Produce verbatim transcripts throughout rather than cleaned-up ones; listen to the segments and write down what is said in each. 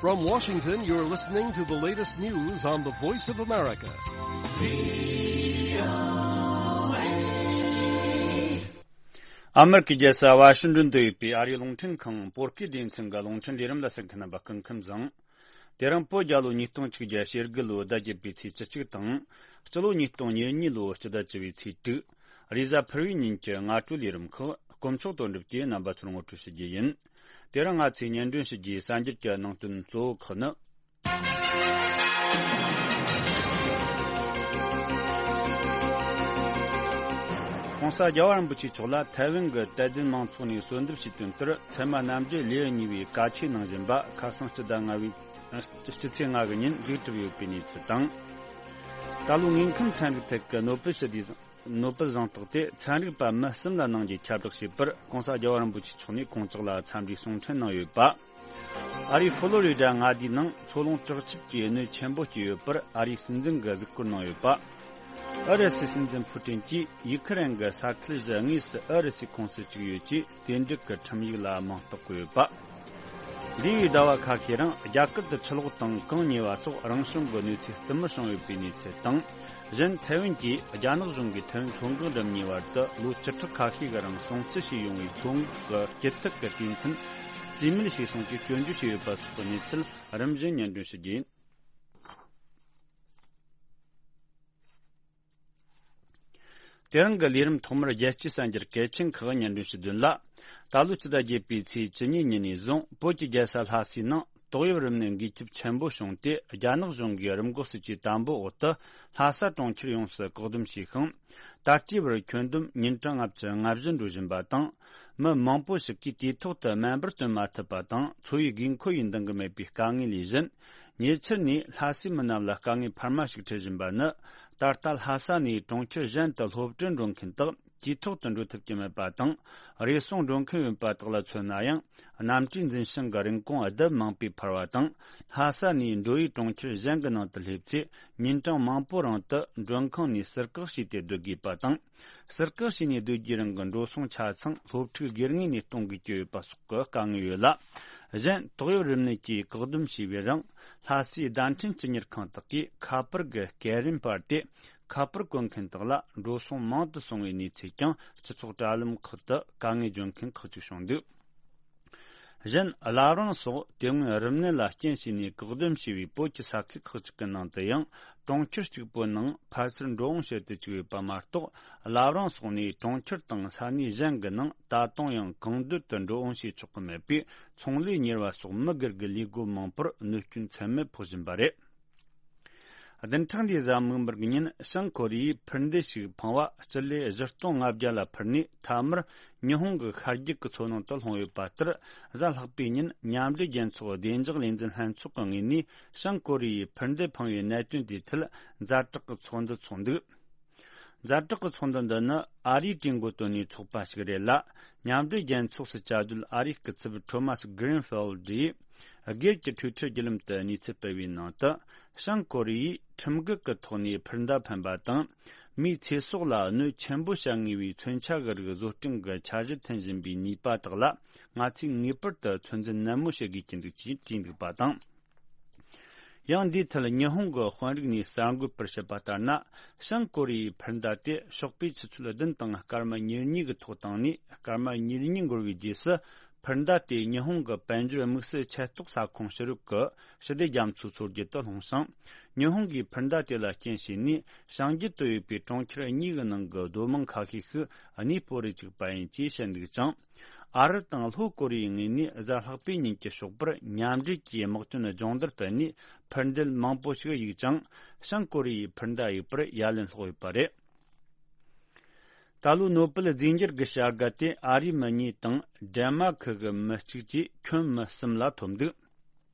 From Washington, you're listening to the latest news on the Voice of America. ཨ་མེ་རི་ཁའི་རྒྱལ་ས་ཝ་ཤིང་ཏོན་དུ་ཡོད་པའི་ཨ་རིའི་རླུང་འཕྲིན་ཁང་བོད་སྐད་སྡེ་ཚན་གྱི་རླུང་འཕྲིན་ལས་རིམ་ལ་གསན་མཁན་རྣམ་པ་སྐུ་ཁམས་བཟང་། དེ་རིང་བོད་རྒྱལ་ལོ་ཉིས་སྟོང་ཆིག་བརྒྱ་ཞེ་དགུ་ལོའི་ཟླ་བརྒྱད་པའི་ཚེས་བཅུ་གཅིག་དང་། སྤྱི་ལོ་ཉིས་སྟོང་ཉེར་གཉིས་ལོའི་སྤྱི་ཟླ་བཅུ་བའི་ཚེས་དྲུག་རེས་གཟའ་ཕུར་བུའི་ཉིན་གྱི་སྔ་དྲོའི་ལས་རིམ་ཁག་དཀོན་མཆོག་དོན་གྲུབ་ཀྱིས་རྣམ་པ་ཚོར་ངོ་སྤྲོད་ཞུ་རྒྱུ་ཡིན། དེ་རིང་ང་ཚོས་སྙན་སྒྲོན་ཞུ་རྒྱུའི་གསར་འགྱུར་གྱི་ནང་དོན་གཙོ་བོ་ཁག་ནི། ྋགོང་ས་རྒྱལ་བ་རིན་པོ་ཆེ་མཆོག་ལ་ཐའེ་ཝན་གྱི་དད་ལྡན་མང་ཚོགས་ནས་གསོལ་འདེབས་ཞུས་དོན་ལྟར། ཚད་མ་རྣམ་འགྲེལ་ལེའུ་གཉིས་པའི་བཀའ་ཆོས་ནང་བཞིན་པ་ཁ་སང་སྤྱི་ཟླ་ལྔ་བའི་སྤྱི་ཚེས་ལྔ་གི་ཉིན་མཇུག་གྲུབ་ཡོད་པའི་གནས་ཚུལ་དང་། ད་ལོའི་དངོས་ཁམས་ཚན་རིག་ཐད་ཀྱི་ནོ་བེལ་ཞི་བདེའི་ནོ་བེལ་གཟེངས་རྟགས་དེ་ཚན་རིག་པ་མི་གསུམ་ལ་གནང་རྒྱུའི་ཁྱབ་བསྒྲགས་བྱས་པར། ྋགོང་ས་རྒྱལ་བ་རིན་པོ་ཆེ་མཆོག་ནས་ཁོང་ཅག་ལ་འཚམས་འདྲིའི་གསུང་འཕྲིན་གནང་ཡོད་པ། ཨ་རིའི་ཧྥོ་ལོ་རི་ཌ་མངའ་སྡེའི་ནང་མཚོ་ལུང་བྲག་ཆུབ་ཀྱིས་གནོད་ཆེན་པོ་བསྐྱལ་ཡོད་པར་ཨ་རིའི་སྲིད་འཛིན་གྱིས་གཟིགས་སྐོར་གནང་ཡོད་པ། ཨུ་རུ་སུའི་སྲིད་འཛིན་ཕུ་ཀྲིན་གྱིས་ཡུ་ཁི་རན་གྱི་ས་ཁུལ་བཞི་དངོས་སུ་ཨུ་རུ་སུའི་ཁོངས་སུ་བཅུག་ཡོད་ཅེས་དེ་འབྲེལ་གྱི་ཁྲིམས་ཡིག་ལ་མིང་རྟགས་བཀོད་ཡོད་པ། འདས་པའི་ཟླ་བ་ཁ་ཤས་རིང་རྒྱ་གར་དུ་ཆུ་ལོག་དང་གངས་ཉེ་བ་སོགས་རང་བྱུང་གི་གནོད་འཚེ་བསྟུད་མར་བྱུང་ཡོད་པའི་གནས་ཚུལ་དང་། གཞན་ཐའེ་ཝན་གྱིས་རྒྱ་ནག་གཞུང་གིས་ཐའེ་ཝན་མཚོ་འགག་འགྲམ་གཉིས་བར་དུ་ལོ་བཅུ་ཕྲག་ཁ་ཤས་ཀྱི་རིང་སྲུང་བརྩི་བྱས་ཡོང་བའི་མཚོ་འགག་གི་སྐྱིད་ཐག་གི་དུས་མཚམས་རྩིས་མེད་བྱས་སོང་ཅེས་སྐྱོན་བརྗོད་བྱས་ཡོད་པ་སོགས་ཀྱི་གནས་ཚུལ་རིམ་བཞིན་སྙན་སྒྲོན་ཞུ་རྒྱུ་ཡིན། དེ་རིང་གི་ལས་རིམ་ཐོག་མར་རྒྱལ་སྤྱིའི་གསར་འགྱུར་གལ་ཆེན་ཁག་སྙན་སྒྲོན་ཞུ་དོན་ལ། ད་ལོའི་སྤྱི་ཟླ་བརྒྱད་པའི་ཚེས་བཅུ་གཉིས་ཉིན་ནས་བཟུང་བོད་ཀྱི་རྒྱལ་ས་ལྷ་སའི་ནང་ཏོག་དབྱིབས་རིམས་ནད་འགོས་ཁྱབ་ཆེན་པོ་བྱུང་སྟེ། རྒྱ་ནག་གཞུང་གིས་རིམས་འགོག་སྲིད་ཇུས་དམ་པོའི་འོག་ཏུ་ལྷ་ས་གྲོང་ཁྱེར་ཡོངས་སུ་བཀག་སྡོམ་བྱས་ཤིང་། ད་ལྟའི་བར་ཁྱོན་བསྡོམས་ཉིན་གྲངས་ལྔ་བཅུ་ང་བཞི་འགྲོ་བཞིན་པ་དང་། མི་མང་པོ་ཞིག་གིས་དུས་ཐོག་ཏུ་སྨན་པར་སྟོན་མ་ཐུབ་པ་དང་འཚོ་བའི་དགོས་མཁོ་ཡི་འདང་གི་མེད་པའི་དཀའ་ངལ་ལས་བཞིན། ཉེ་ཆར་ནས་ལྷ་སའི་མི་རྣམས་ལ་དཀའ་ངལ་འཕར་མ་ཞིག་འཕྲད་བཞིན་པ་ནི། ད་ལྟ་ལྷ་ས་ནས་གྲོང་ཁྱེར་གཞན་དུ་སློབ་གྲྭར་འགྲོ་མཁན་དག་དུས་ཐོག་ཏུ་འགྲོ་ཐུབ་ཀྱི་མེད་པ་དང་། རེ་ཟུང་འགྲོ་མཁན་ཡོད་པ་དག་ལ་མཚོན་ན་ཡང་། གནམ་གྲུའི་འཛིན་བྱང་གི་རིན་གོང་ལྡབ་མང་པོས་འཕར་བ་དང་། ལྷ་ས་ནས་འགྲོ་ཡུལ་གྲོང་ཁྱེར་གཞན་གྱི་ནང་དུ་སླེབས་ཚེ། ཉིན་གྲངས་མང་པོའི་རིང་དུ་མགྲོན་ཁང་ནས་ཟུར་བཀག་བྱས་ཏེ་སྡོད་དགོས་པ་དང་། ཟུར་བཀག་བྱས་ནས་སྡོད་རྒྱུའི་རིང་གི་འགྲོ་སོང་ཆ་ཚང་སློབ་ཕྲུག་སྒེར་ངོས་ནས་གཏོང་དགོས་ཀྱི་ཡོད་པ་སོགས་ཀྱི་དཀའ་ངལ་ཡོད་ལ། གཞན་ཏོག་དབྱིབས་རིམས་ནད་ཀྱིས་བཀག་སྡོམ་བྱས་པའི་རིང་། ལྷ་སའི་བརྡ་འཕྲིན་སྤྱི་གཉེར་ཁང་དག་གིས་ཁ་པར་གྱི་སྐད་རིམ་སྤར་ཏེ། ཁ་པར་བཀོལ་མཁན་དག་ལ་འགྲོ་སོང་མང་དུ་སོང་བའི་གནས་ཚུལ་ཀྱང་སྤྱི་ཚོགས་དྲ་ལམ་ཁག་ཏུ་དཀའ་ངལ་བརྗོད་མཁན་ཁག་ཅིག་བྱུང་འདུག་གཞན། བླ་བྲང་སོགས་དེ་སྔོན་རིམས་ནད་ལ་རྐྱེན་བྱས་ནས་བཀག་སྡོམ་བྱས་པའི་བོད་ཀྱི་ས་ཁུལ་ཁག་ཅིག་གི་ནང་དུ་ཡང་། གྲོང་ཁྱེར་གཅིག་པོའི་ནང་ཕར་ཚུར་འགྲོ་འོང་བྱེད་དུ་བཅུག་ཡོད་པ་མ་གཏོགས། བླ་བྲང་སོགས་ནས་གྲོང་ཁྱེར་དང་ས་གནས་གཞན་གྱི་ནང་ད་དུང་ཡང་གང་འདོད་དུ་འགྲོ་འོང་བྱེད་ཆོག་གི་མེད་པས། ཚོང་ལས་གཉེར་བ་སོགས་མི་སྒེར་གྱི་ལས་སྒོ་མང་པོར་གནོད་སྐྱོན་ཚད་མེད་ཕོག་བཞིན་པ་རེད། བདུན་ཕྲག་འདིའི་གཟའ་མིག་དམར་གྱི་ཉིན། བྱང་ཀོ་རི་ཡས་འཕུར་མདེལ་ཞིག་འཕངས་པ་སྤྱི་ལེ་བཞི་སྟོང་ལྔ་བརྒྱ་ལ་འཕུར་ནས། མཐའ་མར་ཉི་ཧོང་གི་ཤར་རྒྱུད་ཀྱི་མཚོ་ནང་དུ་ལྷུང་ཡོད་པ་ལྟར། གཟའ་ལྷག་པའི་ཉིན་མཉམ་འབྲེལ་རྒྱལ་ཚོགས་བདེ་འཇགས་ལས་འཛིན་ལྷན་ཚོགས་ཀྱི་ངོས་ནས། བྱང་ཀོ་རི་ཡས་འཕུར་མདེལ་འཕངས་པའི་གནད་དོན་དེའི་ཐད་ཛ་དྲག་གི་ཚོགས་འདུ་ཚོགས་འདུག་ཛ་དྲག་གི་ཚོགས་འདུ་འདི་ནི་ཨ་རིའི་གྲོས་འགོ་བཏོན་ནས་ཚོགས་པ་ཞིག་རེད་ལ། མཉམ་འབྲེལ་རྒྱལ་ཚོགས་སུ་བཅའ་སྡོད་ཨ་རིའི་སྐུ་ཚབ་ཁྲོ་མཱ་སི་གྷི་རིན་ཕིལ་ཌི་ཡིས་སྒེར་གྱི་ཊུའི་ཊར་བརྒྱུད་ལམ་དུ་གནས་ཚུལ་སྤེལ་བའི་ནང་དུ། བྱང་ཀོ་རི་ཡས་ཁྲིམས་འགལ་གྱི་ཐོག་ནས་འཕུར་མདའ་འཕེན་པ་དང་། མིའི་ཚེ་སྲོག་ལ་གནོད་ཆེན་པོ་བྱ་ངེས་པའི་མཚོན་ཆ་གི་རིགས་བཟོ་སྐྲུན་གྱི་འཆར་གཞི་འཐེན་བཞིན་པའི་ནུས་པ་དག་ལ། ང་ཚོས་ངེས་པར་དུ་ཚོད་འཛིན་ནན་མོ་བྱེད་དགོས་ཀྱི་འདུག་ཅེས་བྲིས་འདུག་པ་དང་། ཡང་འདིའི་ཐད་ཉི་ཧོང་གི་དཔོན་རིགས་ནས་གསར་འགོད་པར་བཤད་པ་ལྟར་ན། བྱང་ཀོ་རི་ཡའི་འཕུར་མདའ་དེ་ཤོག་པའི་ཆུ་ཚོད་བདུན་དང་སྐར་མ་ཉེར་གཉིས་ཀྱི་ཐོག་བཏང་ནས། སྐར་མ་ཉེར་གཉིས་འགོར་བའི་རྗེས་སུ། འཕུར་མདའ་དེ་ཉི་ཧོང་གི་དཔལ་འབྱོར་དམིགས་བསལ་ཆེ་གཏོགས་ས་ཁོངས་ཕྱི་རོལ་གྱི་ཞི་བདེ་རྒྱ་མཚོའི་མཚོ་རྒྱུད་དུ་ལྷུང་ཞིང་། ཉི་ཧོང་གིས་འཕུར་མདའ་དེ་ལ་རྐྱེན་བྱས་ནས། བྱང་རྒྱུད་དུ་ཡོད་པའི་གྲོང་ཁྱེར་གཉིས་ཀྱི་ནང་གི་སྡོད་དམངས་ཁ་ཤས་ཤིག་གནས་སྤོ་རུ་བཅུག་པ་ཡིན་ཅེས་བཤད་འདུག་ཅིང་། ཨ་རི་དང་ལྷོ་ཀོ་རི་ཡའི་ངོས་ནས་གཟའ་ལྷག་པའི་ཉིན་གྱི་ཞོགས་པར་མཉམ་འབྲེལ་གྱིས་དམག་དོན་སྦྱོང་བརྡར་སྤེལ་ནས། འཕུར་མདེལ་མང་པོ་ཞིག་གཡུགས་ཀྱང་། བྱང་ཀོ་རི་ཡའི་འཕུར་མདའ་གཡུག་པར་ཡ་ལན་སློག་ཡོད་པ་རེད། ད་ལོའི་ནོ་བེལ་རྫས་འགྱུར་གྱི་བྱ་དགའ་དེ་ཨ་རིའི་མི་གཉིས་དང་། ཌེན་མཱར་ཁི་གི་མི་གཅིག་བཅས་ཁྱོན་མི་གསུམ་ལ་ཐོབ་འདུག་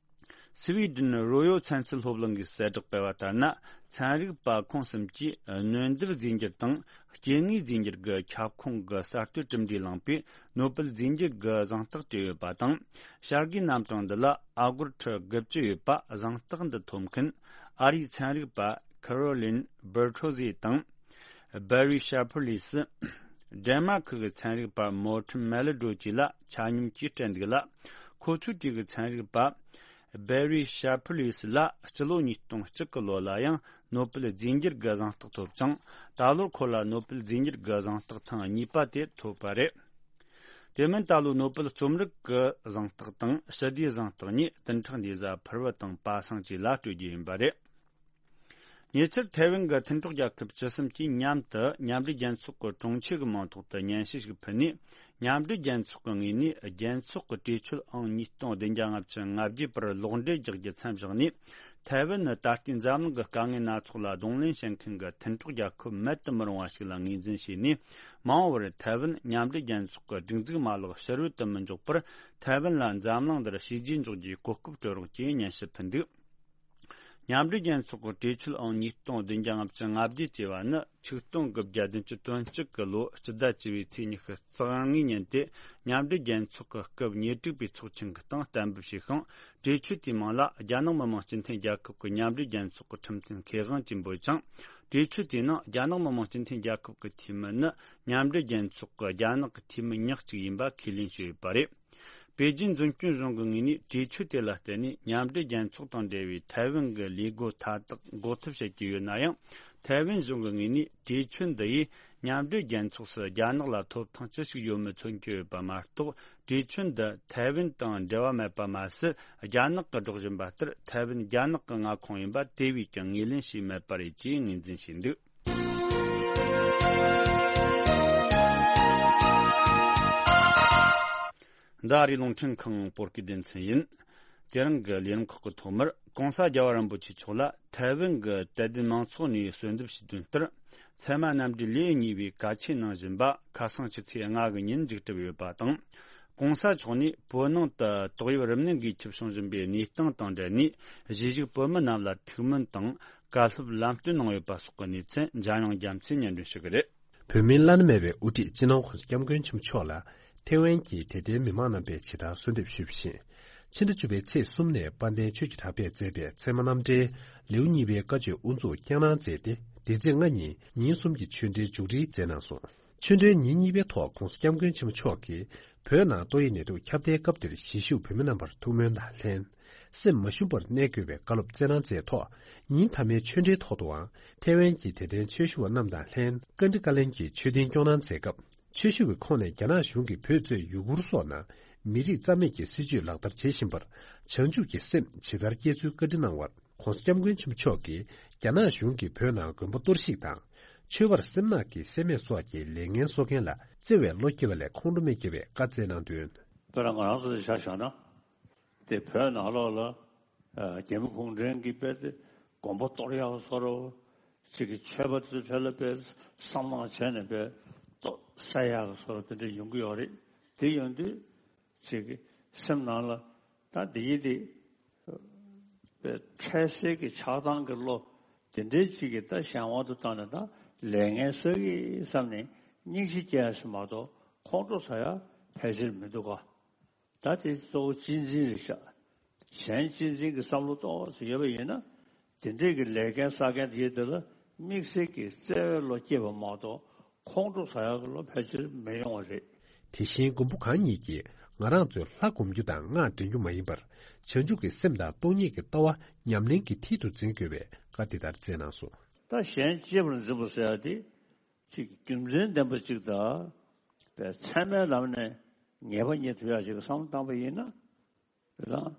སི་ཝི་ཌེན་རོ་ཡོལ་ཚན་རྩལ་སློབ་གླིང་གིས་གསལ་བསྒྲགས་སྤེལ་བ་ལྟར་ན། ཚན་རིག་པ་ཁོང་གསུམ་གྱིས་སྣོན་ལྡེབ་རྫས་འགྱུར་དང་སྐྱེ་དངོས་རྫས་འགྱུར་གྱི་ཁྱབ་ཁོངས་ཀྱི་གསར་གཏོད་གྲུབ་འབྲས་བླངས་པའི་ནོ་བེལ་རྫས་འགྱུར་གྱི་གཟེངས་རྟགས་སྤྲད་ཡོད་པ་དང་། བྱ་དགའི་རྣམ་གྲངས་འདི་ལ་ཨ་སྒོར་ཁྲི་དགུ་བཅུ་ཡོད་པ། གཟེངས་རྟགས་འདི་ཐོབ་མཁན་ཨ་རིའི་ཚན་རིག་པ་ཁེ་རོ་ལིན་བེར་ཐོ་ཟེ་དང་། བེ་རི་ཤར་ཕར་ལིས། ཌེན་མཱར་ཁི་གི་ཚན་རིག་པ་མོར་ཊན་མེ་ལི་ཌོ་བཅས་ལ་ཆ་སྙོམས་ཀྱིས་སྤྲད་འདུག་ལ། ཁོ་ཚོའི་གྲས་ཀྱི་ཚན་རིག་པ་ སྦེ་རི་ཤ་ཕུ་ལིས་ལ་སྤྱི་ལོ་ཉིས་སྟོང་གཅིག་གི་ལོ་ལ་ཡང་ནོ་པེལ་རྫས་འགྱུར་གྱི་གཟེངས་རྟགས་ཐོབ་ཅིང་། ད་ལོར་ཁོ་ལ་ནོ་པེལ་རྫས་འགྱུར་གྱི་གཟེངས་རྟགས་ཐེངས་གཉིས་པ་དེ་ཐོབ་པ་རེད། དེ་མིན་ད་ལོ་ནོ་པེལ་རྩོམ་རིག་གི་གཟེངས་རྟགས་དང་ཞི་བདེའི་གཟེངས་རྟགས་གཉིས་བདུན་ཕྲག་འདིའི་གཟའ་ཕུར་བུ་དང་པ་སངས་བཅས་ལ་སྤྲོད་རྒྱུ་ཡིན་པ་རེད། ཉེ་ཆར་ཐའེ་ཝན་གྱི་མཐུན་གྲོགས་རྒྱལ་ཁབ་བཅུ་གསུམ་གྱིས་མཉམ་དུ་མཉམ་འབྲེལ་རྒྱལ་ཚོགས་ཀྱི་གྲོང་ཁྱེར་གྱི་མིང་ཐོག་ཏུ་སྙན་ཞུ་ཞིག་ཕུལ་ནས། མཉམ་འབྲེལ་རྒྱལ་ཚོགས་ཀྱི་ངོས་ནས་རྒྱལ་ཚོགས་ཀྱི་གྲོས་ཆོད་ཨང་ཉིས་སྟོང་བདུན་བརྒྱ་ལྔ་བཅུ་ང་བརྒྱད་པར་ལོག་འགྲེལ་རྒྱག་རྒྱུ་མཚམས་བཞག་ནས། ཐའེ་ཝན་ནི་ད་ལྟའི་འཛམ་གླིང་གི་དཀའ་ངལ་སྣ་ཚོགས་ལ་གདོང་ལེན་བྱེད་མཁན་གྱི་མཐུན་གྲོགས་རྒྱལ་ཁབ་མེད་དུ་མི་རུང་བ་ཞིག་ལ་ངོས་འཛིན་བྱས་ནས། མ་འོངས་པར་ཐའེ་ཝན་མཉམ་འབྲེལ་རྒྱལ་ཚོགས་ཀྱི་སྒྲིག་འཛུགས་མ་ལག་ཕྱི་རོལ་དུ་མི་འཇོག་པར། ཐའེ་ཝན་ལ་འཛམ་གླིང་འདིར་བྱས་རྗེས་འཇོག་རྒྱུའི་གོ་སྐབས་སྤྲོད་རོགས་ཅེས་སྙན་ཞུ་ཕུལ་འདུག། མཉམ་འབྲེལ་རྒྱལ་ཚོགས་ཀྱི་གྲོས་ཆོད་ཨང་ཉིས་སྟོང་བདུན་བརྒྱ་ལྔ་བཅུ་ང་བརྒྱད་ཅེས་པ་ནི་ཆིག་སྟོང་དགུ་བརྒྱ་བདུན་ཅུ་དོན་གཅིག་གི་ལོ་སྤྱི་ཟླ་བཅུ་པའི་ཚེས་ཉི་ཤུ་རྩ་ལྔའི་ཉིན་ཏེ། མཉམ་འབྲེལ་རྒྱལ་ཚོགས་ཀྱི་སྐབས་ཉེར་དྲུག་པའི་ཚོགས་ཆེན་གྱི་སྟེང་གཏན་འབེབས་བྱས་ཤིང་། གྲོས་ཆོད་དེའི་མིང་ལ་རྒྱ་ནག་མི་དམངས་སྤྱི་མཐུན་རྒྱལ་ཁབ་ཀྱི་མཉམ་འབྲེལ་རྒྱལ་ཚོགས་ཀྱི་ཁྲིམས་མཐུན་ཁེ་དབང་ཅེས་འབོད་ཅིང་། གྲོས་ཆོད་དེའི་ནང་རྒྱ་ནག་མི་དམངས་སྤྱི་མཐུན་རྒྱལ་ཁབ་ཀྱི་འཐུས་མི་ནི་མཉམ་འབྲེལ་རྒྱལ་ཚོགས་ཀྱི་རྒྱ་ནག་གི་འཐུས་མི་ཉག་གཅིག་ཡིན་པ་ཁས་ལེན་བྱས་ཡོད་པ་རེད། པེ་ཅིན་འཛིན་སྐྱོང་གཞུང་གི་ངོས་ནས་གྲོས་ཆོད་དེ་ལ་བརྟེན་ནས་མཉམ་འབྲེལ་རྒྱལ་ཚོགས་དང་འབྲེལ་བའི་ཐའེ་ཝན་གྱི་ལས་སྒོ་མཐའ་དག་འགོ་ཐབས་བྱེད་ཀྱི་ཡོད་ན་ཡང་། ཐའེ་ཝན་གཞུང་གི་ངོས་ནས་གྲོས་ཆོད་འདི་ཡིས་མཉམ་འབྲེལ་རྒྱལ་ཚོགས་སུ་རྒྱ་ནག་ལ་ཐོབ་ཐང་ཅི་ཞིག་ཡོད་མེད་མཚོན་གྱི་ཡོད་པ་མ་གཏོགས། གྲོས་ཆོད་འདི་ཐའེ་ཝན་དང་འབྲེལ་བ་མེད་པ་མ་ཟད། རྒྱ་ནག་གིས་སྒྲོག་བཞིན་པ་ལྟར་ཐའེ་ཝན་རྒྱ་ནག་གི་མངའ་ཁོངས་ཡིན་པ་དེ་བས་ཀྱང་ངོས་ལེན་བྱས་མེད་པ་རེད་ཅེས་ངོས་འཛིན་བྱས་འདུག། འདི་ཨ་རིའི་རླུང་འཕྲིན་ཁང་བོད་སྐད་སྡེ་ཚན་ཡིན། དེ་རིང་གི་ལས་རིམ་ཁག་གི་ཐོག་མར་༸གོང་ས་རྒྱལ་བ་རིན་པོ་ཆེ་མཆོག་ལ་ཐའེ་ཝན་གྱི་དད་ལྡན་མང་ཚོགས་ནས་གསོལ་འདེབས་ཞུས་དོན་ལྟར། ཚད་མ་རྣམ་འགྲེལ་ལེའུ་གཉིས་པའི་གལ་ཆེན་གནང་བཞིན་པ་ཁ་སང་ཕྱི་ཚེས་ལྔ་གི་ཉིན་མཇུག་གྲུབ་ཡོད་པ་དང་། ༸གོང་ས་མཆོག་ནས་བོད་ནང་དུ་ཏོག་དབྱིབས་རིམས་ནད་འགོས་ཁྱབ་བྱུང་བཞིན་པའི་གནས་སྟངས་དང་འབྲེལ་ནས། གཞིས་བཞུགས་བོད་མི་རྣམས་ལ་ཐུགས་སྨོན་དང་། བཀའ་སློབ་ལམ་སྟོན་གནང་ཡོད་པ་སོགས་ཀྱི་གནས་ཚུལ་འཇམ་དབྱངས་རྒྱ་མཚོས་སྙན་སྒྲོན་ཞུ་གི་རེད། བོད་མིའི་བླ་ན་མེད་པའི་དབུ་ཁྲིད་སྤྱི་ནོར་༸གོང་ས་༸སྐྱབས་མགོན་ཆེན་པོ་མཆོག་ལ་ཐེ་ཝན་གྱི་དད་ལྡན་མི་མང་རྣམ་པས་ཇི་ལྟར་གསོལ་འདེབས་ཞུས་པ་བཞིན། ཕྱི་ཟླ་བཅུ་པའི་ཚེས་གསུམ་ནས་དཔལ་ལྡན་ཆོས་ཀྱི་གྲགས་པས་མཛད་པའི་ཚད་མ་རྣམ་འགྲེལ་ལེའུ་གཉིས་པའི་བཀའ་ཆོས་དབུ་འཛུགས་བསྐྱངས་གནང་མཛད་དེ། འདི་ཚེས་ལྔ་ཉིན་ཉིན་གསུམ་གྱི་ཆོས་འབྲེལ་མཇུག་སྒྲིལ་མཛད་གནང་སོང་། ཆོས་འབྲེལ་ཉིན་གཉིས་པའི་ཐོག་༸གོང་ས་༸སྐྱབས་མགོན་ཆེན་པོ་མཆོག་གིས་བོད་ནང་ཏོག་དབྱིབས་ནད་དུག་ཁྱབ་གདལ་སྐབས་དེར་གཞིས་བཞུགས་བོད་མི་རྣམ་པར་ཐུགས་སྨོན་དང་ལྷན། སེམས་མ་ཞུམ་པར་གནས་དགོས་པའི་བཀའ་སློབ་སྩལ་གནང་མཛད་ཐོག་ཉིན་མཐའ་མའི་ཆོས་འབྲེལ་ཐོག་ཏུའང་ཐེ་ཝན་གྱི་དད་ལྡན་ཆོས་ཞུ་བ་རྣམས་དང་ལྷན་བཀའ་འདྲི་བཀའ་ལན་གྱི་ཆོས་ཐུན་སྐྱོང་གནང་མཛད་སྐབས། ཆོས་ཞུ་བའི་ཁོངས་ནས་རྒྱ་ནག་གཞུང་གིས་བོད་གཙོས་ཡུ་གུར་སོགས་ནང་མི་རིགས་རྩ་མེད་ཀྱི་སྲིད་བྱུས་ལག་བསྟར་བྱེད་བཞིན་པར་བྱང་ཆུབ་ཀྱི་སེམས་ཇི་ལྟར་བསྐྱེད་ཚུལ་བཀའ་འདྲི་གནང་བར། ༸གོང་ས་༸སྐྱབས་མགོན་ཆེན་པོ་མཆོག་གིས་རྒྱ་ནག་གཞུང་གིས་བོད་ནང་དགོན་པ་གཏོར་བཤིག་དང་། ཆོས་པར་སེམས་ནག་གིས་སེལ་མེད་སོགས་ཀྱི་ལས་ངན་གསོག་མཁན་ལ་བརྩེ་བའི་བློ་སྐྱེ་བ་ལས་ཁོང་ཁྲོ་མི་སྐྱེ་བའི་བཀའ་སྩལ་གནང་དོན། དཔེར་ན་ང་རང་ཚོ་ཆ་བཞག་ན། དེ་བོད་ནང་ལོགས་ལ་རྒྱ་མི་གུང་ཁྲན་གྱིས་དཔེ་དེ་དགོན་པ་གཏོར་ཡག་བཟོ་འདྲ། གཅིག་གི་ཆོས་པ་ཚོའི་གྲས་ལ་དཔེ་བསམ་བློ་བྱས་ནས་དཔེ་གཏོར་བསད་ཡག་བཟོ་འདྲ་དེ་འདྲ་ཡོང་གི་ཡོད་རེད། དེ་ཡོང་དུས་གཅིག་གི་སེམས་ནང་ལ་ད་འདི་ཡིན་དེ། པའི་འཕྲལ་སེལ་གྱི་ཆགས་སྡང་གི་བློ་དེ་འདྲའི་གཅིག་གིས་ད་གཞན་དབང་དུ་བཏང་ནས་ད་ལས་ངན་བསགས་ཀྱི་བསམ་ནས་སྙིང་རྗེ་སྐྱེ་ཡ་ཞིག་མ་གཏོགས་ཁོང་ཁྲོ་ཟ་ཡ་ཕལ་ཆེར་མི་འདུག་ག་ད་དེ་གཙོ་བོ་གཅེས་འཛིན་རེད་ཤག་གཞན་གཅེས་འཛིན་གྱི་བསམ་བློ་ཏོག་ཙམ་ཡོད་པ་ཡིན་ན། དེ་འདྲས་ཀྱི་ལས་འགན་བསགས་མཁན་དེ་དེ་ལ་དམིགས་བསལ་གྱི་བརྩེ་བའི་བློ་སྐྱེས་པ་མ་གཏོགས་ཁོང་ཁྲོ་ཟ་ཡ་གི་བློ་ཕལ་ཆེར་མི་ཡོང་བ་རེད། དེ་བཞིན་མགོན་པོ་གང་ཉིད་ཀྱིས་ང་རང་ཚོས་ལྷ་སྒོམ་རྒྱུ་དང་སྔགས་འདྲེན་རྒྱུ་མ་ཡིན་པར། བྱང་ཆུབ་ཀྱི་སེམས་དང་སྟོང་ཉིད་ཀྱི་ལྟ་བ་ཉམས་ལེན་གྱི་མཐིལ་དུ་འཛིན་དགོས་པའི་བཀའ་འདི་ལྟར་སྩལ་གནང་སོང་། ད་གཞན་གཅེས་པར་འཛིན་པ་ཟེར་ཡ་དེ་གཅིག་རྒྱུ་མཚན་ལྡན་པ་གཅིག་དང་། པའི་ཚད་མའི་ལམ་ནས་ངེས་པ་རྙེད་ཐུབ་ཡ་ཞིག་བསམ་བློ་བཏང་པ་ཡིན་ན། དེ་དང་།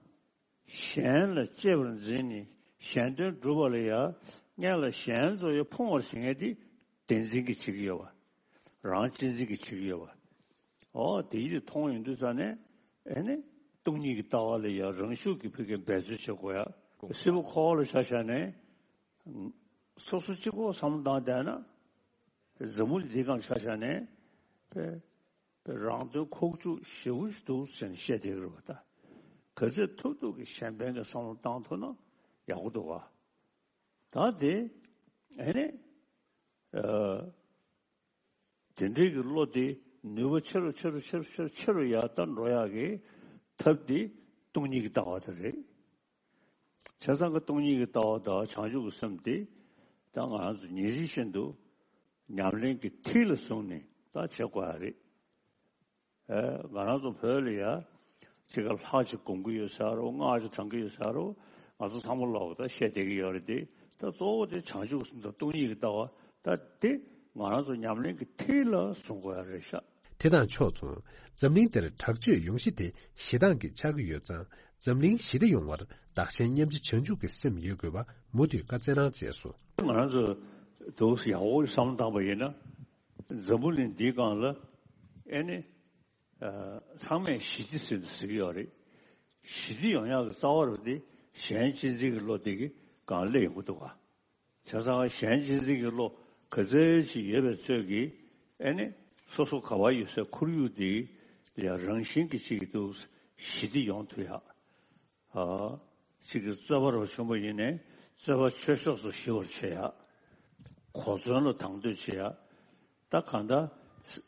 གཞན་ལ་གཅེས་པར་འཛིན་ནས་གཞན་དོན་སྒྲུབ་པ་ལ་ཡང་སྔོན་ལ་གཞན་ཚོ་ཡང་ཕུང་བར་བྱེད་མཁན་དེ་བདེན་འཛིན་གྱིས་བྱེད་ཀྱི་ཡོད་པ། རང་གཅེས་འཛིན་གྱིས་བྱེད་ཀྱི་ཡོད་པ། ཨོ་དེ་ཡིད་མཐོང་ཡོང་དུས་ཙ་ནས་ཨེ་ནི་སྟོང་ཉིད་ཀྱི་ལྟ་བ་ལ་ཡང་རང་ཤུགས་ཀྱིས་ཕ་གིར་འབད་རྩོལ་བྱེད་དགོས་ཡ། སྲིད་པ་འཁོར་བ་ལ་ཆ་བཞག་ནས་སོ་སོ་གཅིག་པོ་བསམ་བློ་བཏང་བསྡད་ན། འཛམ་བུ་གླིང་འདིའི་སྒང་ཆ་བཞག་ནས་པའི། རང་དོན་ཁོག་བཅུག་ཞེ་པོ་ཞིག་འདུག་ཟེར་ནས་བཤད་བསྡད་ཀྱི་རེད་པ་ད། ག་ཚོད་ཐུབ་ཐུབ་ཀྱིས་གཞན་ཕན་གྱི་བསམ་བློ་བཏང་ཐུབ་ན་ཡག་པོ་འདུག་ག་ད་དེ་ཨེ་ནས་ཨ། དེ་འདྲའི་གི་བློ་དེ་ནུས་པ་ཆེ་རུ་ཆེ་རུ་ཆེ་རུ་ཆེ་རུ་ཆེ་རུ་ཡར་ལྟ་འགྲོ་ཡག་གི་ཐབས་དེ་སྟོང་ཉིད་ཀྱི་ལྟ་བ་དེ་རེད། བྱས་ཙང་གི་སྟོང་ཉིད་ཀྱི་ལྟ་བ་དང་བྱང་ཆུབ་ཀྱི་སེམས་དེ་ད་ང་རང་ཚོ་ཉིན་རེ་བཞིན་དུ་ཉམས་ལེན་གྱི་མཐིལ་ལ་བཟུང་ནས་ད་བྱེད་དགོས་ཡ་རེད། ཨེ་ང་རང་ཚོ་བོད་ལ་ཡ་ ཅིག་ག་ལྷག་ཅིག་སྒོམ་གྱི་ཡོད་ཟེར་རོ། སྔགས་ཅིག་བགྲང་གི་ཡོད་ཟེར་རོ། ང་ཚོ་ཚང་མ་ལོག་ད་བཤད་བསྡད་ཀྱི་ཡོད་རེད་དེ། ད་གཙོ་བོ་དེ་བྱང་ཆུབ་སེམས་དང་སྟོང་ཉིད་ཀྱི་ལྟ་བ། ད་དེ་ང་རང་ཚོ་ཉམས་ལེན་གྱི་མཐིལ་ལ་བཟུང་དགོས་ཡ་རེད་ཤག་དེ་དང་ཕྱོགས་མཚུངས། འཛམ་གླིང་འདིར་དྲག་སྤྱོད་ཡོང་གཞི་དེ་ཞེ་སྡང་གིས་ཆགས་ཀྱི་ཡོད་ཙང་། འཛམ་གླིང་ཞི་བདེ་ཡོང་བར་བདག་གཞན་མཉམ་བརྗེ་བྱང་ཆུབ་ཀྱི་སེམས་ཡོད་དགོས་པ་མུ་མཐུད་བཀའ་སྩལ་གནང་མཛད་སོང་། ང་རང་ཚོ་འདུག་ཡག་པོ་བསམ་བློ་བཏང་པ་ཡིན་ན། འཛམ་བུ་གླིང་འདིའི་སྒང་ལ་ཨེ་ནི། ཚང་མས་ཞི་བདེ་ཟེར་ནས་ཟེར་གྱི་ཡོད་རེད། ཞི་བདེ་ཡོང་ཡག་གི་རྩ་བ་རུ་དེ་གཞན་གཅེས་འཛིན་གྱི་བློ་དེ་གི་སྒང་སླེབས་ཡོང་གི་འདུག་ག་བྱས་ཙང་གཞན་གཅེས་འཛིན་གྱི་བློ་ག་ཚོད་ཅིག་ཡོད་པའི་ཚོད་ཀྱིས་ཨེ་ནི་སོ་སོ་ག་བ་ཡོད་སའི་ཁོར་ཡུག་དེ་ལ་རང་བཞིན་གྱིས་ཅིག་གི་འདུག་ཞི་བདེ་ཡོང་ཐུབ་ཡག་ཨ། གཅིག་གི་རྩོད་པ་རོ་ཆུང་པོ་ཡིན་ནའི་རྩོད་པ་ཆོས་ཕྱོགས་སུ་ཞི་བར་བྱེད་ཡ། གོ་མཚོན་ལ་དང་དོད་བྱེད་ཡ། ད་གང་ལྟར་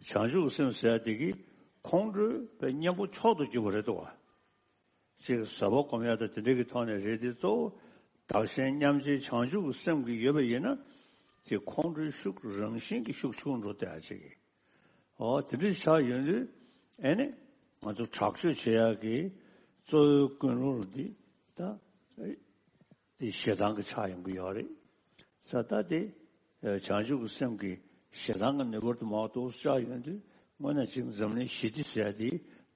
བྱང་ཆུབ་སེམས་ཟེར་ཡ་དེ་གིས་ཁོང་ཁྲོའི་གཉེན་པོ་མཆོག་ཏུ་གྱུར་པ་རེད་འདུག་བ། གཅིག་གི་བཟོད་པ་སྒོམ་ཡ་དང་དེ་འདྲ་གི་ཐོག་ནས་རེད་དེ། གཙོ་བོ་བདག་གཞན་མཉམ་བརྗེའི་བྱང་ཆུབ་ཀྱི་སེམས་ཀྱི་ཡོད་པ་ཡིན་ན། དེ་ཁོང་ཁྲོའི་ཤུགས་རང་བཞིན་གྱིས་ཤུགས་ཆུང་འགྲོ་བསྡད་ཡ་ཅིག་གི་འོ་དེ་འདྲ་ཆགས་ཡོང་དུས་ཨེ་ནི་ང་ཚོ་དྲག་སྤྱོད་བྱེད་ཡག་གི་གཙོ་བོའི་ཀུན་སློང་འདི་ད་དེ་ཞེ་སྡང་གི་ཆགས་ཡོང་གི་ཡོད་རེད། ས་ད་དེ་བྱང་ཆུབ་ཀྱི་སེམས་ཀྱི་ཞེ་སྡང་གི་ནུས་པར་དུ་མ་གཏོགས་ཆགས་ཡོང་དུས་དངོས་གནས་ཅིག་འཛམ་གླིང་ཞི་བདེ་ཟེར་དེ་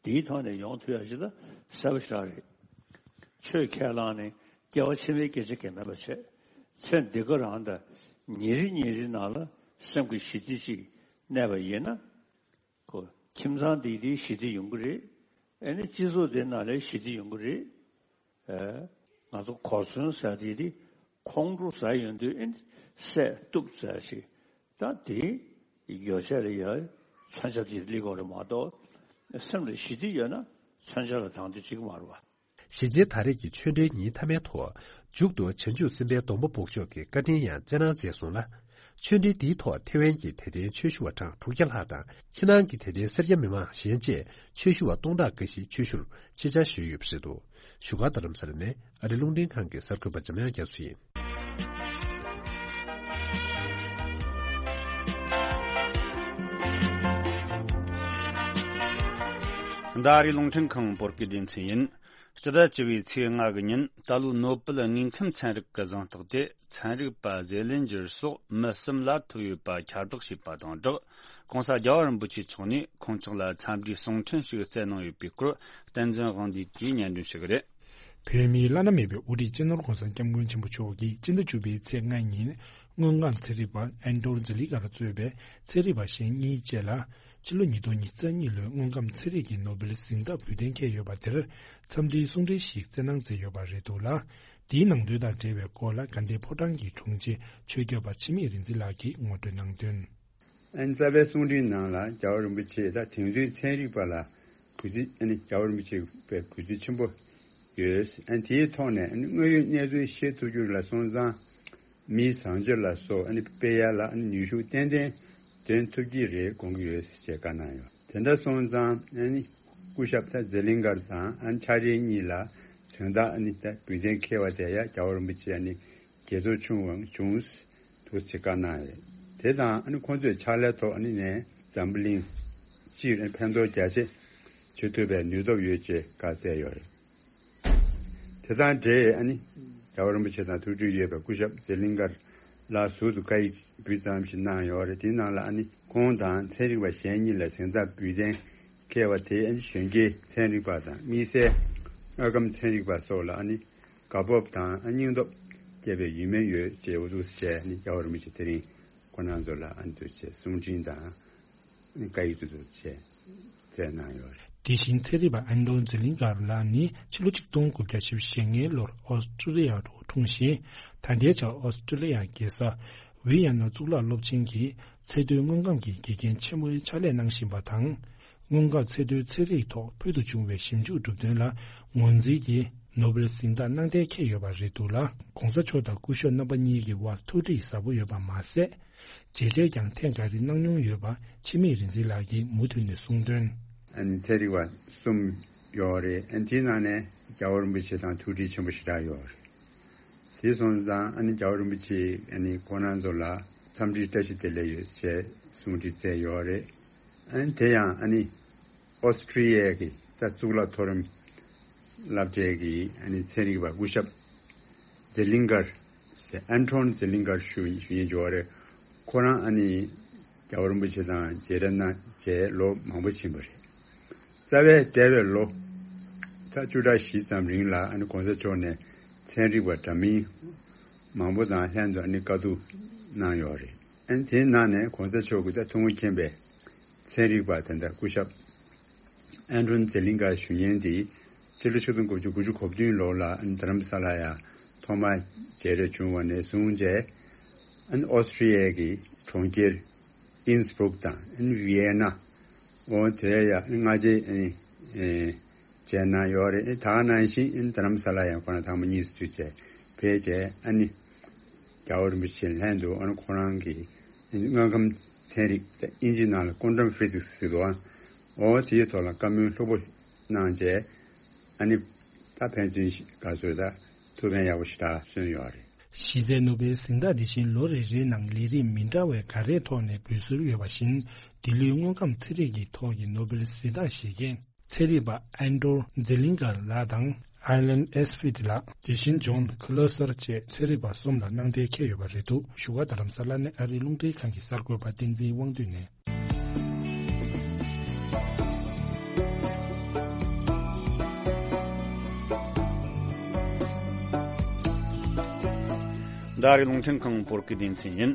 དེའི་ཐོག་ནས་ཡོང་ཐུབ་ཡག་ཞིག་ད་གསལ་པོ་ཞེ་དྲག་རེད། ཆོས་ཁས་བླངས་ནས་སྐྱེ་བ་ཕྱི་མའི་སྐད་ཆ་གང་མེད་པ་བྱས། ཚེ་འདི་ག་རང་དང་ཉིན་རེ་ཉིན་རེ་ནང་ལ་སེམས་ཀྱི་ཞི་བདེ་ཅིག་གནས་པ་ཡིན་ན། ཁོ་ཁྱིམ་ཚང་འདི་དེ་ཞི་བདེ་ཡོང་གི་རེད། ཨེ་ནི་སྤྱི་ཚོགས་དེ་ནང་ལ་ཞི་བདེ་ཡོང་གི་རེད། ཨེ། ང་ཚོ་གོ་མཚོན་ཟེར་དེ་དེ་ཁོང་ཁྲོ་ཟ་ཡོང་དུས་ཨེ་ནི་སད་གཏུབ་ཟེར་ཞིག་ད་དེ་ཡོ་བྱད་ལ་ཡ་མཚོན་ཆ་དེ་སླེབས་དགོས་རེད་མ་གཏོགས། སེམས་ལ་ཞི་བདེ་ཡོད་ན་མཚོན་ཆ་ལ་དང་དོད་བྱེད་ཀྱི་མ་རེད་བ། གཞིས་རྩེ་ད་རེས་ཀྱི་ཆོས་འབྲེལ་ཉིན་མཐའ་མའི་ཐོག་མཇུག་ཏུ་བྱང་ཆུབ་སེམས་དཔའི་སྡོང་པོ་སྦུག་ཆོག་གི་བཀའ་དྲིན་ཡང་སྩལ་གནང་མཛད་སོང་ལ། ཆོས་འབྲེལ་འདིའི་ཐོག་ཐེ་ཝན་གྱི་དད་ལྡན་ཆོས་ཞུ་བ་གྲངས་དྲུག་བརྒྱ་ལྷག་དང་ཕྱི་ནང་གི་དད་ལྡན་སེར་སྐྱ་མི་མང་གཞན་བཅས་ཆོས་ཞུ་བ་སྟོང་ཕྲག་འགའ་ཞིག་ཆོས་ཞུར་ཆེད་བཅར་ཞུས་ཡོད་པ་རེད་འདུག་བཞུགས་སྒར་རྡ་རམ་ས་ལ་ནས་ཨ་རི་རླུང་འཕྲིན་ཁང་གི་གསར་འགོད་པ་འཇམ་དབྱངས་རྒྱ་མཚོ་ཡིན། འདི་ཨ་རིའི་རླུང་འཕྲིན་ཁང་བོད་སྐད་སྡེ་ཚན་ཡིན། སྤྱི་ཟླ་བཅུ་བའི་ཚེས་ལྔ་གི་ཉིན་ད་ལོའི་ནོ་སྦེལ་དངོས་ཁམས་ཚན་རིག་གི་གཟེངས་རྟགས་དེ་ཚན་རིག་པ་ཟེ་ལིན་ཇར་སོགས་མི་གསུམ་ལ་ཐོབ་ཡོད་པ་ཁྱབ་བསྒྲགས་བྱས་པ་དང་སྦྲགས། ྋགོང་ས་རྒྱལ་བ་རིན་པོ་ཆེ་མཆོག་ནས་ཁོང་ཅག་ལ་འཚམས་འདྲིའི་གསུང་འཕྲིན་ཞིག་སྩལ་གནང་ཡོད་པའི་སྐོར། བསྟན་འཛིན་དབང་འདུས་ཀྱིས་སྙན་སྒྲོན་ཞུ་གི་རེད། བོད་མིའི་བླ་ན་མེད་པའི་དབུ་ཁྲིད་སྤྱི་ནོར་ྋགོང་ས་ྋསྐྱབས་མགོན་ཆེན་པོ་མཆོག་གིས་སྤྱི་ཟླ་བཅུ་པའི་ཚེས་ལྔ་ཉིན་དངོས་ཁམས་ཚན་རིག་པ་ཨན་ཏོར་ཛི་ལི་ཀར་གཙོས་པའི་ཚན་རིག་པ་གཞན་གཉིས་བཅས་ལ་ཕྱི་ལོ་ཉིས་སྟོང་ཉི་ཤུ་རྩ་གཉིས་ལོའི་དངོས་ཁམས་ཚན་རིག་གི་ནོ་སྦེལ་གཟེངས་རྟགས་འབུལ་གཏན་འཁེལ་ཡོད་པ་དེར་འཚམས་འདྲིའི་གསུང་འཕྲིན་ཞིག་སྩལ་གནང་མཛད་ཡོད་པ་རེད་འདུག་ལ། འདིའི་ནང་དོན་དང་འབྲེལ་བའི་སྐོར་ལ་དགའ་ལྡན་ཕོ་བྲང་གི་དྲུང་ཆེ་ཆོས་སྐྱོབ་པ་འཆི་མེད་རིག་འཛིན་ལགས་ཀྱིས་ངོ་སྤྲོད་གནང་དོན། ཨན་རྩ་བའི་གསུང་འཕྲིན་ནང་ལ་རྒྱལ་བ་རིན་པོ་ཆེ་ད་དེང་དུས་ཚན་རིག་པ་ལ་གུས་བརྩི། ཨ་ནི་རྒྱལ་བ་རིན་པོ་ཆེ་བའི་གུས་བརྩི་ཆེན་པོ་ཡོད། ཨ་ནི་དེའི་ཐོག་ནས་ཨ་ནི་དངོས་ཡོད་གནས་ཚུལ་ཤེས་ཐུབ་རྒྱུ་ལ་སོང་ཙང་མིའི་བཟང་སྤྱོད་ལ་སོགས་ཨ་ནི་སྤེལ་ཡ་ལ་ཨ་ནི་ནུས་ཤུགས་ཏན་ཏན་འདོན་ཐུབ་ཀྱི་རེད་དགོངས་ཀྱི་ཡོད་ཅེས་བཀའ་གནང་ཡོད། དེ་འདྲ་སོང་ཙང་ཨ་ནི་སྐུ་ཞབས་ད་ཛེ་ལིང་གར་དང་ཨ་ནི་ཆ་རེ་གཉིས་ལ་གཟེངས་རྟགས་ཨ་ནི་ད་འབུལ་གཏན་འཁེལ་བ་དེ་ཡ་རྒྱལ་བ་རིན་པོ་ཆེ་ཨ་ནི་དགྱེས་ཚོར་ཆུང་བའང་བྱུང་། འདུག་ཅེས་བཀའ་གནང་ཡོད། དེ་དང་ཨ་ནི་ཁོང་ཚོས་ཕྱག་ལས་ཐོག་ཨ་ནི་ནས་འཛམ་བུ་གླིང་སྤྱིར་ཕན་ཐོགས་རྒྱ་ཆེ་བྱེད་ཐུབ་པའི་ནུས་སྟོབས་ཡོད་ཅེས་བཀའ་སྩལ་ཡོད་རེད། དེ་དང་འབྲེལ་ཨ་ནི་རྒྱལ་བ་རིན་པོ་ཆེ་དང་ཐུགས་འཕྲད་ཡོད་པའི་སྐུ་ཞབས་ཛེ་ལིང་གར་ལགས་ཟུར་དུ་བཀའ་ཡིག་འབུལ་ཙམ་ཞིག་གནང་ཡོད་རེད། དེའི་ནང་ལ་ཨ་ནི་ཁོང་དང་ཚན་རིག་པ་གཞན་གཉིས་ལ་གཟེངས་རྟགས་འབུལ་གཏན་འཁེལ་བ་དེ་ཨ་ནི་གཞོན་སྐྱེས་ཚན་རིག་པ་དང་དམིགས་བསལ་དངོས་ཁམས་ཚན་རིག་པ་སོགས་ལ་ཨ་ནི་དགའ་སྤོབས་དང་སྙིང་སྟོབས་སྐྱེས་པའི་ཡུལ་མིན་ཡོད་ཅེས་འུ་ཚུགས་བྱས་ནས་རྒྱལ་བ་རིན་པོ་ཆེ་དེ་རིང་ཁོང་རྣམ་ཚོ་ལ་ཨ་ནི་འདུག་ཅེས་གསུང་འཕྲིན་དང་བཀའ་ཡིག་ཏུ་འདུག་ཅེས་སྩལ་གནང་ཡོད་རེད། དེ་བཞིན་ཚན་རིག་པ་ཨན་ཏོན་ཛི་ལིང་གར་ལགས་ནི་ཕྱི་ལོ་ཆིག་སྟོང་དགུ་བརྒྱ་བཞི་བཅུ་ཞེ་ལྔའི་ལོར་ཨོ་སི་ཀྲི་ལི་ཡ་རུ་འཁྲུངས་ཤིང་ད་ལྟའི་ཆར་ཨོ་སི་ཀྲི་ལི་ཡ་རྒྱལ་ས་ཝི་ཡ་ན་གཙུག་ལག་སློབ་ཆེན་གྱི་ཚད་མཐོའི་དངོས་ཁམས་ཀྱི་དགེ་རྒན་ཆེན་མོའི་ཕྱག་ལས་གནང་བཞིན་པ་དང་། དངོས་ཁམས་ཚད་མཐོའི་ཚན་རིག་ཐོག་ཕུལ་དུ་བྱུང་བའི་ཞིབ་འཇུག་གྲུབ་དོན་ལ་ངོས་འཛིན་གྱིས་ནོ་སྦེལ་གཟེངས་རྟགས་གནང་གཏན་འཁེལ་ཡོད་པ་རེད་འདུག་ལ། ྋགོང་ས་མཆོག་དང་སྐུ་ཞབས་རྣམ་པ་གཉིས་ཀྱི་དབར་ཐུགས་འདྲིས་ཟབ་པོ་ཡོད་པ་མ་ཟད། མཇལ་འཕྲད་ཀྱང་ཐེངས་འགའ་རེ་གནང་མྱོང་ཡོད་པ་འཆི་མེད་རིག་འཛིན་ལགས་ཀྱིས་མུ་མཐུད་ནས་གསུངས་དོན། ཨ་ནི་ཚན་རིག་པ་གསུམ་ཡོད་རེད། ཨ་ནི་དེའི་ནང་ནས་རྒྱལ་བ་རིན་པོ་ཆེ་དང་ཐུགས་འདྲིས་ཆེན་པོ་ཞེ་དྲག་ཡོད་རེད། དེ་སོང་ཙང་ཨ་ནི་རྒྱལ་བ་རིན་པོ་ཆེས་ཨ་ནི་ཁོང་རྣམ་ཚོ་ལ་འཚམས་འདྲིའི་བཀྲ་ཤིས་བདེ་ལེགས་ཡོད་ཅེས་གསུང་འཕྲིན་བསྩལ་ཡོད་རེད། ཨ་ནི་དེ་ཡང་ཨ་ནི་ཨོ་སི་ཀྲི་ཡའི་གི་ད་གཙུག་ལག་མཐོ་རིམ་ སློབ་གྲྭའི་གི་ཨ་ནི་ཚན་རིག་པ་སྐུ་ཞབས་ཛེ་ལིང་གར་ཟེར། ཨན་ཁྲོན་ཛེ་ལིང་གར་ཞུ་ཞུ་ཡིན་འཇོག་རེད། ཁོ་རང་ཨ་ནི་རྒྱལ་བ་རིན་པོ་ཆེ་དང་མཇལ་འཕྲད་གནང་བྱས་ལོ་མང་པོ་ཕྱིན་པ་རེད། རྩ་བའི་འདས་པའི་ལོ་ད་བཅུ་ཕྲག་བཞི་ཙམ་རིང་ལ་ཨ་ནི་གོང་ས་མཆོག་ནས་ཚན་རིག་པ་འདྲ་མིན་མང་པོ་དང་ལྷན་དུ་ཨ་ནི་བཀའ་བསྡུར་གནང་ཡོད་རེད། ཨ་ནི་དེའི་ནང་ནས་གོང་ས་མཆོག་གི་ད་ཐུགས་མངའ་མཁྱེན་པའི་ཚན་རིག་པ་དེ་འདྲ་སྐུ་ཞབས་ཨན་ཁྲོན་ཛེ་ལིང་ག་ཞུ་མཁན་དེ་ཕྱི་ལོ་ཆིག་སྟོང་དགུ་བརྒྱ་དགུ་བཅུ་གོ་བདུན་ལོ་ལ་ཨ་ནི་རྡ་རམ་ས་ལ་ཡ་ཐོག་མར་མཇལ་འཕྲད་བྱུང་བ་ནས་བཟུང་བྱས་ཨ་ནི་ཨོ་སི་ཀྲི་ཡའི་གི་གྲོང་ཁྱེར་ཨིན་སི་སྦུག་དང་ཨ་ནི་ཝི་ཡེ་ན། འོ་དེ་ཡ་ཨ་ནི་སྔ་རྗེས་ཨ་ནི་ཨེ་མཇལ་གནང་ཡོད་རེད། ཨ་ནི་ད་ག་ནང་བཞིན་ཨ་ནི་རྡ་རམ་ས་ལ་ཡང་ཁོ་རང་ཐེངས་མ་གཉིས་སུ་བྱས་ཕེབས་བྱས་ཨ་ནི་རྒྱལ་བ་རིན་པོ་ཆེ་ལྷན་དུ་ཨ་ནི་ཁོ་རང་གི་དངོས་ཁམས་ཚན་རིག་ཨིན་ཇིའི་ནང་ལ་ཀོན་ཊམ་ཕི་ཟིག་སི་ཟེར་འདུག་ཨ། འོ་དེའི་ཐོག་ལ་བཀའ་མོལ་ལྷུག་པོ་གནང་བྱས་ཨ་ནི་ད་ཕན་ཚུན་ག་ཚོད་ད་ཐུགས་ཕན་ཡག་པོ་ཞེ་དྲག་སོན་ཡོད་རེད། གཞི་རྩའི་ནོ་བེལ་གཟེངས་རྟགས་འདི་བཞིན་ལོ་རེ་རེའི་ནང་ལས་རིམ་མི་འདྲ་བའི་ག་རེའི་ཐོག་ནས་འབུལ་སྲོལ་ཡོད་པ་བཞིན། འདི་ལོའི་དངོས་ཁམས་ཚན་རིག་གི་ཐོག་གི་ནོ་བེལ་གཟེངས་རྟགས་བཞེས་མཁན་ཚན་རིག་པ་ཨན་ཏོར་ཛེ་ལིང་གར་ལགས་དང་། ཨ་ལན་ཨེ་སི་ཕི་ཏི་ལགས། དེ་བཞིན་ཇོན་ཁི་ལོ་སར་བཅས་ཚན་རིག་པ་གསུམ་ལ་གནང་གཏན་འཁེལ་ཡོད་པ་རེད་འདུག་བཞུགས་སྒར་རྡ་རམ་ས་ལ་ནས་ཨ་རིའི་རླུང་འཕྲིན་ཁང་གི་གསར་འགོད་པ་བསྟན་འཛིན་དབང་འདུས་ནས། འདི་ཨ་རིའི་རླུང་འཕྲིན་ཁང་བོད་སྐད་སྡེ་ཚན་ཡིན།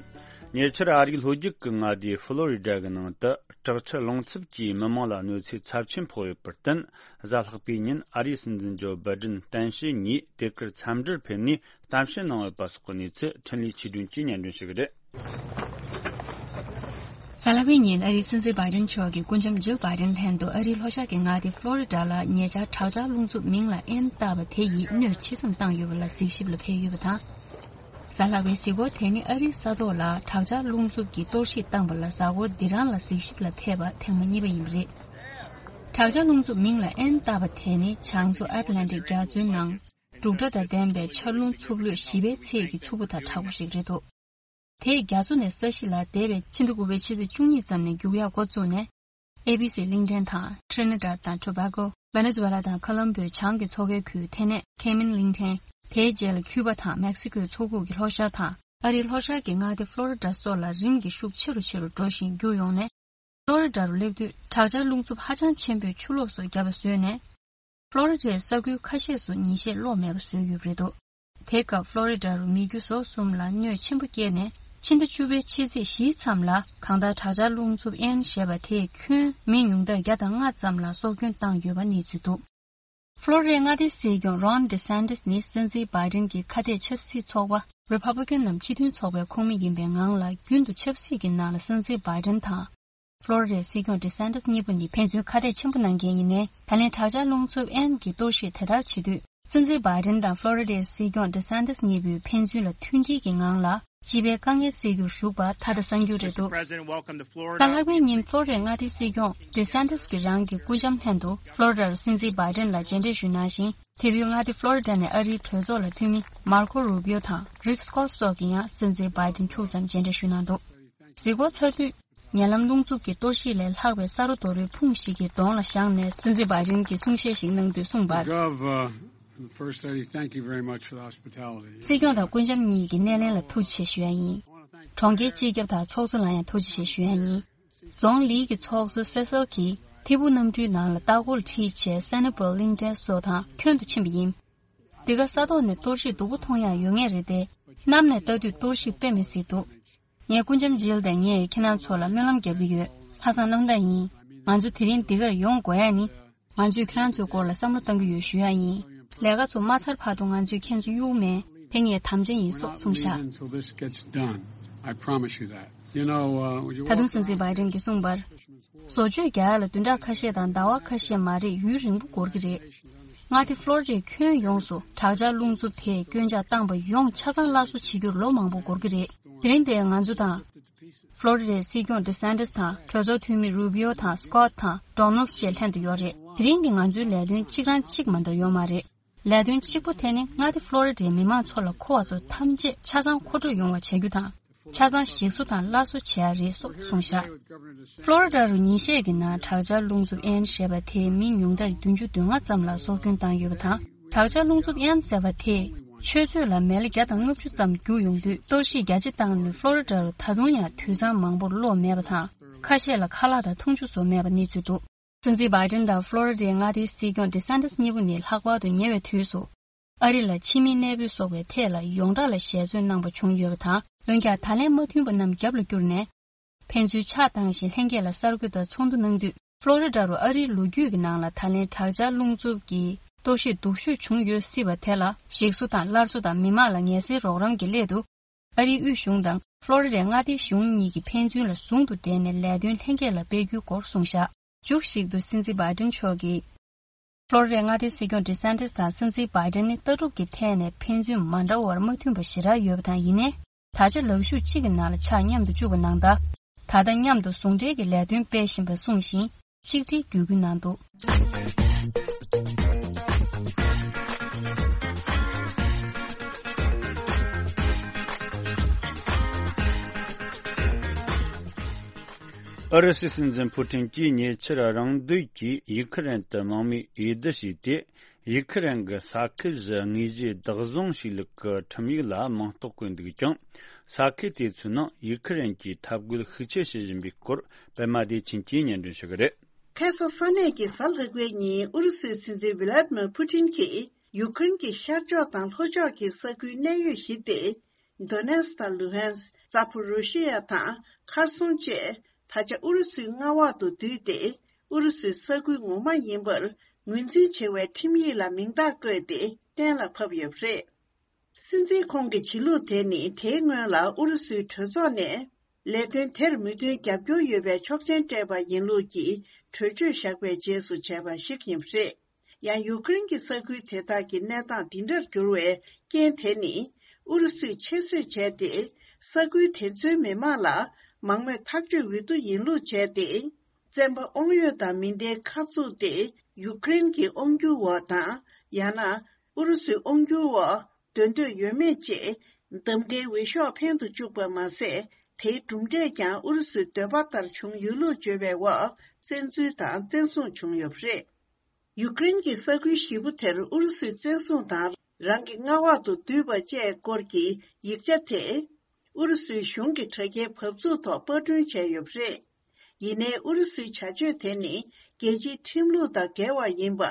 ཉེ་ཆར་ཨ་རིའི་ལྷོ་རྒྱུད་ཀྱི་མངའ་སྡེ་ཧྥ་ལོ་རི་ཌ་གི་ནང་དུ་དྲག་ཆར་རླུང་འཚུབ་ཀྱིས་མི་མང་ལ་གནོད་འཚེ་ཚབས་ཆེན་ཕོག་ཡོད་པར་བརྟེན། གཟའ་ལྷག་པའི་ཉིན་ཨ་རིའི་སྲིད་འཛིན་ཇོ་བྷའི་ཌེན་གཏན་བཤད་གཉིས་དེ་གར་འཚམས་འདྲིར་ཕེབས་ནས་གཏམ་བཤད་གནང་ཡོད་པ་སོགས་ཀྱི་གནས་ཚུལ་འཕྲིན་ལས་ཆོས་སྒྲོན་གྱིས་སྙན་སྒྲོན་ཞུ་གི་རེད། གཟའ་ལྷག་པའི་ཉིན་ཨ་རིའི་སྲིད་འཛིན་བྷའི་ཌེན་མཆོག་གིས་སྐུ་ལྕམ་ཇིལ་བྷའི་ཌེན་ལྷན་དུ་ཨ་རིའི་ལྷོ་ཤར་གྱི་མངའ་སྡེ་ཧྥ་ལོ་རི་ཌ་ལ་ཉེ་ཆར་དྲག་ཆར་རླུང་འཚུབ་མིང་ལ་ཨེན་བཏགས་པ་དེ་ཡིས་གནོད་ཆེ་ཙམ་བཏང་ཡོད་པ་ལ་གཟིགས་ཞིབ་ལ་ཕེབས་ཡོད་པ་དང་། གཟའ་ལྷག་པའི་གཟིགས་སྐོར་དེ་ནི་ཨ་རིའི་ས་ཐོག་ལ་དྲག་ཆར་རླུང་འཚུབ་ཀྱིས་གཏོར་བཤིག་བཏང་པ་ལ་གཟའ་འཁོར་འདི་རང་ལ་གཟིགས་ཞིབ་ལ་ཕེབས་པ་ཐེངས་མ་གཉིས་པ་ཡིན་པ་རེད། དྲག་ཆར་རླུང་འཚུབ་མིང་ལ་ཨེན་བཏགས་པ་དེ་ནི་བྱང་མཚོ་ཨེཊ་ལན་ཊིག་རྒྱ་མཚོའི་ནང་འབྲུག་སྒྲ་དང་ལྡན་པའི་ཆར་རླུང་འཚུབ་ལོས་བཞི་པའི་ཚད་ཀྱི་འཚུབ་པོ་དང་དྲག་པོ་ཞིག་རེད་འདུག་དེས་རྒྱ་མཚོ་ནས་ས་གཞི་ལ་འདས་པའི་ཕྱི་ཟླ་དགུ་པའི་ཕྱི་ཚེས་བཅུ་གཉིས་ཙམ་ནས་རྒྱུག་ཡག་འགོ་བཙུགས་ནས། ཨེ་བྷི་སི་གླིང་ཕྲན་དང་Trinidad དང་Tobago། Venezuela དང་ཁ་ལམ་བོའི་བྱང་གི་མཚོ་ཁའི་ཁུལ། དེ་ནས་ཁེ་མན་གླིང་ཕྲན། དེའི་རྗེས་ལ་ཁྱུ་པ་དང་མེག་སི་ཀོའི་མཚོ་ཁུག་གི་ལྷོ་ཤར་དང་། ཨ་རིའི་ལྷོ་ཤར་གྱི་མངའ་སྡེ་ཧྥ་ལོ་རི་ཌ་སོགས་ལ་རིམ་གྱིས་ཤུགས་ཆེ་རུ་ཆེ་རུ་འགྲོ་བཞིན་རྒྱུག་ཡོང་ནས། ཧྥ་ལོ་རི་ཌ་རུ་སླེབས་དུས་དྲག་ཆར་རླུང་འཚུབ་ཧ་ཅང་ཆེན་པོས་ཆུ་ལོག་སོགས་བརྒྱབ་པ་བཟོས་ནས། ཧྥ་ལོ་རི་ཌའི་ས་ཁུལ་ཁ་ཤས་སུ་ཉིན་ཤས་གློག་མེད་པ་བཟོས་ཡོད་པ་རེད་འདུག་དེའི་སྐབས་ཧྥ་ལོ་རི་ཌ་རུ་མི་རྒྱུ་ཟོག་གསུམ་ལ་གནོད་ཆེན་པོ་བསྐྱལ་ནས། ཕྱི་ཟླ་བཅུ་པའི་ཕྱི་ཚེས་བཞིའི་མཚམས་ལ་གང་ལྟར་དྲག་ཆར་རླུང་འཚུབ་ཨེན་ཞེས་པ་དེས་ཁྱོན་མི་ཉུང་མཐར་བརྒྱ་དང་ལྔ་ཙམ་ལ་སྲོག་སྐྱོན་བཏང་ཡོད་པ་གནས་ཚུལ་འདུག་ཧྥ་ལོ་རི་ཌའི་མངའ་སྡེའི་སྲིད་སྐྱོང་Ron DeSantis ནི་སྲིད་འཛིན་བྷའི་ཌེན་གྱི་ཁ་གཏད་ཆབ་སྲིད་ཚོགས་པ་Republican ནམ་སྤྱི་མཐུན་ཚོགས་པའི་ཁོངས་མི་ཡིན་པའི་ངང་ལ། རྒྱུན་དུ་ཆབ་སྲིད་ཀྱི་ནང་ལ་སྲིད་འཛིན་བྷའི་ཌེན་དང་། ཧྥ་ལོ་རི་ཌའི་སྲིད་སྐྱོང་ཌི་སན་ཏིས་གཉིས་པོ་ནི་ཕན་ཚུན་ཁ་གཏད་ཆེན་པོ་གནང་མཁན་ཡིན་ནའི། ད་ལན་དྲག་ཆར་རླུང་འཚུབ་ཨན་གྱི་གཏོར་བཤིག་དེ་ལྟར་བྱེད་དུས། སྲིད་འཛིན་བྷའི་ཌེན་དང་ཧྥ་ལོ་རི་ཌའི་སྲིད་སྐྱོང་ཌི་སན་ཏིས་གཉིས་པོས་ཕན་ཚུན་ལ་མཐུན་སྒྲིལ་གྱི་ངང་ལ་སྤྱི་པའི་དཀའ་ངལ་སེལ་རྒྱུར་ཞུགས་པ་ཐ་དད་གསར་འགྱུར་རེད་འདུག་གཟའ་ལྷག་པའི་ཉིན་ཧྥ་ལོ་རི་ཌའི་མངའ་སྡེའི་སྲིད་སྐྱོང་ཌི་སན་ཏིས་ཀྱིས་རང་གི་སྐུ་ལྕམ་ལྷན་དུ་ཧྥ་ལོ་རི་ཌ་རུ་སྲིད་འཛིན་བྷའི་ཌེན་ལ་མཇལ་འཕྲད་ཞུས་གནང་ཞིང་། དེ་དུས་མངའ་སྡེ་ཧྥ་ལོ་རི་ཌ་ནས་ཨ་རིའི་གྲོས་ཚོགས་ལ་འཐུས་མི་མར་ཁོ་རུ་པིའོ་དང་རིག་སྐོད་སོགས་ཀྱིས་ཡང་སྲིད་འཛིན་བྷའི་ཌེན་ཁྱུག་ཙམ་མཇལ་འཕྲད་ཞུས་གནང་འདུག་གཟིགས་སྐོར་ཚར་དུས། ཉེ་ལམ་རླུང་འཚུབ་ཀྱི་གཏོར་བཤིག་ལས་ལྷག་པའི་ས་རོ་རྡོ་རོའི་ཕུང་ཞིག་གི་གདོང་ལ་བཞག་ནས་སྲིད་འཛིན་བྷའི་ཌེན་གྱིས་གསུང་བཤད་ཞིག་གནང་དུས་གསུངས་པར། Gov, uh, the First Lady, thank you very much for the hospitality. སྲིད་སྐྱོང་དང་སྐུ་ལྕམ་གཉིས་ཀྱི་སྣེ་ལེན་ལ་ཐུགས་རྗེ་ཆེ་ཞུ་ཡ་ཡིན། གྲོང་ཁྱེར་སྤྱི་ཁྱབ་དང་ཚོགས་གཙོ་ལ་ཡང་ཐུགས་རྗེ་ཆེ་ཞུ་ཡ་ཡིན། རྫོང་ལིའི་གི་ཚོགས་གཙོ་སེ་སེལ་གྱིས་ཐིབས་པོ་གནམ་གྲུའི་ནང་ལ་ལྟ་སྐོར་ཁྲིད་བྱས་སན་ནི་པོལ་གླིང་ཕྲན་སོགས་དང་ཁྱོན་དུ་ཕྱིན་པ་ཡིན། འདི་ག་ས་ཐོག་ནས་གཏོར་བཤིག་སྡུག་པོ་མཐོང་ཡག་ཡོད་ངེས་རེད་དེ། གནམ་ནས་ལྟ་དུས་གཏོར་བཤིག་དཔེ་མི་སྲིད་འདུག་ངས་སྐུ་ལྕམ་ཇིལ་དང་ངས་ཁྱེད་རང་ཚོ་ལ་སྨོན་ལམ་བརྒྱབ་ཀྱི་ཡོད། ལྷག་བསམ་རྣམ་དག་ཡིན། ང་ཚོ་དེ་རིང་འདི་གར་ཡོང་དགོས་ཡ་ནི། ང་ཚོས་ཁྱེད་རང་ཚོའི་སྐོར་ལ་བསམ་བློ་གཏང་གི་ཡོད་ཞུ་ཡ་ཡིན། ལས་ཀ་ཚོ་མ་ཚར་བར་དུ་ང་ཚོས་ཁྱེད་ཚོ་གཡུག་མེད། དེ་ངའི་དམ་བཅའ་ཡིན་སོགས་གསུངས་བཞག Until this gets done, I promise you that. You know, uh, you ད་དུང་སྲིད་འཛིན་བྷའི་ཌེན་གྱིས་གསུངས་པར། བཟོ་བཅོས་རྒྱག་ཡ་ལ་བདུན་ཕྲག་ཁ་ཤས་དང་ཟླ་བ་ཁ་ཤས་མ་རེད། ཡུན་རིང་པོ་འགོར་གྱི་རེད། མངའ་སྡེ་ཧྥ་ལོ་རི་ཌའི་ཁྱོན་ཡོངས་སུ་དྲག་ཆར་རླུང་འཚུབ་དེས་སྐྱོན་ཆག་བཏང་པ་ཡོངས་ཆ་ཚང་སླར་གསོ་བྱེད་རྒྱུར་ལོ་མང་པོ་འགོར་གྱི་རེད། དེ་རིང་འདིར་ང་ཚོ་དང་། ཧྥ་ལོ་རི་ཌའི་སྲིད་སྐྱོང་ཌི་སན་ཏིས་དང་གྲོས་ཚོགས་འཐུས་མི་རུ་པིའོ་དང་སྐོད་དང་ཌོ་ནལ་ཌི་བཅས་ལྷན་དུ་ཡོད་རེད། དེ་རིང་གི་ང་ཚོའི་ལས་དོན་གཅིག་རང་གཅིག་མ་འདྲ་ཡོད་མ་རེད། ལས་དོན་གཅིག་པོ་དེ་ནི་མངའ་སྡེ་ཧྥ་ལོ་རི་ཌའི་མི་མང་ཚོ་ལ་མཁོ་བ་ཚོ་ཐམས་ཅད་ཆ་ཚང་མཁོ་སྤྲོད་ཡོང་བ་བྱ་རྒྱུ་དང་། ཆ་ཚང་ཞིག་གསོ་དང་སླར་གསོ་བྱེད་ཡ་རེད་སོགས་གསུངས་བཞག །ཕློ་རི་ཌ་རུ་ཉིན་ཤས་ཀྱི་ནང་དྲག་ཆར་རླུང་འཚུབ་ཨན་ཞེས་པ་དེས་མི་ཉུང་མཐར་བདུན་ཅུ་དོན་ལྔ་ཙམ་ལ་སྲོག་སྐྱོན་བཏང་ཡོད་པ་དང་། དྲག་ཆར་རླུང་འཚུབ་ཨན་ཟེར་བ་དེས་ཆུ་ཚོད་ལ་མལ་བརྒྱ་དང་ལྔ་བཅུ་ཙམ་རྒྱུག་ཡོང་དུས་གཏོར་བཤིག་རྒྱ་ཆེ་བཏང་ནས་ཕློ་རི་ཌ་རུ་ད་དུང་ཡང་དུད་ཚང་མང་པོར་གློག་མེད་པ་དང་། ཁ་ཤས་ལ་ཁ་ལག་དང་འཐུང་ཆུ་སོགས་མེད་པ་གནས་ཚུལ་འདུག །སྲིད་འཛིན་བྷའི་ཌེན་དང་ཕློ་རི་ཌའི་མངའ་སྡེའི་སྲིད་སྐྱོང་ཌི་སན་ཏིས་གཉིས་པོ་ནི་ལྷག་པར་དུ་ཉེ་བའི་དུས་སུ། ཨ་རི་ལ་ཕྱི་མིའི་གནས་སྤོས་སོགས་པའི་ཐད་ལ་ཡོངས་གྲགས་ལ་ཞལ་འཛོལ་གནང་པ་བྱུང་ཡོད་པ་དང་། འོན་ཀྱང་ད་ལན་མ་མཐུན་པ་རྣམས་རྒྱབ་ལ་བསྐྱུར་ནས། ཕན་ཚུན་ཕྱག་བཏང་ཞིང་ལྷན་རྒྱས་ལ་གསར་འགོད་པ་ཚོགས་འདུ་གནང་དུས། ཕློ་རི་ཌ་རུ་ཨ་རིའི་ལོ་རྒྱུས་ཀྱི་ནང་ལ་ད་ལན་དྲག་ཆར་རླུང་འཚུབ་ཀྱི་གཏོར་བཤིག་སྡུག་ཤོས་བྱུང་ཡོད་སྲིད་པ་དེ་ལ་ཞིག་གསོ་དང་སླར་གསོ་དང་མི་མང་ལ་ངལ་སེལ་རོགས་རམ་གྱི་སླད་དུ། ཨ་རིའི་དབུས་གཞུང་དང་ཕློ་རི་ཌའི་མངའ་སྡེའི་གཞུང་གཉིས་ཀྱིས་ཕན་ཚུན་ལ་ཟུང་དུ་འབྲེལ་ནས་ལས་དོན་ལྷན་རྒྱས་ལ་སྤེལ་རྒྱུའི་སྐོར་གསུངས་བཞག །མཇུག་ཞིག་ཏུ་སྲིད་འཛིན་བྷའི་ཌེན་མཆོག་གིས། ཕློ་རི་ཌའི་མངའ་སྡེའི་སྲིད་སྐྱོང་ཌི་སན་ཏིས་དང་སྲིད་འཛིན་བྷའི་ཌེན་ནི་ལྟ་གྲུབ་ཀྱི་ཐད་ནས་ཕན་ཚུན་མ་འདྲ་བར་མ་མཐུན་པ་ཞེ་དྲག་ཡོད་པ་དང་། ཡིན་ནའི། ད་ཆ་ལག་ཤུབས་གཅིག་གི་ནང་ལ་ཕྱག་མཉམ་དུ་བཅུག་པ་ནང་ལྟར། ད་ལྟ་མཉམ་དུ་ཟུང་འབྲེལ་གྱི་ལས་དོན་སྤེལ་བཞིན་པ་གསུངས་ཤིང་། ཆིག་སྒྲིལ་བརྒྱུད་སྐུལ་གནང་འདུག་ཨུ་རུ་སུའི་སྲིད་འཛིན་ཕུ་ཊིན་གྱིས་ཉེ་ཆར་རང་འདོད་ཀྱིས་ཡུ་ཁུ་རེན་དུ་དམག་མི་འོས་བསྡུ་བྱས་ཏེ། ཡུ་ཁུ་རེན་གྱི་ས་ཁུལ་བཞི་དངོས་གཞིའི་བདག་བཟུང་བྱས་ལུགས་ཀྱི་ཁྲིམས་ཡིག་ལ་མིང་རྟགས་བཀོད་འདུག་ཀྱང་། ས་ཁུལ་དེ་ཚོའི་ནང་ཡུ་ཁུ་རེན་གྱིས་འཐབ་རྒོལ་ཤུགས་ཆེ་བྱེད་བཞིན་པའི་སྐོར། པད་མ་བདེ་ཆེན་གྱིས་སྙན་སྒྲོན་ཞུ་གི་རེད། ཁ་སང་ས་གནས་ཀྱི་གཟའ་ལྷག་པའི་ཉིན་ཨུ་རུ་སུའི་སྲིད་འཛིན་ཝི་ལ་ཏི་མིར་ཕུ་ཊིན་གྱིས་ཡུ་ཀེ་རེན་གྱི་ཤར་ཕྱོགས་དང་ལྷོ་ཕྱོགས་ཀྱི་ས་ཁུལ་གནད་ཡོད་བཞི་སྟེ། དོ་ནེ་སི་དང་ལུ་ཧན་སི། ཛ་པོ་རོ་ཤི་ཡ་དང་ཁར་སོང་བཅས་ད་ཆ་ཨུ་རུ་སུའི་མངའ་འོག་ཏུ་བསྡུས་ཏེ། ཨུ་རུ་སུའི་ས་ཁུལ་ངོ་མ་ཡིན་པར་ངོས་འཛིན་བྱེད་པའི་ཁྲིམས་ཡིག་ལ་མིང་རྟགས་བཀོད་དེ་གཏན་ལ་ཕབ་ཡོད་པ་རེད། སྲིད་འཛིན་ཁོང་གི་བྱེད་ལུགས་དེ་ནི་དེའི་སྔོན་ལ་ཨུ་རུ་སུའི་གྲོས་ཚོགས་ནས་ལས་དོན་དེར་མོས་མཐུན་རྒྱབ་སྐྱོར་ཡོད་པའི་ཆོག་མཆན་སྤྲད་པ་ཡིན་ལུགས་ཀྱི་གྲོས་ཆོད་བཞག་པའི་རྗེས་སུ་བྱས་པ་ཞིག་ཡིན་པ་རེད། ཡང་ཡུ་ཀེ་རེན་གྱི་ས་ཁུལ་དེ་དག་གི་གནས་སྟངས་འདི་འདྲར་གྱུར་བའི་རྐྱེན་དེ་ནི་ཨུ་རུ་སུས་ཆེད་བཟོས་བྱས་ཏེ། ས་ཁུལ་དེ་ཚོའི་མི་མང་ལ་མང་མོས་ཐག་གཅོད་འོས་བསྡུ་ཡིན་ལུགས་བྱས་ཏེ། བཙན་པ་དབང་ཡོད་དང་མི་ལྡན་ཁ་བཙུགས་ཏེ་ཡུ་ཀེ་རེན་གྱི་དབང་སྒྱུར་འོག་དང་ཡང་ན་ཨུ་རུ་སུའི་དབང་སྒྱུར་འོག་སྡོད་འདོད་ཡོད་མེད་ཅེས་འདམ་འདྲའི་འོས་ཤོག་འཕེན་དུ་བཅུག་པ་མ་ཟད། དེའི་གྲུབ་འབྲས་ཀྱང་ཨུ་རུ་སུའི་འདོད་པ་ལྟར་བྱུང་ཡོད་ལུགས་བརྗོད་པའི་འོག་བཙན་འཛུལ་དང་བཙན་བཟུང་བྱུང་ཡོད་པ་རེད། ཡུ་ཀེ་རེན་གྱི་ས་ཁུལ་བཞི་པོ་དེར་ཨུ་རུ་སུས་བཙན་བཟུང་དང་རང་གི་མངའ་འོག་ཏུ་བསྡུས་པ་བཅས་སྐོར་གྱི་ཡིག་ཆ་དེ། ཨུ་རུ་སུའི་གཞུང་གི་དྲ་རྒྱའི་བབ་ཚུགས་ཐོག་པར་སྐྲུན་བྱས་ཡོད་པ་རེད། ཡིན་ནའི་ཨུ་རུ་སུའི་བྱ་སྤྱོད་དེ་ནི་རྒྱལ་སྤྱིའི་ཁྲིམས་ལུགས་དང་འགལ་བ་ཡིན་པ།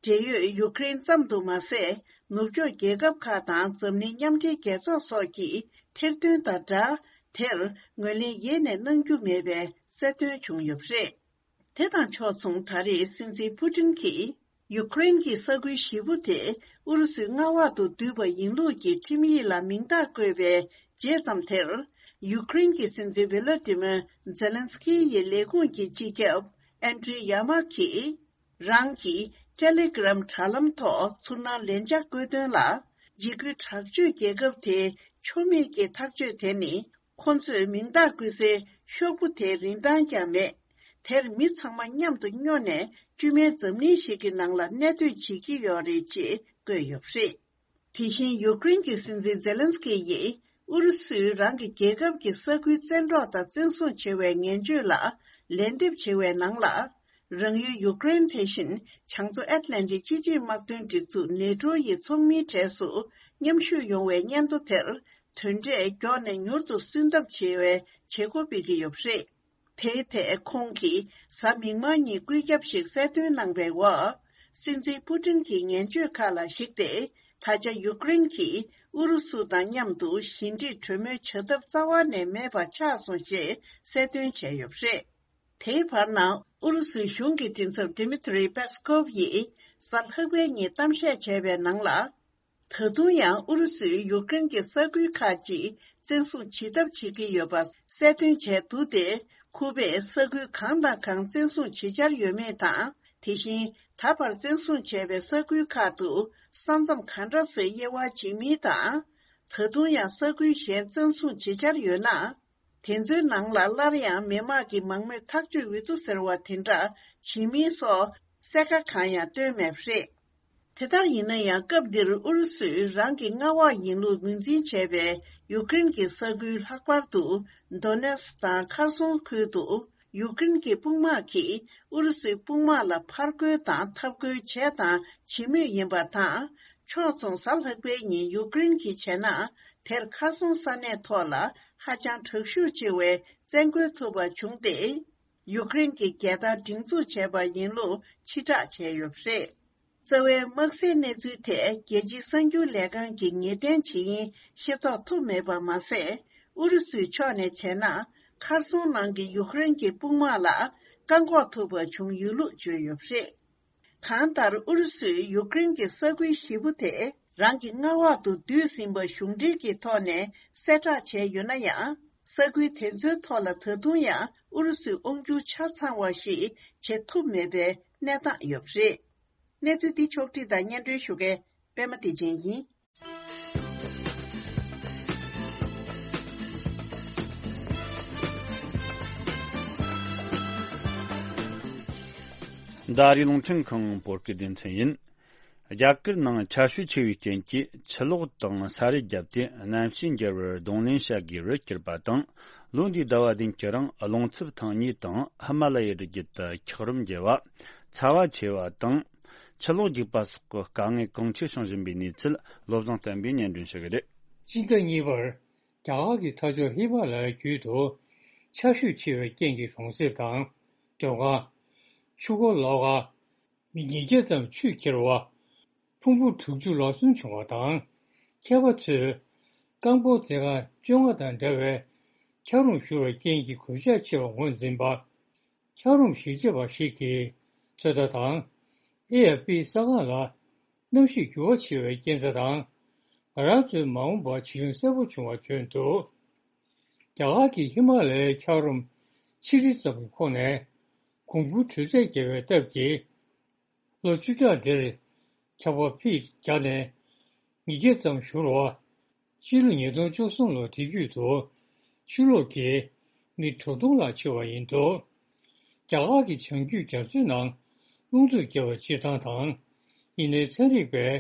འབྲེལ་ཡོད་ཡུ་ཀེ་རེན་ཙམ་དུ་མ་ཟད། ནུབ་ཕྱོགས་རྒྱལ་ཁབ་ཁག་དང་འཛམ་གླིང་མཉམ་འབྲེལ་རྒྱལ་ཚོགས་སོགས་ཀྱིས་ཐེར་འདོན་དང་སྦྲགས། དེར་ངོས་ལེན་ཡེ་ནས་གནང་རྒྱུ་མེད་པའི་གསལ་སྟོན་བྱུང་ཡོད་པ་རེད། དེ་དང་ཕྱོགས་མཚུངས། ད་རེས་སྲིད་འཛིན་ཕུ་ཊིན་གྱིས་ཡུ་ཀེ་རེན་གྱི་ས་ཁུལ་བཞི་པོ་དེ་ཨུ་རུ་སུའི་མངའ་འོག་ཏུ་བསྡུས་པ་ཡིན་ལུགས་ཀྱི་ཁྲིམས་ཡིག་ལ་མིང་རྟགས་བཀོད་པའི་རྗེས་ཙམ་དེར། ཡུ་ཀེ་རེན་གྱི་སྲིད་འཛིན་ཝི་ལོ་ཏི་མོ་ཛེ་ལན་སི་ཀི་ཡི་ལས་ཁུངས་ཀྱི་སྤྱི་ཁྱབ་ཨན་ཌྲི་ཡ་མ་གིས། རང་གི་ཊེ་ལེ་གྷི་རམ་དྲ་ལམ་ཐོག་ཚུར་སྣང་ལན་ཆགས་བཀོད་དོན་ལ། འཇིགས་སྐུལ་དྲག་སྤྱོད་རྒྱལ་ཁབ་དེའི་ཆོ་མེད་ཀྱི་ཐག་གཅོད་དེ་ནི། ཁོ་ཚོས་མིང་རྟགས་བཀོད་སའི་ཤོག་བུ་དེའི་རིན་ཐང་ཀྱང་མེད། དེར་མི་ཚང་མ་མཉམ་དུ་སྨྱོ་ནས་དཀྱུས་མའི་འཛམ་གླིང་ཞིག་གི་ནང་ལ་གནས་སྡོད་བྱེད་ཀྱི་ཡོད་རེད་ཅེས་བཀོད་ཡོད་པ་རེད། དེ་བཞིན་ཡུ་ཀེ་རེན་གྱི་སྲིད་འཛིན་ཛེ་ལན་སི་ཀི་ཡིས་ཨུ་རུ་སུས་རང་གི་རྒྱལ་ཁབ་ཀྱི་ས་ཁུལ་བཙན་འཕྲོག་དང་བཙན་བཟུང་བྱས་པའི་ངན་བྱུས་ལ་ལན་འདེབས་བྱས་པའི་ནང་ལ། རང་ཡུལ་ཡུ་ཀེ་རེན་དེ་བཞིན་བྱང་མཚོ་ཨེཊ་ལན་ཊིག་སྤྱི་ཆིངས་དམག་དོན་སྒྲིག་འཛུགས་ནེ་ཊོ་ཡི་ཚོགས་མིའི་གྲས་སུ་མཉམ་ཞུགས་ཡོང་བའི་སྙན་ཐོ་དེར་དོན་འབྲས་མགྱོགས་ནས་མྱུར་དུ་སོན་ཐབས་བྱེད་པའི་བྱེད་སྒོ་སྤེལ་གྱི་ཡོད་པ་རེད། དེའི་ཐད་ཁོང་གིས་གཟའ་མིག་དམར་ཉིན་བཀོད་ཁྱབ་ཞིག་གསལ་སྟོན་གནང་པའི་འོག་སྲིད་འཛིན་ཕུ་ཊིན་གྱི་ངན་བྱུས་ཁག་ལ་གཞིགས་ཏེ། ད་ཆ་ཡུ་ཀེ་རེན་གྱིས་ཨུ་རུ་སུ་དང་མཉམ་དུ་ཞི་འགྲིག་གྲོས་མོལ་བྱ་ཐབས་རྩ་བ་ནས་མེད་པ་ཆགས་སོང་ཞེས་གསལ་སྟོན་བྱས་ཡོད་པ་རེད། དེའི་བར་ན་ཨུ་རུ་སུའི་གཞུང་གི་མགྲིན་ཚབ་ཌི་མི་ཐི་རི་པེ་སི་ཀོབ་ཡིས་གཟའ་ལྷག་པའི་ཉིན་གཏམ་བཤད་བྱས་པའི་ནང་ལ། ད་དུང་ཡང་ཨུ་རུ་སུས་ཡུ་ཀེ་རེན་གྱི་ས་ཁུལ་ཁག་ཅིག་བཙན་བཟུང་བྱེད་ཐབས་བྱེད་ཀྱི་ཡོད་པ་གསལ་སྟོན་བྱས་འདུག་སྟེ། ཁུ་པས་ས་ཁུལ་གང་དང་གང་བཙན་བཟུང་བྱེད་འཆར་ཡོད་མེད་དང་། དེ་བཞིན་ད་བར་བཙན་བཟུང་བྱས་པའི་ས་ཁུལ་ཁག་ཏུ་ས་མཚམས་ག་འདྲ་སེ་དབྱེ་བ་འབྱེད་མིན་དང་། ད་དུང་ཡང་ས་ཁུལ་གཞན་བཙན་བཟུང་བྱེད་འཆར་ཡོད་ན། དེ་ཚོའི་ནང་ལ་སླར་ཡང་མི་དམངས་ཀྱི་མང་མོས་ཐག་གཅོད་འོས་བསྡུ་ཟེར་བ་དེ་འདྲ་བྱེད་མིན་སོགས་གསལ་ཁ་གང་ཡང་བཏོན་མེད་པ་རེད། དེ་ལྟར་ཡིན་ན་ཡང་། སྐབས་འདིར་ཨུ་རུ་སུས་རང་གི་མངའ་འོག་ཡིན་ལུགས་ངོས་འཛིན་བྱས་པའི་ཡུཀ་རེན་གྱི་ས་ཁུལ་ལྷག་པར་དུ་དོ་ནེ་སི་དང་ཁར་སོང་ཁུལ་དུ་ཡུཀ་རེན་གྱི་དཔུང་དམག་གིས་ཨུ་རུ་སུའི་དཔུང་དམག་ལ་ཕར་རྒོལ་དང་འཐབ་རྒོལ་བྱས་དང་བྱེད་མུས་ཡིན་པ་དང་། ཕྱོགས་མཚུངས། གཟའ་ལྷག་པའི་ཉིན་ཡུཀ་རེན་གྱིས་བྱས་ན། དེར་ཁ་སང་ས་གནས་ཐོག་ལ་ཧ་ཅང་དྲག་ཤུགས་ཆེ་བའི་བཙན་རྒོལ་ཐུབ་པ་བྱུང་སྟེ། ཡུཀ་རེན་གྱི་རྒྱལ་དར་སྒྲེང་འཛུགས་བྱས་པ་ཡིན་ལུགས་ཕྱིར་བསྒྲགས་བྱས་ཡོད་པ་རེད། རྩ་བའི་དམག་སའི་གནས་ཚུལ་ཐད་རྒྱལ་སྤྱིའི་གསར་འགྱུར་ལས་ཁང་གིས་ངེས་གཏན་བྱེད་ཡིན་ཤེས་རྟོགས་ཐུབ་མེད་པ་མ་ཟད། ཨུ་རུ་སུའི་ཕྱོགས་ནས་བྱས་ན། ཁར་སོང་ནང་གི་ཡུཀ་རེན་གྱི་དཔུང་དམག་ལ་བཀག་འགོག་ཐུབ་པ་བྱུང་ཡོད་ལུགས་བརྗོད་ཡོད་པ་རེད། གང་ལྟར། ཨུ་རུ་སུས་ཡུཀ་རེན་གྱི་ས་ཁུལ་བཞི་པོ་དེ་རང་གི་མངའ་འོག་ཏུ་བསྡུས་ཟིན་པ་གཞུང་འབྲེལ་གྱི་ཐོག་ནས་གསལ་བསྒྲགས་བྱས་ཡོད་ན་ཡང་། ས་ཁུལ་དེ་ཚོའི་ཐོག་ལ་ད་དུང་ཡང་ཨུ་རུ་སུའི་དབང་སྒྱུར་ཆ་ཚང་བ་ཞིག་བྱེད་ཐུབ་མེད་པའི་གནས་སྟངས་ཡོད་པ་རེད། གནས་ཚུལ་འདི་ཕྱོགས་བསྒྲིགས་དང་སྙན་སྒྲོན་ཞུ་མཁན་པད་མ་བདེ་ཆེན་ཡིན། འདི་ཨ་རིའི་རླུང་འཕྲིན་ཁང་བོད་སྐད་སྡེ་ཚན་ཡིན། རྒྱ་གར་ནང་ཆར་ཞོད་ཆེ་བའི་རྐྱེན་གྱིས་ཆུ་ལོག་དང་ས་རུད་བརྒྱབ་སྟེ་གནམ་གཤིས་འགྱུར་བར་གདོང་ལེན་བྱ་དགོས་པར་གྱུར་པ་དང་། ལོ་འདིའི་ཟླ་བ་བདུན་གྱི་རིང་རླུང་འཚུབ་ཐེངས་གཉིས་དང་ཧི་མ་ལ་ཡའི་རི་རྒྱུད་དུ་འཁྱགས་རོམ་རྒྱས་པ། ཚ་བ་ཆེ་བ་དང་། ཆུ་ལོག་རྒྱུག་པ་སོགས་ཀྱི་དཀའ་ངལ་གང་ཆེ་བྱུང་བཞིན་པའི་གནས་ཚུལ་བློ་བཟང་བསྟན་པས་སྙན་སྒྲོན་ཞུ་གི་རེད། སྤྱི་ཟླ་གཉིས་པར་རྒྱ་གར་གྱི་མཐའ་ཕྱོགས་ཧི་མ་ལ་ཡའི་རྒྱུད་དུ་ཆར་ཞོད་ཆེ་བའི་རྐྱེན་གྱིས་གྲོང་གསེབ་དང་། སྡོད་ཁང་། ཆུ་འཁོར་ལོགས་ཀ་མི་ཉིས་བརྒྱ་ཙམ་ཆུས་ཁྱེར་བ། ཕུང་པོ་དྲུག་ཅུ་ལོ་གསུམ་བྱུང་བ་དང་། མཁས་པ་ཚོས་རྐང་སྤོལ་མཛད་ཁང་བཅོ་ལྔ་དང་འདྲ་བའི་འཁྱགས་རོམ་བཞུར་བའི་རྐྱེན་གྱིས་གོད་ཆག་ཆེ་བ་ངོས་འཛིན་པ། འཁྱགས་རོམ་གཞིས་བྱེས་པ་ཞིག་གིས་ཚོད་ལྟ་དང་། ཨེ་ཨེཕ་པི་གསར་ཁང་ལ། གནམ་གཤིས་འགྱུར་བ་ཆེ་བའི་རྐྱེན་རྩ་དང་། ང་རང་ཚོའི་མ་འོངས་པར་བྱེད་ལས་གསལ་པོ་བྱུང་བ་བརྗོད་འདུག་རྒྱ་གར་གྱི་ཧི་མ་ལ་ཡའི་འཁྱགས་རོམ་ཆིག་ཁྲི་ཙམ་གྱི་ཁོངས་ནས། གོང་བུ་དྲོད་ཚད་བརྒྱབ་པའི་སྟབས་ཀྱིས། ལོ་བཅུ་ཕྲག་འདིར་འཁྱགས་པ་ཕིཊ་བརྒྱ་ནས་ཉིས་བརྒྱ་ཙམ་བཞུར་བ། ཕྱི་ལོ་ཉིས་སྟོང་བཅུ་གསུམ་ལོ་དེ་རྒྱུད་དུ་ཆུ་ལོག་གིས་མི་དྲུག་སྟོང་ལྷག་འཆི་བ་ཡིན་འདུག་རྒྱ་གར་གྱི་བྱང་རྒྱུད་རྒྱ་མཚོའི་ནང་རླུང་འཚུབ་བརྒྱབ་པ་སྤྱིར་བཏང་དང་། ཡིན་ནའི་ཚན་རིག་པས་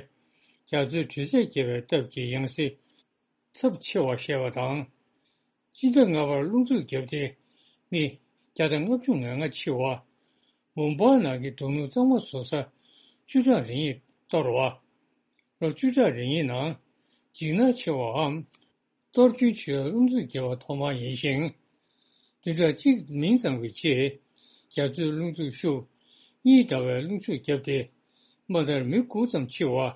རྒྱ་མཚོའི་དྲོད་ཚད་བརྒྱབ་པའི་སྟབས་ཀྱིས་ཡང་སྲིད་ཚབས་ཆེ་བ་བཤད་པ་དང་། སྤྱི་ཟླ་ལྔ་པར་རླུང་འཚུབ་བརྒྱབ་སྟེ་མི་བརྒྱ་དང་ལྔ་བཅུ་ང་ལྔ་འཆི་བ། མུམ་བྷའི་ནང་གི་རྡོ་སྣུམ་གཙང་མ་བཟོ་ས་བཅུ་ཕྲག་རེ་གཉིས་གཏོར་བ། ལོ་བཅུ་ཕྲག་རེ་གཉིས་ནང་འཇིགས་སྣང་ཆེ་བའམ། གཏོར་སྐྱོན་ཆེ་བའི་རླུང་འཚུབ་བརྒྱབ་པ་ཐོག་མ་ཡིན་ཞིང་། བདུན་ཕྲག་གཅིག་མིན་ཙམ་གྱི་རྗེས། རྒྱ་མཚོའི་རླུང་འཚུབ་ཤུགས་གཉིས་འདྲ་བའི་རླུང་འཚུབ་བརྒྱབ་སྟེ། དམའ་མཐར་མི་དགུ་ཙམ་འཆི་བ།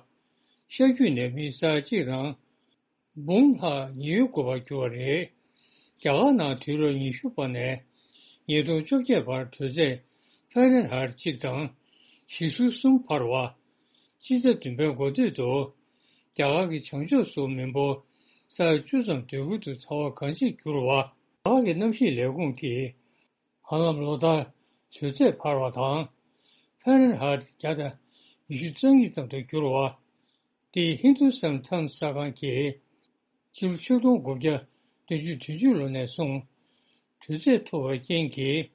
ཤར་རྒྱུད་ནས་མི་ས་ཡ་གཅིག་དང་། འབུམ་ལྷག་ཉེན་གཡོལ་དགོས་པར་གྱུར་བ་རེད། རྒྱ་གར་ནང་དུས་རབས་ཉི་ཤུ་པ་ནས་ཉིས་སྟོང་བཅོ་བརྒྱད་བར་དྲོད་ཚད་ཧྥ་རན་ཧའེ་ཊི་གཅིག་དང་བཞི་སུམ་འཕར་བ། སྤྱི་ཟླ་བདུན་པའི་འགོ་སྟོད་དུ་རྒྱ་གར་གྱི་བྱང་ཕྱོགས་སུ་མི་འབོར་ས་ཡ་བཅུ་ཙམ་སྡོད་ཁུལ་དུ་ཚ་བ་གང་ཆེར་གྱུར་བ། རྒྱ་གར་གྱི་གནམ་གཤིས་ལས་ཁུངས་ཀྱིས། ཧ་ལམ་ལོ་ལྟར་དྲོད་ཚད་འཕར་བ་དང་། ཧྥ་རན་ཧའེ་ཊི་བརྒྱ་དང་ཉི་ཤུ་རྩ་གཉིས་ཙམ་དུ་གྱུར་བ། དེས་ཧིན་དུ་སན་ཊའིམ་སི་གསར་ཁང་གིས། ཕྱི་ལོ་ཆིག་སྟོང་དགུ་བརྒྱ་བདུན་ཅུ་དོན་གཅིག་ལོ་ནས་བཟུང་། དྲོད་ཚད་མཐོ་བའི་རྐྱེན་གྱིས།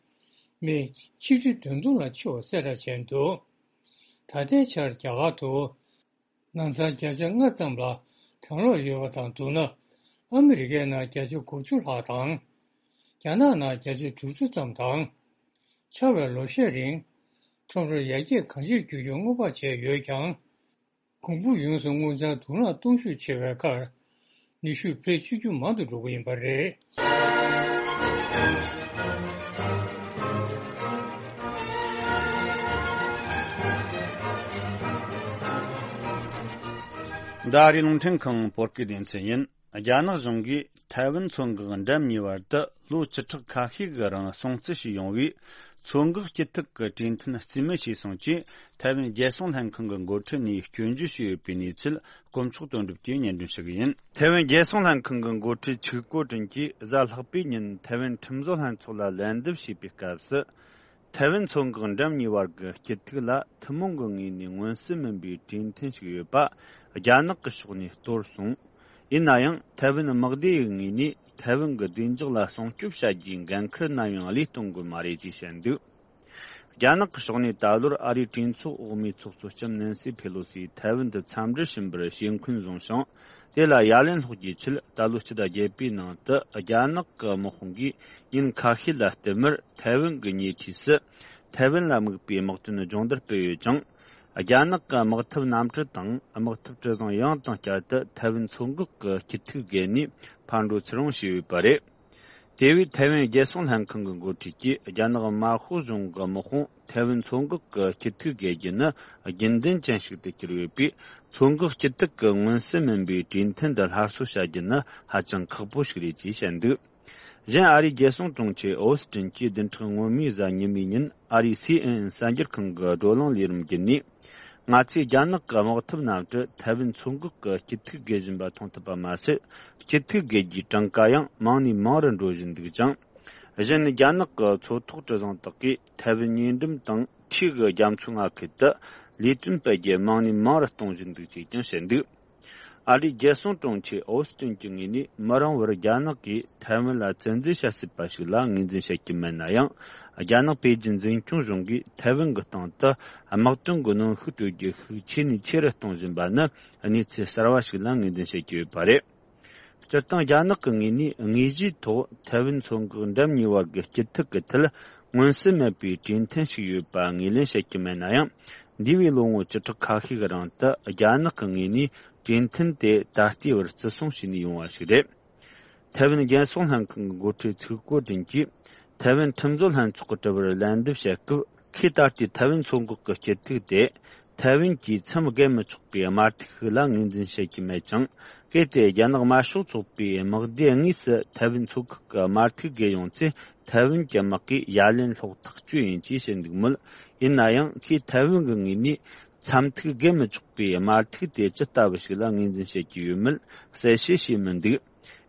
མི་ཆིག་ཁྲི་བདུན་སྟོང་ལ་འཆི་བ་གསལ་བསྒྲགས་བྱས་འདུག་ད་ལྟའི་ཆར་རྒྱ་གར་དུ། ནང་ཚན་བརྒྱ་ཆ་ལྔ་ཙམ་ལ་གྲང་གློག་ཡོད་པ་དང་བསྡུར་ན། ཨ་མི་རི་ཀའི་ནང་བརྒྱ་ཆ་དགུ་བཅུ་ལྷག་དང་། རྒྱ་ནག་ནང་བརྒྱ་ཆ་དྲུག་ཅུ་ཙམ་དང་། ཆར་བའི་ལོ་ཤས་རིང་། ཁྲོམ་ར་ཡར་རྒྱས་གང་ཆེར་འགྱུར་རྒྱུ་སྔོན་དཔག་བྱས་ཡོད་ཀྱང་། གོང་བུ་ཡོངས་སུ་སྔོ་ལྗང་དུག་རླངས་གཏོང་ཤུགས་ཆེ་བའི་ཁར། ནུས་ཤུགས་ཕལ་ཆེར་ཆུང་དུ་མང་དུ་འགྲོ་གི་ཡིན་པ་རེད། འདི་ཨ་རིའི་རླུང་འཕྲིན་ཁང་བོད་སྐད་སྡེ་ཚན་ཡིན། རྒྱ་ནག་གཞུང་གིས་ཐའེ་ཝན་མཚོ་འགག་འགྲམ་གཉིས་བར་དུ་ལོ་བཅུ་ཕྲག་ཁ་ཤས་ཀྱི་རིང་སྲུང་བརྩི་བྱས་ཡོང་བའི་མཚོ་འགག་སྐྱིད་ཐིག་གི་གྲོས་མཐུན་རྩིས་མེད་བྱས་སོང་ཅེས་ཐའེ་ཝན་རྒྱལ་སྲུང་ལྷན་ཁང་གི་འགོ་ཁྲིད་ནས་སྐྱོན་བརྗོད་བྱས་ཡོད་པའི་གནས་ཚུལ་དཀོན་མཆོག་དོན་གྲུབ་ཀྱིས་སྙན་སྒྲོན་ཞུ་གི་ཡིན། ཐའེ་ཝན་རྒྱལ་སྲུང་ལྷན་ཁང་གི་འགོ་ཁྲིད་ཆིག་ཀོ་ཀྲིན་གྱིས་གཟའ་ལྷག་པའི་ཉིན་ཐའེ་ཝན་ཁྲིམས་བཟོ་ལྷན་ཚོགས་ལ་ལན་འདེབས་བྱས་པའི་སྐབས་སུ། ཐའེ་ཝན་མཚོ་འགག་འགྲམ་གཉིས་བར་གྱི་སྐྱིད་ཐིག་ལ་ཐུན་མོང་གི་ངོས་ནས་མངོན་གསལ་མིན་པའི་གྲོས་མཐུན་ཞིག་ཡོད་པ་རྒྱ་ནག་གི་ཕྱོགས་ནས་གཏོར་སོང་། ཡིན་ན་ཡང་ཐའེ་ཝན་དམག་སྡེ་ཡི་ངོས་ནས་ཐའེ་ཝན་གྱི་བདེ་འཇགས་ལ་སྲུང་སྐྱོབ་བྱ་རྒྱུའི་འགན་འཁུར་ནམ་ཡང་བློས་གཏོང་དགོས་མ་རེད་ཅེས་བཤད་འདུག་རྒྱ་ནག་གི་ཕྱོགས་ནས་ད་ལོར་ཨ་རིའི་གྲོས་ཚོགས་འོག་མའི་ཚོགས་གཙོ་ལྕམ་ནན་སི་ཕེ་ལོ་སི་ཐའེ་ཝན་དུ་འཚམས་འདྲིར་ཕྱིན་པར་ཞེ་འཁོན་བཟུང་ཞིང་། དེ་ལ་ཡ་ལན་སློག་རྒྱུའི་ཆེད། ད་ལོ་སྤྱི་ཟླ་བརྒྱད་པའི་ནང་དུ་རྒྱ་ནག་གི་དམག་དཔུང་གིས་ཉིན་ཁ་ཤས་ལ་བསྟུད་མར་ཐའེ་ཝན་གྱི་ཉེ་འཁྲིས་སུ་ཐའེ་ཝན་ལ་དམིགས་པའི་དམག་དོན་སྦྱོང་བརྡར་སྤེལ་ཡོད་ཅིང་། རྒྱ་ནག་གི་དམག་འཐབ་གནམ་གྲུ་དང་དམག་འཐབ་གྲུ་གཟིངས་ཡང་དང་བསྐྱར་དུ་ཐའེ་ཝན་མཚོ་འགག་གི་སྐྱིད་ཐིག་བརྒལ་ནས་ཕར་འགྲོ་ཚུར་འོང་བྱས་ཡོད་པ་རེད། དེ་བས་ཐའེ་ཝན་རྒྱལ་སྲུང་ལྷན་ཁང་གི་འགོ་ཁྲིད་ཀྱིས་རྒྱ་ནག་དམར་ཤོག་གཞུང་གི་དམག་དཔུང་ཐའེ་ཝན་མཚོ་འགག་གི་སྐྱིད་ཐིག་བརྒལ་རྒྱུ་ནི་རྒྱུན་ལྡན་ཅན་ཞིག་ཏུ་གྱུར་ཡོད་པས། མཚོ་འགག་སྐྱིད་ཐིག་གི་མངོན་གསལ་མིན་པའི་གྲོས་མཐུན་འདི་སླར་གསོ་བྱ་རྒྱུ་ནི་ཧ་ཅང་ཁག་པོ་ཞིག་རེད་ཅེས་བཤད་འདུག་གཞན། ཨ་རིའི་རྒྱལ་སྲུང་དྲུང་ཆེ་ཨོ་སི་ཀྲིན་གྱིས་བདུན་ཕྲག་སྔོན་མའི་གཟའ་ཉི་མའི་ཉིན་ཨ་རིའི་སི་ཨེན་ཨེན་གསར་འགྱུར་ཁང་གི་བགྲོ་གླེང་ལས་རིམ་བརྒྱུད་ནས། ང་ཚོས་རྒྱ་ནག་གི་དམག་འཐབ་གནམ་གྲུ་ཐའེ་ཝན་མཚོ་འགག་གི་སྐྱིད་ཐིག་བརྒལ་བཞིན་པ་མཐོང་ཐུབ་པ་མ་ཟད། སྐྱིད་ཐིག་བརྒལ་རྒྱུའི་གྲངས་ཀ་ཡང་མང་ནས་མང་རུ་འགྲོ་བཞིན་འདུག་ཅིང་། གཞན། རྒྱ་ནག་གི་མཚོ་ཐོག་གྲུ་གཟིངས་དག་གིས་ཐའེ་ཝན་ཉེ་འགྲམ་དང་འཁྲིས་ཀྱི་རྒྱ་མཚོའི་མངའ་ཁུལ་དུ་ལས་དོན་སྤེལ་རྒྱུ་མང་ནས་མང་རུ་གཏོང་བཞིན་འདུག་ཅེས་ཀྱང་བཤད་འདུག་ཨ་རིའི་རྒྱལ་སྲུང་དྲུང་ཆེ་ཨོ་སི་ཀྲིན་གྱི་ངོས་ནས། མི་རིང་བར་རྒྱ་ནག་གིས་ཐའེ་ཝན་ལ་བཙན་འཛུལ་བྱ་སྲིད་པ་ཞིག་ལ་ངོས་འཛིན་བྱེད་ཀྱི་མེད་ན་ཡང་། རྒྱ་ནག་པེ་ཅིན་འཛིན་སྐྱོང་གཞུང་གིས་ཐའེ་ཝན་གྱི་སྟེང་དུ་དམག་དོན་གྱི་གནོན་ཤུགས་སྤྲོད་རྒྱུ་ཤུགས་ཆེ་ནས་ཆེ་རུ་གཏོང་བཞིན་པ་ནི་གནས་ཚུལ་གསར་བ་ཞིག་ལ་ངོས་འཛིན་བྱེད་ཀྱི་ཡོད་པ་རེད། སྤྱིར་བཏང་རྒྱ་ནག་གི་ངོས་ནས་དངོས་གཞིའི་ཐོག་ཐའེ་ཝན་མཚོ་འགག་འགྲམ་གཉིས་བར་གྱི་སྐྱིད་ཐིག་གི་ཐད་མངོན་གསལ་མེད་པའི་གྲོས་མཐུན་ཞིག་ཡོད་པ་ངོས་ལེན་བྱེད་ཀྱི་མེད་ན་ཡང་། འདས་པའི་ལོ་ངོ་བཅུ་ཕྲག་ཁ་ཤས་ཀྱི་རིང་དུ་རྒྱ་ནག་གི་ངོས་ནས་གྲོས་མཐུན་དེ་ད་ལྟའི་བར་བརྩི་སྲུང་བྱས་ནས་ཡོང་བ་ཞིག་རེད། ཐའེ་ཝན་རྒྱལ་སྲུང་ལྷན་ཁང་གི་འགོ་ཁྲིད་ཚུའུ་ཀོ་ཀྲིན་གྱིས་ཐའེ་ཝན་ཁྲིམས་བཟོ་ལྷན་ཚོགས་ཀྱི་དྲི་བར་ལན་འདེབས་བྱེད་སྐབས། ཁོས་ད་ལྟའི་ཐའེ་ཝན་མཚོ་འགག་གི་སྐྱིད་ཐིག་དེ་ཐའེ་ཝན་གྱིས་མཚམས་བརྒལ་མི་ཆོག་པའི་དམར་ཐིག་ཞིག་ལ་ངོས་འཛིན་བྱེད་ཀྱི་མེད་ཅིང་། གལ་ཏེ་རྒྱ་ནག་དམར་ཤོག་ཚོགས་པའི་དམག་སྡེ་དངོས་སུ་ཐའེ་ཝན་མཚོ་འགག་གི་དམར་ཐིག་བརྒལ་ཡོང་ཚེ། ཐའེ་ཝན་གྱི་དམག་གིས་ཡ་ལན་སློག་ཐག་གཅོད་ཡིན་ཅེས་བཤད་འདུག་མོད། ཡིན་ན་ཡང་ཁོས་ཐའེ་ཝན་གྱི་ངོས་ནས་མཚམས་ཐིག་བརྒལ་མི་ཆོག་པའི་དམར་ཐིག་དེ་ཇི་ལྟ་བུ་ཞིག་ལ་ངོས་འཛིན་བྱེད་ཀྱི་ཡོད་མེད་གསལ་བཤད་བྱས་མི་འདུག་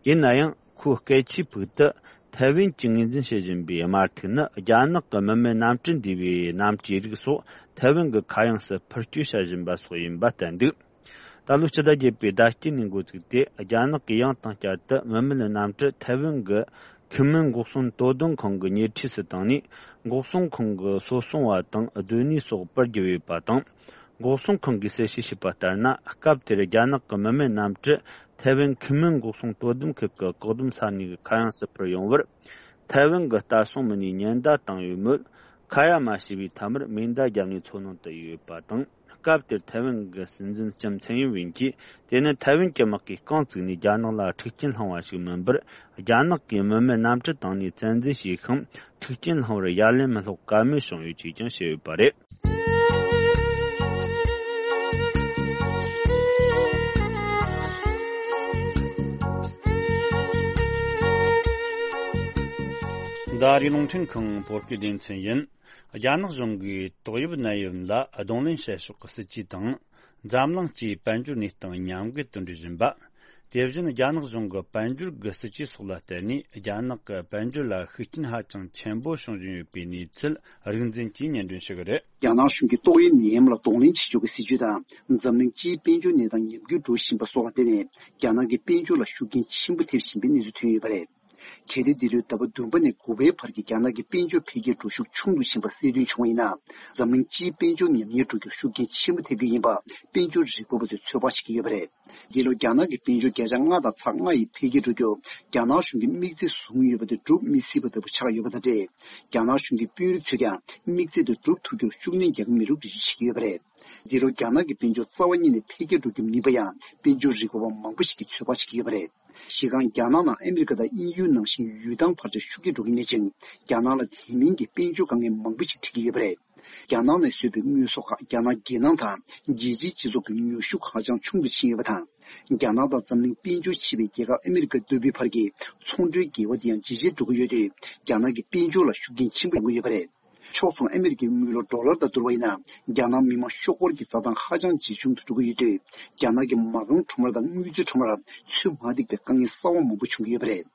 ཡིན་ན་ཡང་ཁོས་སྐད་ཆའི་ཕུག་ཏུ། ཐའེ་ཝན་གྱིས་ངོས་འཛིན་བྱེད་བཞིན་པའི་དམར་ཐིག་ནི་རྒྱ་ནག་གི་མི་མེད་གནམ་གྲུ་འདྲ་བའི་གནམ་གྲུའི་རིགས་སོགས་ཐའེ་ཝན་གྱི་ཁ་གཡང་སུ་འཕུར་སྐྱོད་བྱ་བཞིན་པ་སོགས་ཡིན་པ་བསྟན་འདུག་ད་ལོ་སྤྱི་ཟླ་བརྒྱད་པའི་ཟླ་དཀྱིལ་ནས་འགོ་བཙུགས་ཏེ། རྒྱ་ནག་གིས་ཡང་དང་བསྐྱར་དུ་མི་མེད་གནམ་གྲུ་ཐའེ་ཝན་གྱི་ཁེ་མིན་འགོག་སྲུང་དོ་དམ་ཁང་གི་ཉེ་འཁྲིས་སུ་བཏང་ནས། འགོག་སྲུང་ཁང་གི་སོ་སྲུང་བ་དང་སྡོད་གནས་སོགས་སྤར་བརྒྱབ་ཡོད་པ་དང་། འགོག་སྲུང་ཁང་གིས་གསལ་བཤད་བྱས་པ་ལྟར་ན། སྐབས་དེར་རྒྱ་ནག་གི་མི་མེད་གནམ་གྲུ་ཐའེ་ཝན་ཁེ་མིན་འགོག་སྲུང་དོ་དམ་ཁུལ་གྱི་བཀག་སྡོམ་ས་གནས་ཀྱི་ཁ་གཡང་སུ་འཕུར་ཡོང་བར། ཐའེ་ཝན་གྱི་ལྟ་སྲུང་མི་སྣས་ཉེན་བརྡ་བཏང་ཡོད་མོད། ཁ་ཡ་མ་བྱས་པའི་མཐའ་མར་མེ་མདའ་བརྒྱབ་ནས་འཚོ་སྣང་དུ་ཡོད་པ་དང་། སྐབས་དེར་ཐའེ་ཝན་གྱི་སྲིད་འཛིན་ལྕམ་ཚན་ཡིན་ཝིན་གྱིས། དེ་ནི་ཐའེ་ཝན་གྱི་དམག་གིས་རྐང་བཙུགས་ནས་རྒྱ་ནག་ལ་འཁྲུག་རྐྱེན་བསླངས་པ་ཞིག་མིན་པར། རྒྱ་ནག་གིས་མི་མེད་གནམ་གྲུ་བཏང་ནས་བཙན་འཛུལ་བྱས་ཤིང་། འཁྲུག་རྐྱེན་བསླངས་པར་ཡ་ལན་མི་སློག་ཀ་མེད་བྱུང་ཡོད་ཅེས་ཀྱང་བཤད་ཡོད་པ་རེད། འདི་ཨ་རིའི་རླུང་འཕྲིན་ཁང་བོད་སྐད་སྡེ་ཚན་ཡིན། རྒྱ་ནག་གཞུང་གིས་ཏོག་དབྱིབས་ནད་ཡམས་ལ་གདོང་ལེན་བྱེད་ཕྱོགས་ཀྱི་སྲིད་ཇུས་དང་། འཛམ་གླིང་སྤྱིའི་དཔལ་འབྱོར་གནས་སྟངས་མཉམ་འགལ་དུ་འགྲོ་བཞིན་པ། དེ་བཞིན་རྒྱ་ནག་གཞུང་གི་དཔལ་འབྱོར་གྱི་སྲིད་ཇུས་སོགས་ལ་བརྟེན་ནས། རྒྱ་ནག་གི་དཔལ་འབྱོར་ལ་ཤུགས་རྐྱེན་ཧ་ཅང་ཆེན་པོ་བྱུང་བཞིན་ཡོད་པའི་གནས་ཚུལ་རིག་འཛིན་གྱིས་སྙན་སྒྲོན་ཞུ་གི་རེད། རྒྱ་ནག་གཞུང་གིས་ཏོག་དབྱིབས་ནད་ཡམས་ལ་གདོང་ལེན་བྱེད་ཕྱོགས་ཀྱི་སྲིད་ཇུས་དང་། འཛམ་གླིང་སྤྱིའི་དཔལ་འབྱོར་གནས་སྟངས་ཉམས་རྒུད་འགྲོ་བཞིན་པ་སོགས་ལ་བརྟེན་ནས། རྒྱ་ནག་གི་དཔལ་འབྱོར་ལ་ཤུགས་རྐྱེན་ཆེན་པོ་ཐེབས་བཞིན་པའི་གནས་ཚུལ་ཐོན་ཡོད་པ་རེད། གལ་ཏེ་འདི་ལོའི་ཟླ་བ་བདུན་པ་ནས་དགུ་པའི་བར་གྱི་རྒྱ་ནག་གི་དཔལ་འབྱོར་འཕེལ་རྒྱས་འགྲོ་ཤུགས་ཆུང་དུ་ཕྱིན་པ་གསལ་སྟོན་བྱུང་བ་ཡིན་ན། འཛམ་གླིང་སྤྱིའི་དཔལ་འབྱོར་ཉམས་ཉེས་འགྲོ་རྒྱུར་ཤུགས་རྐྱེན་ཆེན་པོ་ཐེབས་རྒྱུ་ཡིན་པ། དཔལ་འབྱོར་རིག་པ་བ་ཚོས་ཚོད་དཔག་བྱེད་ཀྱི་ཡོད་པ་རེད། འདི་ལོ་རྒྱ་ནག་གི་དཔལ་འབྱོར་བརྒྱ་ཆ་ལྔ་དང་ཚེག་ལྔ་ཡི་འཕེལ་རྒྱས་འགྲོ་རྒྱུར། རྒྱ་ནག་གཞུང་གིས་དམིགས་ཚད་བཟུང་ཡོད་པ་དེ་འགྲུབ་མི་སྲིད་པ་ལྟ་བུ་ཆགས་ཡོད་པ་དང་འབྲེལ། རྒྱ་ནག་གཞུང་གི་དཔོན་རིགས་ཚོས་ཀྱང་དམིགས་ཚད་དེ་འགྲུབ་ཐུབ་རྒྱུར་ཤུགས་སྣོན་རྒྱག་གི་མེད་ལུགས་འགྲེལ་བརྗོད་བྱེད་ཀྱི་ཡོད་པ་རེད། འདི་ལོ་རྒྱ་ནག་གི་དཔལ་འབྱོར་རྩ་བ་ཉིད་ནས་འཕེལ་རྒྱས་འགྲོ་རྒྱུ་མིན་པ་ཡང་དཔལ་འབྱོར་རིག་པ་བ་མང་པོ་ཞིག་གིས་ཚོད་དཔག་བྱེད་ཀྱི་ཡོད་པ་རེད། གཞི་རྐང་རྒྱ་ནག་ནང་ཨ་མི་རི་ཀ་དང་དབྱིན་ཡུལ་ནང་བཞིན་ཡུལ་ཐང་བར་ཆད་ཤུགས་ཆེ་འགྲོ་གི་མེད་ཅིང་། རྒྱ་ནག་ལ་དེ་མིན་གྱི་དཔལ་འབྱོར་དཀའ་ངལ་མང་པོ་ཞིག་འཕྲད་ཀྱི་ཡོད་པ་རེད། རྒྱ་ནག་ནས་བཟོས་པའི་དངོས་ཟོག་ཁག་རྒྱ་ནག་རྒྱལ་ནང་དང་རྒྱལ་སྤྱིའི་སྤྱི་ཚོགས་ཀྱི་ཉོ་ཤུགས་ཧ་ཅང་ཆུང་དུ་ཕྱིན་ཡོད་པ་དང་། རྒྱ་ནག་དང་འཛམ་གླིང་དཔལ་འབྱོར་ཆེ་བའི་རྒྱལ་ཁབ་ཨ་མི་རི་ཀ་ལྟ་བུའི་བར་གྱི་ཚོང་འབྲེལ་འགལ་བ་དེ་ཡང་ཇེ་ཆེར་འགྲོ་གི་ཡོད་དུས། རྒྱ་ནག་གི་དཔལ་འབྱོར་ལ་ཤུགས་རྐྱེན་ཆེན་པོ་ཡོང་གི་ཡོད་པ་རེད། ཕྱོགས་མཚུངས་ཨ་མི་རི་ཀའི་དངུལ་ལོར་ཌོ་ལར་དང་བསྡུར་བ་ཡིན་ན། རྒྱ་ནག་མི་དམངས་ཤོག་སྒོར་གྱི་འཛའ་ཐང་ཧ་ཅང་ཇེ་ཆུང་དུ་འགྲོ་གི་ཡོད་དུས། རྒྱ་ནག་གི་མ་རྐང་ཁྲོམ་ར་དང་དངུལ་རྩའི་ཁྲོམ་རར་ཚོད་མ་འགྲིག་པའི་དཀའ་ངལ་གསར་བ་མང་པོ་བྱུང་གི་ཡོད་པ་རེད།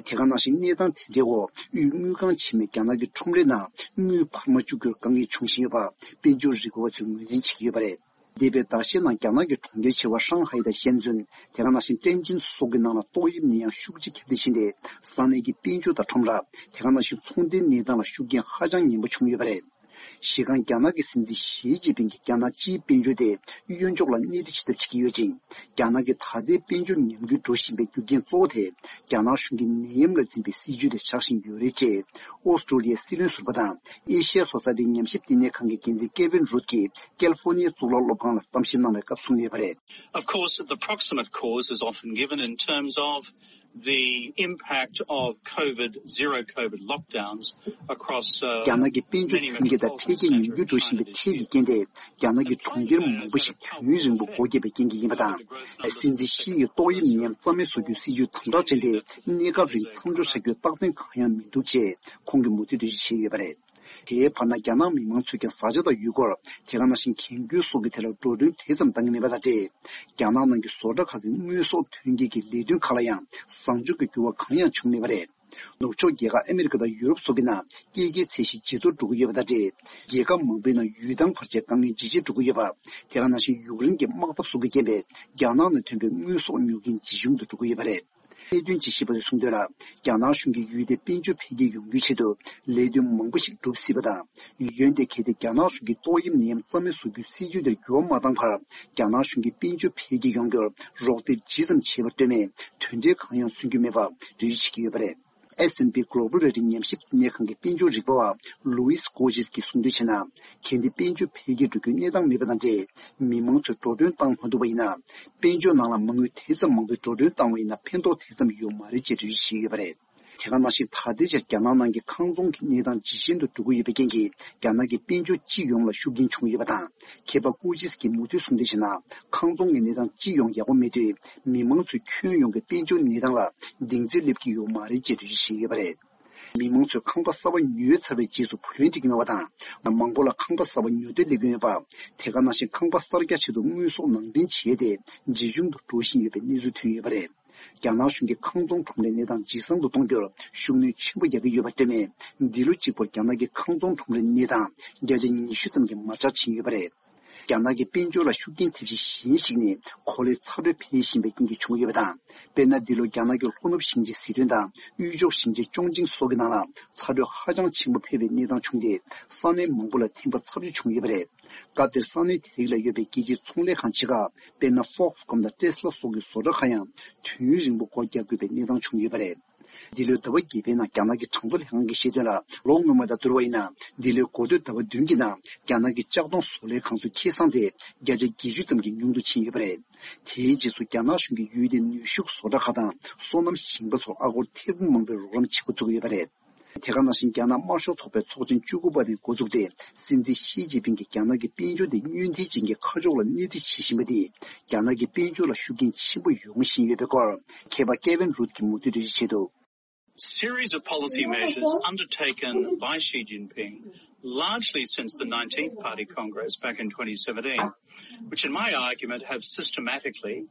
དེ་ག་ནང་བཞིན་གནས་སྟངས་དེ་འདྲའི་འོག་དབུས་དངུལ་ཁང་ཆེན་མོས་རྒྱ་ནག་གི་ཁྲོམ་རའི་ནང་དངུལ་འཕར་མ་བཅུག་རྒྱུར་དཀའ་ངལ་འབྱུང་བཞིན་ཡོད་པ། དཔལ་འབྱོར་རིག་པ་བ་ཚོས་ངོས་འཛིན་བྱེད་ཀྱི་ཡོད་པ་རེད། འདས་པའི་ཟླ་ཤས་ནང་རྒྱ་ནག་གི་གྲོང་ཁྱེར་ཆེ་བ་ཧྲང་ཧའེ་དང་ཞན་ཙུན། དེ་ག་ནང་བཞིན་ཀྲེན་ཅིན་སོགས་ཀྱི་ནང་ལ་ཏོག་དབྱིབས་ནད་ཡམས་ཤུགས་ཆེ་ཁྱབ་གདལ་ཕྱིན་ཏེ། ས་གནས་ཀྱི་དཔལ་འབྱོར་དང་ཁྲོམ་ར། དེ་ག་ནང་བཞིན་ཚོང་དོན་གནས་སྟངས་ལ་ཤུགས་རྐྱེན་ཧ་ཅང་ངན་པ་བྱུང་ཡོད་པ་རེད། གཞི་རྐང་རྒྱ་ནག་གི་སྲིད་འཛིན་ཞི་ཅིན་ཕིང་གིས་རྒྱ་ནག་སྤྱིའི་དཔལ་འབྱོར་དེ་གཡོན་ཕྱོགས་ལ་སྣེ་ཁྲིད་བྱེད་ཐབས་བྱེད་ཀྱི་ཡོད་ཅིང་། རྒྱ་ནག་གི་ད་ལྟའི་དཔལ་འབྱོར་ཉམས་རྒུད་འགྲོ་བཞིན་པའི་རྒྱུ་རྐྱེན་གཙོ་བོ་དེ་རྒྱ་ནག་གཞུང་གིས་ནད་ཡམས་ལ་འཛིན་པའི་སྲིད་ཇུས་དེ་ཆགས་བཞིན་ཡོད་རེད་ཅེས་ཨོ་སི་ཀྲོ་ལི་ཡའི་སྲིད་བློན་ཟུར་པ་དང་ཨེ་ཤི་ཡ་སོ་སའི་ཏི་ཉམས་ཞིབ་བསྟི་གནས་ཁང་གི་འགན་འཛིན་ཀེ་ཝིན་རུད་ཀྱིས་ཀལ་ཧྥོ་ནི་ཡའི་གཙུག་ལག་སློབ་ཁང་ལ་གཏམ་བཤད་གནང་བའི་སྐབས་གསུངས་ཡོད་པ་རེད། Of course, the proximate cause is often given in terms of the impact of COVID, zero COVID lockdowns across uh, རྒྱ་ནག་གི་དཔལ་འབྱོར་ཐོན་སྐྱེད་དང་འཕེལ་རྒྱས་ཉམས་རྒུད་འགྲོ་བཞིན་པའི་འཕྲལ་གྱི་རྐྱེན་དེ་རྒྱ་ནག་གི་གྲོང་ཁྱེར་མང་པོ་ཞིག་དུས་ཡུན་རིང་པོ་སྒོ་བརྒྱབ་པའི་རྐྱེན་གྱིས་ཡིན་པ་དང་། སྲིད་འཛིན་ཞི་ཡིས་ཏོག་དབྱིབས་ནད་ཡམས་རྩ་མེད་བཟོ་རྒྱུའི་སྲིད་ཇུས་དམ་དྲག་བྱས་ཏེ་གནས་སྐབས་རིང་མཚམས་འཇོག་བྱ་རྒྱུའི་རྟགས་མཚན་གང་ཡང་མི་འདུག་ཅེས་ཁོང་གིས་མུ་མཐུད་འགྲེལ་བརྗོད་བྱས་ཡོད་པ་རེད། དེའི་བར་ན་རྒྱ་ནག་མི་མང་ཚོས་ཀྱང་བཟའ་བཅའ་དང་ཡུལ་སྐོར། དེ་ག་ནང་བཞིན་གྱོང་གུན་སོགས་ཀྱི་ཐད་ལ་འགྲོ་གྲོན་དེ་ཙམ་བཏང་གི་མེད་པ་དང་འབྲེལ། རྒྱ་ནག་ནང་གི་བཟོ་གྲྭ་ཁག་གི་དངོས་ཟོག་ཐོན་སྐྱེད་ཀྱི་ལས་དོན་ཁག་ལ་ཡང་བཟང་ཕྱོགས་ཀྱི་འགྱུར་བ་གང་ཡང་བྱུང་མེད་པ་རེད། ནུབ་ཕྱོགས་རྒྱལ་ཁབ་ཨ་མི་རི་ཀ་དང་ཡུ་རོབ་སོགས་ཀྱི་ནང་སྐྱེད་ཀྱི་ཚད་གཞི་ཇེ་མཐོར་འགྲོ་གི་ཡོད་པ་དང་འབྲེལ། རྒྱལ་ཁབ་མང་པོའི་ནང་ཡུལ་ཐང་བར་ཆད་དཀའ་ངལ་ཇེ་ཆེར་འགྲོ་གི་ཡོད་པ། དེ་ག་ནང་བཞིན་ཡུཀ་རེན་གྱི་དམག་འཐབ་སོགས་ཀྱི་རྐྱེན་པས་རྒྱ་ནག་ནང་ཐོན་པའི་དངོས་ཟོག་ཉོ་མཁན་ཇེ་ཆུང་དུ་འགྲོ་གི་ཡོད་པ་རེད། གནད་དོན་ཇི་ཞིག་པ་ཚོས་གསུངས་དོན་ལ། རྒྱ་ནག་གཞུང་གིས་ཡུལ་དེའི་དཔལ་འབྱོར་འཕེལ་རྒྱས་ཡོང་རྒྱུའི་ཆེད་དུ་ལས་དོན་མང་པོ་ཞིག་སྒྲུབ་སྲིད་པ་དང་། ཡོན་ཏན་གལ་ཏེ་རྒྱ་ནག་གཞུང་གིས་ཏོག་དབྱིབས་ནད་ཡམས་རྩ་མེད་བཟོ་རྒྱུའི་སྲིད་ཇུས་དེར་འགྱུར་བ་མ་བཏང་བར། རྒྱ་ནག་གཞུང་གིས་དཔལ་འབྱོར་འཕེལ་རྒྱས་ཡོང་རྒྱུར་རོགས་འདེགས་ཇི་ཙམ་བྱས་པར་ལྟོས་མེད་དོན་འབྲས་གང་ཡང་སོན་རྒྱུ་མེད་པ་འགྲེལ་བརྗོད་བྱེད་ཀྱི་ཡོད་པ་རེད། S and P Global Rating ཉམས་ཞིབ་ལྟེ་གནས་ཁང་གི་དཔལ་འབྱོར་རིག་པ་བ་ལུའིས་ཀོ་ཇིས་ཀྱིས་གསུངས་དོན་བྱས་ན། གལ་ཏེ་དཔལ་འབྱོར་འཕེལ་རྒྱས་འགྲོ་རྒྱུའི་གནས་སྟངས་མེད་པ་དང་འབྲེལ། མི་མང་ཚོས་འགྲོ་གྲོན་བཏང་མ་ཐུབ་པ་ཡིན་ན། དཔལ་འབྱོར་ནང་ལ་མ་དངུལ་དེ་ཙམ་མང་པོས་འགྲོ་གྲོན་བཏང་བ་ཡིན་ན་ཕན་ཐོགས་དེ་ཙམ་ཡོད་མ་རེད་ཅེས་འགྲེལ་བརྗོད་བྱས་ཡོད་པ་རེད། དེ་ག་ནང་བཞིན་ད་ལྟའི་ཆར་རྒྱ་ནག་ནང་གི་ཁང་ཚོང་གི་གནས་སྟངས་ཇེ་ཞན་དུ་འགྲོ་གི་ཡོད་པའི་རྐྱེན་གྱིས་རྒྱ་ནག་གི་དཔལ་འབྱོར་སྤྱི་ཡོངས་ལ་ཤུགས་རྐྱེན་བྱུང་ཡོད་པ་དང་། མཁས་པ་ཀུ་ཅིས་ཀྱིས་མུ་མཐུད་གསུངས་དོན་བྱས་ན། ཁང་ཚོང་གི་གནས་སྟངས་སྤྱི་ཡོངས་ཡག་པོ་མེད་དུས་མི་མང་ཚོས་ཁྱོན་ཡོངས་ཀྱི་དཔལ་འབྱོར་གནས་སྟངས་ལ་གདེང་ཚོད་སླེབས་ཀྱི་ཡོད་མ་རེད་ཅེས་འགྲེལ་བརྗོད་བྱས་ཡོད་པ་རེད། མི་མང་ཚོས་ཁང་པ་གསར་པ་ཉོས་ཚར་བའི་རྗེས་སུ་བུ་ལོན་སྤྲད་ཀྱི་མེད་པ་དང་། མང་པོ་ལ་ཁང་པ་གསར་པ་ཉོ་འདོད་སླེབས་ཀྱི་མེད་པ། དེ་ག་ནང་བཞིན་ཁང་པ་གསར་རྒྱག་ཆེད་དུ་དངོས་ཟོག་ནང་འདྲེན་བྱས་ཏེ་ཇེ་ཆུང་དུ་འགྲོ་བཞིན་ཡོད་པའི་གནས་ཚུལ་ཐོན་ཡོད་པ་རེད། རྒྱ་ནག་གཞུང་གིས་ཁང་ཚོང་ཁྲོམ་རའི་གནས་སྟངས་ཇེ་བཟང་དུ་གཏོང་རྒྱུར་ཤུགས་སྣོན་ཆེན་པོ་རྒྱག་གི་ཡོད་པར་ལྟོས་མེད། འདི་ལོ་གཅིག་པོར་རྒྱ་ནག་གི་ཁང་ཚོང་ཁྲོམ་རའི་གནས་སྟངས་བརྒྱ་ཆ་ཉི་ཤུ་ཙམ་གྱིས་མར་ཆག་ཕྱིན་ཡོད་པ་རེད། རྒྱ་ནག་གི་དཔལ་འབྱོར་ལ་ཤུགས་རྐྱེན་ཐེབས་གཞི་གཞན་ཞིག་ནི་གོ་ལའི་ཚ་དྲོད་འཕེལ་བཞིན་པའི་རྐྱེན་གྱིས་བྱུང་ཡོད་པ་དང་། དཔེར་ན། འདི་ལོ་རྒྱ་ནག་གི་ལྷོ་ནུབ་ཞིང་ཆེན་ཟི་ཁྲོན་དང་དབུས་ཕྱོགས་ཞིང་ཆེན་ཅོང་ཅིང་སོགས་ཀྱི་ནང་ལ་ཚ་དྲོད་ཧ་ཅང་ཆེན་པོ་འཕེལ་བའི་གནས་སྟངས་བྱུང་སྟེ། ས་གནས་མང་པོ་ལ་ཐན་པ་ཚབས་ཆེ་བྱུང་ཡོད་པ་རེད། སྐབས་དེར་ས་གནས་དེ་རིགས་ལ་ཡོད་པའི་རྒྱལ་སྤྱིའི་ཚོང་ལས་ཁང་ཆེ་ཁག་དཔེར་ན། Foxconn དང་Tesla སོགས་ཀྱི་བཟོ་གྲྭ་ཁག་ཡང་དུས་ཡུན་རིང་པོ་སྒོ་རྒྱག་དགོས་པའི་གནས་སྟངས་བྱུང་ཡོད་པ་རེད། འདི་ལོའི་ཟླ་བ་བརྒྱད་པའི་ནང་རྒྱ་ནག་གི་གྲངས་ཐོ་ལས་ཁང་གིས་བཤད་དོན་ལ། ལོ་སྔོན་མ་དང་བསྡུར་བ་ཡིན་ན། འདི་ལོའི་འགོ་སྟོད་ཟླ་བ་བདུན་གྱི་ནང་རྒྱ་ནག་གི་ལྕགས་མདོང་བཟོ་ལས་ཁང་ཚོའི་ཁེ་བཟང་དེ་བརྒྱ་ཆ་བརྒྱད་ཅུ་ཙམ་གྱིས་ཉུང་དུ་ཕྱིན་ཡོད་པ་རེད། དེའི་རྗེས་སུ་རྒྱ་ནག་གཞུང་གིས་ཡུལ་དེའི་ནུས་ཤུགས་བཟོ་གྲྭ་ཁག་དང་སོ་ནམ་ཞིང་པ་ཚོར་ཨ་སྒོར་ཐེར་འབུམ་མང་པོའི་རོགས་རམ་བྱེད་འགོ་བཙུགས་ཡོད་པ་རེད། དེ་ག་ནང་བཞིན་རྒྱ་ནག་དམར་ཤོག་ཚོགས་པའི་ཚོགས་ཆེན་བཅུ་དགུ་པ་དེ་འགོ་བཙུགས་ཏེ། སྲིད་འཛིན་ཞི་ཅིན་ཕིང་གིས་རྒྱ་ནག་གི་དཔལ་འབྱོར་དེ་སྔོན་ཐོན་ཅན་གྱི་ཁ་ཕྱོགས་ལ་སྣེ་ཁྲིད་བྱེད་བཞིན་པ་དེས་རྒྱ་ནག་གི་དཔལ་འབྱོར་ལ་ཤུགས་རྐྱེན་ཆེན་པོ་ཡོང་བཞིན་ཡོད་པའི་སྐོར། མཁས་པ་ཀེ་ཝིན་རུད་ཀྱིས་མུ་མཐུད་འགྲེལ་བརྗོད་བྱས་འདུག Series of policy measures undertaken by Xi Jinping, largely since the nineteenth Party Congress back in twenty seventeen, which in my argument have systematically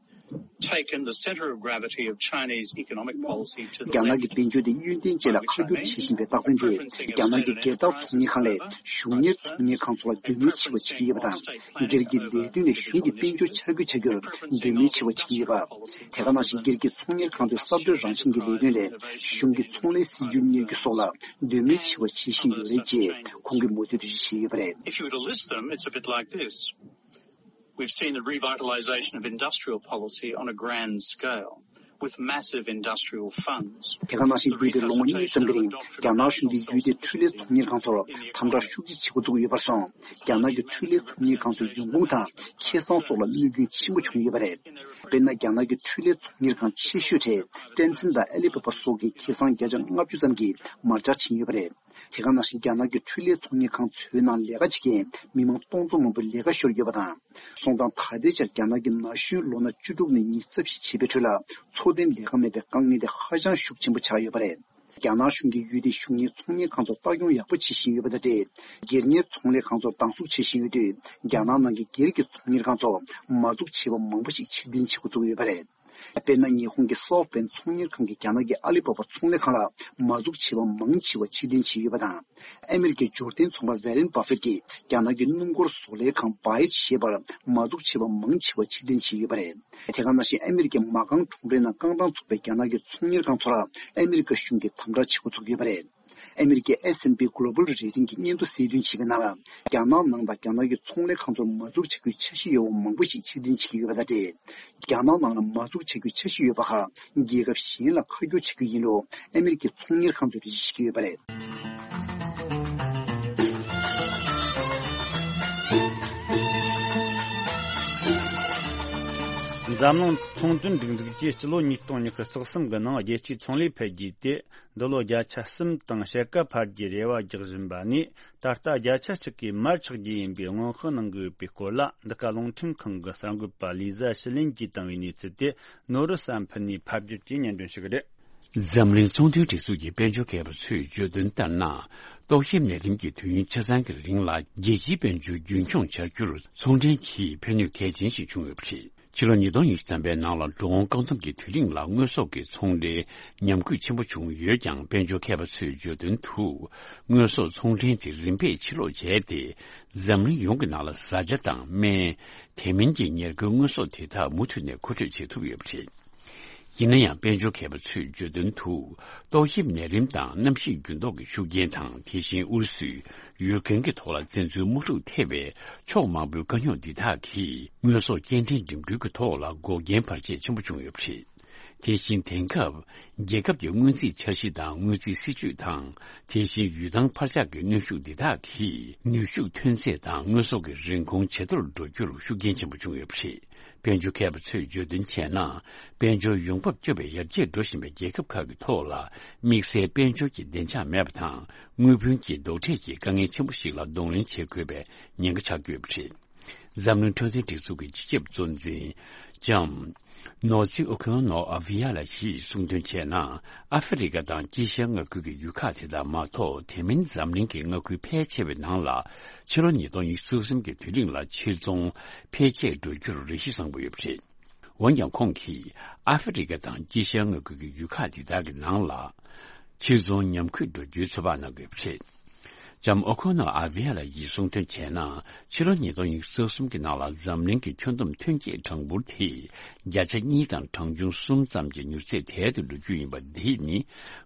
taken the centre of gravity of Chinese economic policy to the རྒྱ་ནག་གི་དཔལ་འབྱོར་དེ་ཡུན་བརྟན་ཅན་ལ་ཁ་བསྒྱུར་བྱེད་བཞིན་པའི་རྟགས་མཚན་དེ་རྒྱ་ནག་གི་སྒེར་བདག་ཚོང་གཉེར་ཁང་ལས་གཞུང་གཉེར་ཚོང་གཉེར་ཁང་ཚོ་ལ་འདོད་མོས་ཆེ་བ་བྱེད་ཀྱི་ཡོད་པ་དང་། སྒེར་གྱི་ལས་དོན་ལས་གཞུང་གི་དཔལ་འབྱོར་འཆར་འགོད་བྱ་རྒྱུར་འདོད་མོས་ཆེ་བ་བྱེད་ཀྱི་ཡོད་པ། དེ་ག་ནང་བཞིན་སྒེར་གྱི་ཚོང་གཉེར་ཁང་ཚོའི་གསར་གཏོད་རང་བཞིན་གྱི་ལས་དོན་ལས་གཞུང་གི་ཚོང་ལས་སྲིད་ཇུས་གཉེར་རྒྱུ་སོགས་ལ་འདོད་མོས་ཆེ་བ་བྱེད་བཞིན་ཡོད་རེད་ཅེས་ཁོང་གིས་མུ་མཐུད་འགྲེལ་བརྗོད་བྱས་ཡོད་པ་རེད། If you were to list them, it's a bit like this. We've seen the revitalization of industrial policy on a grand scale, with massive industrial funds. དེ་ག་ནང་བཞིན་བརྒྱུད་དེ་ལོ་ངོ་གཉིས་ཙམ་གྱི་རིང་རྒྱ་ནག་གཞུང་གིས་ཡུལ་དེའི་འཕྲུལ་ལས་ཚོང་གཉེར་ཁང་ཚོར་དམ་དྲག་ཤུགས་ཆེ་བྱེད་འགོ་བཙུགས་ཡོད་པར་སོང་། རྒྱ་ནག་གི་འཕྲུལ་ལས་ཚོང་གཉེར་ཁང་ཚོའི་ཡོང་ཁུངས་དང་ཁེ་བཟང་སོགས་ལ་གནོད་སྐྱོན་ཆེན་པོ་བྱུང་ཡོད་པ་རེད། དཔེར་ན། རྒྱ་ནག་གི་འཕྲུལ་ལས་ཚོང་གཉེར་ཁང་ཆེ་ཤོས་གྲས་ཏྲན་ཙིན་དང་ཨ་ལི་པ་པ་སོགས་ཀྱི་ཁེ་བཟང་བརྒྱ་ཆ་ལྔ་བཅུ་ཙམ་གྱིས་མར་ཆག་ཕྱིན་ཡོད་པ་རེད། དེ་ག་ནང་བཞིན་རྒྱ་ནག་གི་འཕྲུལ་ལས་ཚོང་གཉེར་ཁང་ཚོའི་ནང་ལས་ཀ་བྱེད་མཁན་མི་མང་སྟོང་ཚོ་མང་པོའི་ལས་ཀ་ཤོར་ཡོད་པ་དང་། སོང་ཙང་ད་ལྟའི་ཆར་རྒྱ་ནག་གི་ན་གཞོན་ལོ་ན་བཅུ་དྲུག་ནས་ཉི་ཤུ་རྩ་བཞི་བྱེད་པའི་ཁྲོད་ལ་འཚོ་རྟེན་ལས་ཀ་མེད་པའི་དཀའ་ངལ་དེ་ཧ་ཅང་ཤུགས་ཆེན་པོ་ཆགས་ཡོད་པ་རེད། རྒྱ་ནག་གཞུང་གིས་ཡུལ་དེའི་གཞུང་གཉེར་ཚོང་གཉེར་ཁང་ཚོར་ལྟ་སྐྱོང་ཡག་པོ་བྱེད་བཞིན་ཡོད་པ་དང་འབྲེལ། སྒེར་གཉེར་ཚོང་ལས་ཁང་ཚོར་སྡང་ཟུག་བྱེད་བཞིན་ཡོད་དུས། རྒྱ་ནག་ནང་གི་སྒེར་གྱི་ཚོང་གཉེར་ཁང་ཚོ་མ་འཛུགས་བྱས་པ་མང་པོ་ཞིག་ཕྱིར་འཐེན་བྱེད་འགོ་བཙུགས་ཡོད་པ་རེད། དཔེར་ན། ཉི་ཧོང་གི་སོཕ་བྷེང་ཚོང་གཉེར་ཁང་གིས་རྒྱ་ནག་གི་ཨ་ལི་པ་པ་ཚོང་ལས་ཁང་ལ་མ་འཛུགས་བྱས་པ་མང་ཆེ་བ་ཕྱིར་འཐེན་བྱས་ཡོད་པ་དང་། ཨ་མི་རི་ཀའི་འབྱོར་ལྡན་ཚོང་པ་ཝེ་རེན་བྷ་ཧྥེད་ཀྱིས་རྒྱ་ནག་གི་སྣུམ་འཁོར་བཟོ་ལས་ཁང་བྷའེ་ཞེས་པར་མ་འཛུགས་བྱས་པ་མང་ཆེ་བ་ཕྱིར་འཐེན་བྱས་ཡོད་པ་རེད། དེ་ག་ནང་བཞིན་ཨ་མི་རི་ཀའི་མ་རྐང་གྲོང་རྡལ་ནང་རྐང་གྲངས་ཚུད་པའི་རྒྱ་ནག་གི་ཚོང་གཉེར་ཁང་ཚོར་ཨ་མི་རི་ཀ་གཞུང་གིས་དམ་དྲག་བྱེད་འགོ་ཚུགས་ཡོད་པ་རེད། ཨ་མི་རི་ཀའི་S&P Global Rating གྱི་སྙན་ཐོ་གསལ་སྟོན་བྱེད་པའི་ནང་ལ། རྒྱ་ནག་ནང་དང་རྒྱ་ནག་གི་ཚོང་ལས་ཁང་ཚོར་མ་འཛུགས་བྱ་རྒྱུའི་འཆར་གཞི་ཡོད་པ་མང་པོ་ཞིག་ཕྱིར་འཐེན་བྱེད་ཀྱི་ཡོད་པ་དང་འབྲེལ། རྒྱ་ནག་ནང་ལ་མ་འཛུགས་བྱ་རྒྱུའི་འཆར་གཞི་ཡོད་པ་ཁག་རྒྱལ་ཁབ་གཞན་ལ་ཁ་སྐྱོར་བྱ་རྒྱུ་ཡིན་ལུགས་ཨ་མི་རི་ཀའི་ཚོང་གཉེར་ཁང་ཚོས་འགྲེལ་བརྗོད་བྱེད་ཀྱི་ཡོད་པ་རེད། འཛམ་གླིང་ཚོང་དོན་སྒྲིག་འཛུགས་ཀྱིས་སྤྱི་ལོ་ཉིས་སྟོང་ཉི་ཤུ་རྩ་གསུམ་གྱི་ནང་རྒྱལ་སྤྱིའི་ཚོང་ལས་འཕེལ་རྒྱས་དེ། འདི་ལོ་བརྒྱ་ཆ་གསུམ་དང་ཕྱེད་ཀ་འཕར་རྒྱུའི་རེ་བ་རྒྱག་བཞིན་པ་ནས། ད་ལྟ་བརྒྱ་ཆ་གཅིག་གིས་མར་ཆག་རྒྱུ་ཡིན་པའི་སྔོན་དཔག་གནང་གི་ཡོད་པའི་སྐོར་ལ། འདི་ག་རླུང་འཕྲིན་ཁང་གི་གསར་འགོད་པ་ལི་ཟ་ཞི་ལིན་གྱིས་བཏང་བའི་གནས་ཚུལ་དེ། ནོར་བུ་བསམ་འཕེལ་ནས་ཕབ་སྒྱུར་གྱིས་སྙན་སྒྲོན་ཞུ་གི་རེད། འཛམ་གླིང་ཚོང་དོན་སྒྲིག་འཛུགས་ཀྱི་དཔལ་འབྱོར་མཁས་པ་ཚོས་བརྗོད་དོན་ལྟར་ན། ཏོག་དབྱིབས་ནད་རིམས་ཀྱི་དུས་ཡུན་ཆ་ཚང་གི་རིང་ལ་རྒྱལ་སྤྱིའི་དཔལ་འབྱོར་རྒྱུན་འཁྱོངས་བྱ་རྒྱུར་ཚོང་འབྲེལ་གྱིས་ཕན་ནུས་གལ་ཆེན་ཞིག་བྱུང་ཡོད་པ་རེད། ཕྱི་ལོ་ཉིས་སྟོང་ཉི་ཤུ་ཐམ་པའི་ནང་ལ་འགྲོ་འོང་བཀག་སྡོམ་གྱི་དུས་རིང་ལ་དངོས་ཟོག་གི་ཚོང་འབྲེལ་ཉམས་རྒུད་ཆེན་པོ་བྱུང་ཡོད་ཀྱང་། དཔལ་འབྱོར་མཁས་པ་ཚོས་བརྗོད་དོན་དུ། དངོས་ཟོག་ཚོང་འབྲེལ་དེ་རིམ་པས་ཕྱིར་ལོག་བྱས་ཏེ། འཛམ་གླིང་ཡོངས་ཀྱི་ནང་ལ་བཟའ་བཅའ་དང་སྨན། དེ་མིན་གྱི་ཉེར་མཁོའི་དངོས་ཟོག་དེ་དག་མུ་མཐུད་ནས་མཁོ་སྤྲོད་བྱེད་ཐུབ་ཡོད་པ་རེད། ཡིན་ན་ཡང་། དཔལ་འབྱོར་མཁས་པ་ཚོས་བརྗོད་དོན་དུ། ཏོག་དབྱིབས་ནད་རིམས་དང་གནམ་གཤིས་འགྱུར་ལྡོག་གི་ཤུགས་རྐྱེན་དང་། དེ་བཞིན་ཨུ་རུ་སུས་ཡུལ་གང་གི་ཐོག་ལ་བཙན་འཛུལ་དམག་འཁྲུག་ཐེབས་པའི་ཕྱོགས་མང་པོའི་དཀའ་རྙོག་འདི་དག་གིས་དངོས་ཟོག་སྐྱེལ་འདྲེན་འགྲིམ་འགྲུལ་གྱི་ཐོག་ལ་འགོག་རྐྱེན་བར་ཆད་ཆེན་པོ་བྱུང་ཡོད་པ་རེད། དེ་བཞིན་དེང་སྐབས་རྒྱལ་ཁབ་ཀྱི་སྔོན་རྩིས་འཆར་གཞི་དང་སྔོན་རྩིས་སྲིད་ཇུས་དང་། དེ་བཞིན་ཡུལ་ཐང་འཕར་ཆག་གི་གནོན་ཤུགས་འདི་དག་གིས་ནུས་ཤུགས་ཐོན་ཚད་དང་དངོས་ཟོག་གི་རིན་གོང་ཇེ་མཐོར་འགྲོ་རྒྱུར་ཤུགས་རྐྱེན་ཆེན་པོ་བྱུང་ཡོད་པ་རེད། དཔལ་འབྱོར་མཁས་པ་ཚོས་བརྗོད་དོན་བྱས་ན། དཔལ་འབྱོར་ཡོང་འབབ་སྐྱོ་བའི་ཡར་རྒྱས་འགྲོ་བཞིན་པའི་རྒྱལ་ཁབ་ཁག་གི་ཐོག་ལ། དམིགས་བསལ་དཔལ་འབྱོར་གྱི་བདེ་འཇགས་མེད་པ་དང་། དངུལ་བུན་གྱི་རྡོག་ཁྲེས་ཀྱི་དཀའ་ངལ་ཆེན་པོ་ཞིག་ལ་གདོང་ལེན་བྱེད་དགོས་པའི་ཉེན་ཁ་ཆགས་ཀྱི་ཡོད་པ་རེད། འཛམ་གླིང་འཕྲོད་བསྟེན་སྒྲིག་འཛུགས་ཀྱི་སྤྱི་ཁྱབ་གཙོ་འཛིན་ལྕམ་ནོ་ཛི་ཨོ་ཁོན་ནོ་ཨ་བྷི་ཡ་ལ་ཡིས་གསུངས་དོན་བྱས་ན། ཨ་ཧྥེ་རི་ཁ་དང་དཀྱིལ་ཤར་མངའ་ཁུལ་གྱི་ཡུལ་ཁག་དེ་དག་མ་གཏོགས། དེ་མིན་འཛམ་གླིང་གི་མངའ་ཁུལ་ཕལ་ཆེ་བའི་ནང་ལ། ཕྱི་ལོ་ཉིས་སྟོང་ཉི་ཤུ་རྩ་གསུམ་གྱི་དུས་རིང་ལ་ཕྱིར་ཚོང་འཕེལ་རྒྱས་འགྲོ་རྒྱུར་རེ་གཞི་བཟང་པོ་ཡོད་པ་རེད། འོན་ཀྱང་། ཁོང་གིས་ཨ་ཧྥེ་རི་ཁ་དང་དཀྱིལ་ཤར་མངའ་ཁུལ་གྱི་ཡུལ་ཁག་དེ་དག་གི་ནང་ལ་ཕྱིར་ཚོང་ཉམས་རྒུད་འགྲོ་རྒྱུའི་ཚོད་དཔག་གནང་དགོས་པ་རེད། ལྕམ་ཨོ་ཁོ་ནོ་ཨ་བྷི་ཡ་ལ་ཡིས་གསུངས་དོན་བྱས་ན། ཕྱི་ལོ་ཉིས་སྟོང་ཉི་ཤུ་རྩ་གསུམ་གྱི་ནང་ལ་འཛམ་གླིང་གི་ཁྱོན་བསྡོམས་ཐོན་སྐྱེད་གྲངས་འབོར་དེ་བརྒྱ་ཆ་གཉིས་དང་གྲངས་ཆུང་གསུམ་ཙམ་གྱི་མྱུར་ཚད་དལ་དུ་འགྲོ་རྒྱུ་ཡིན་པ། འདི་ནི་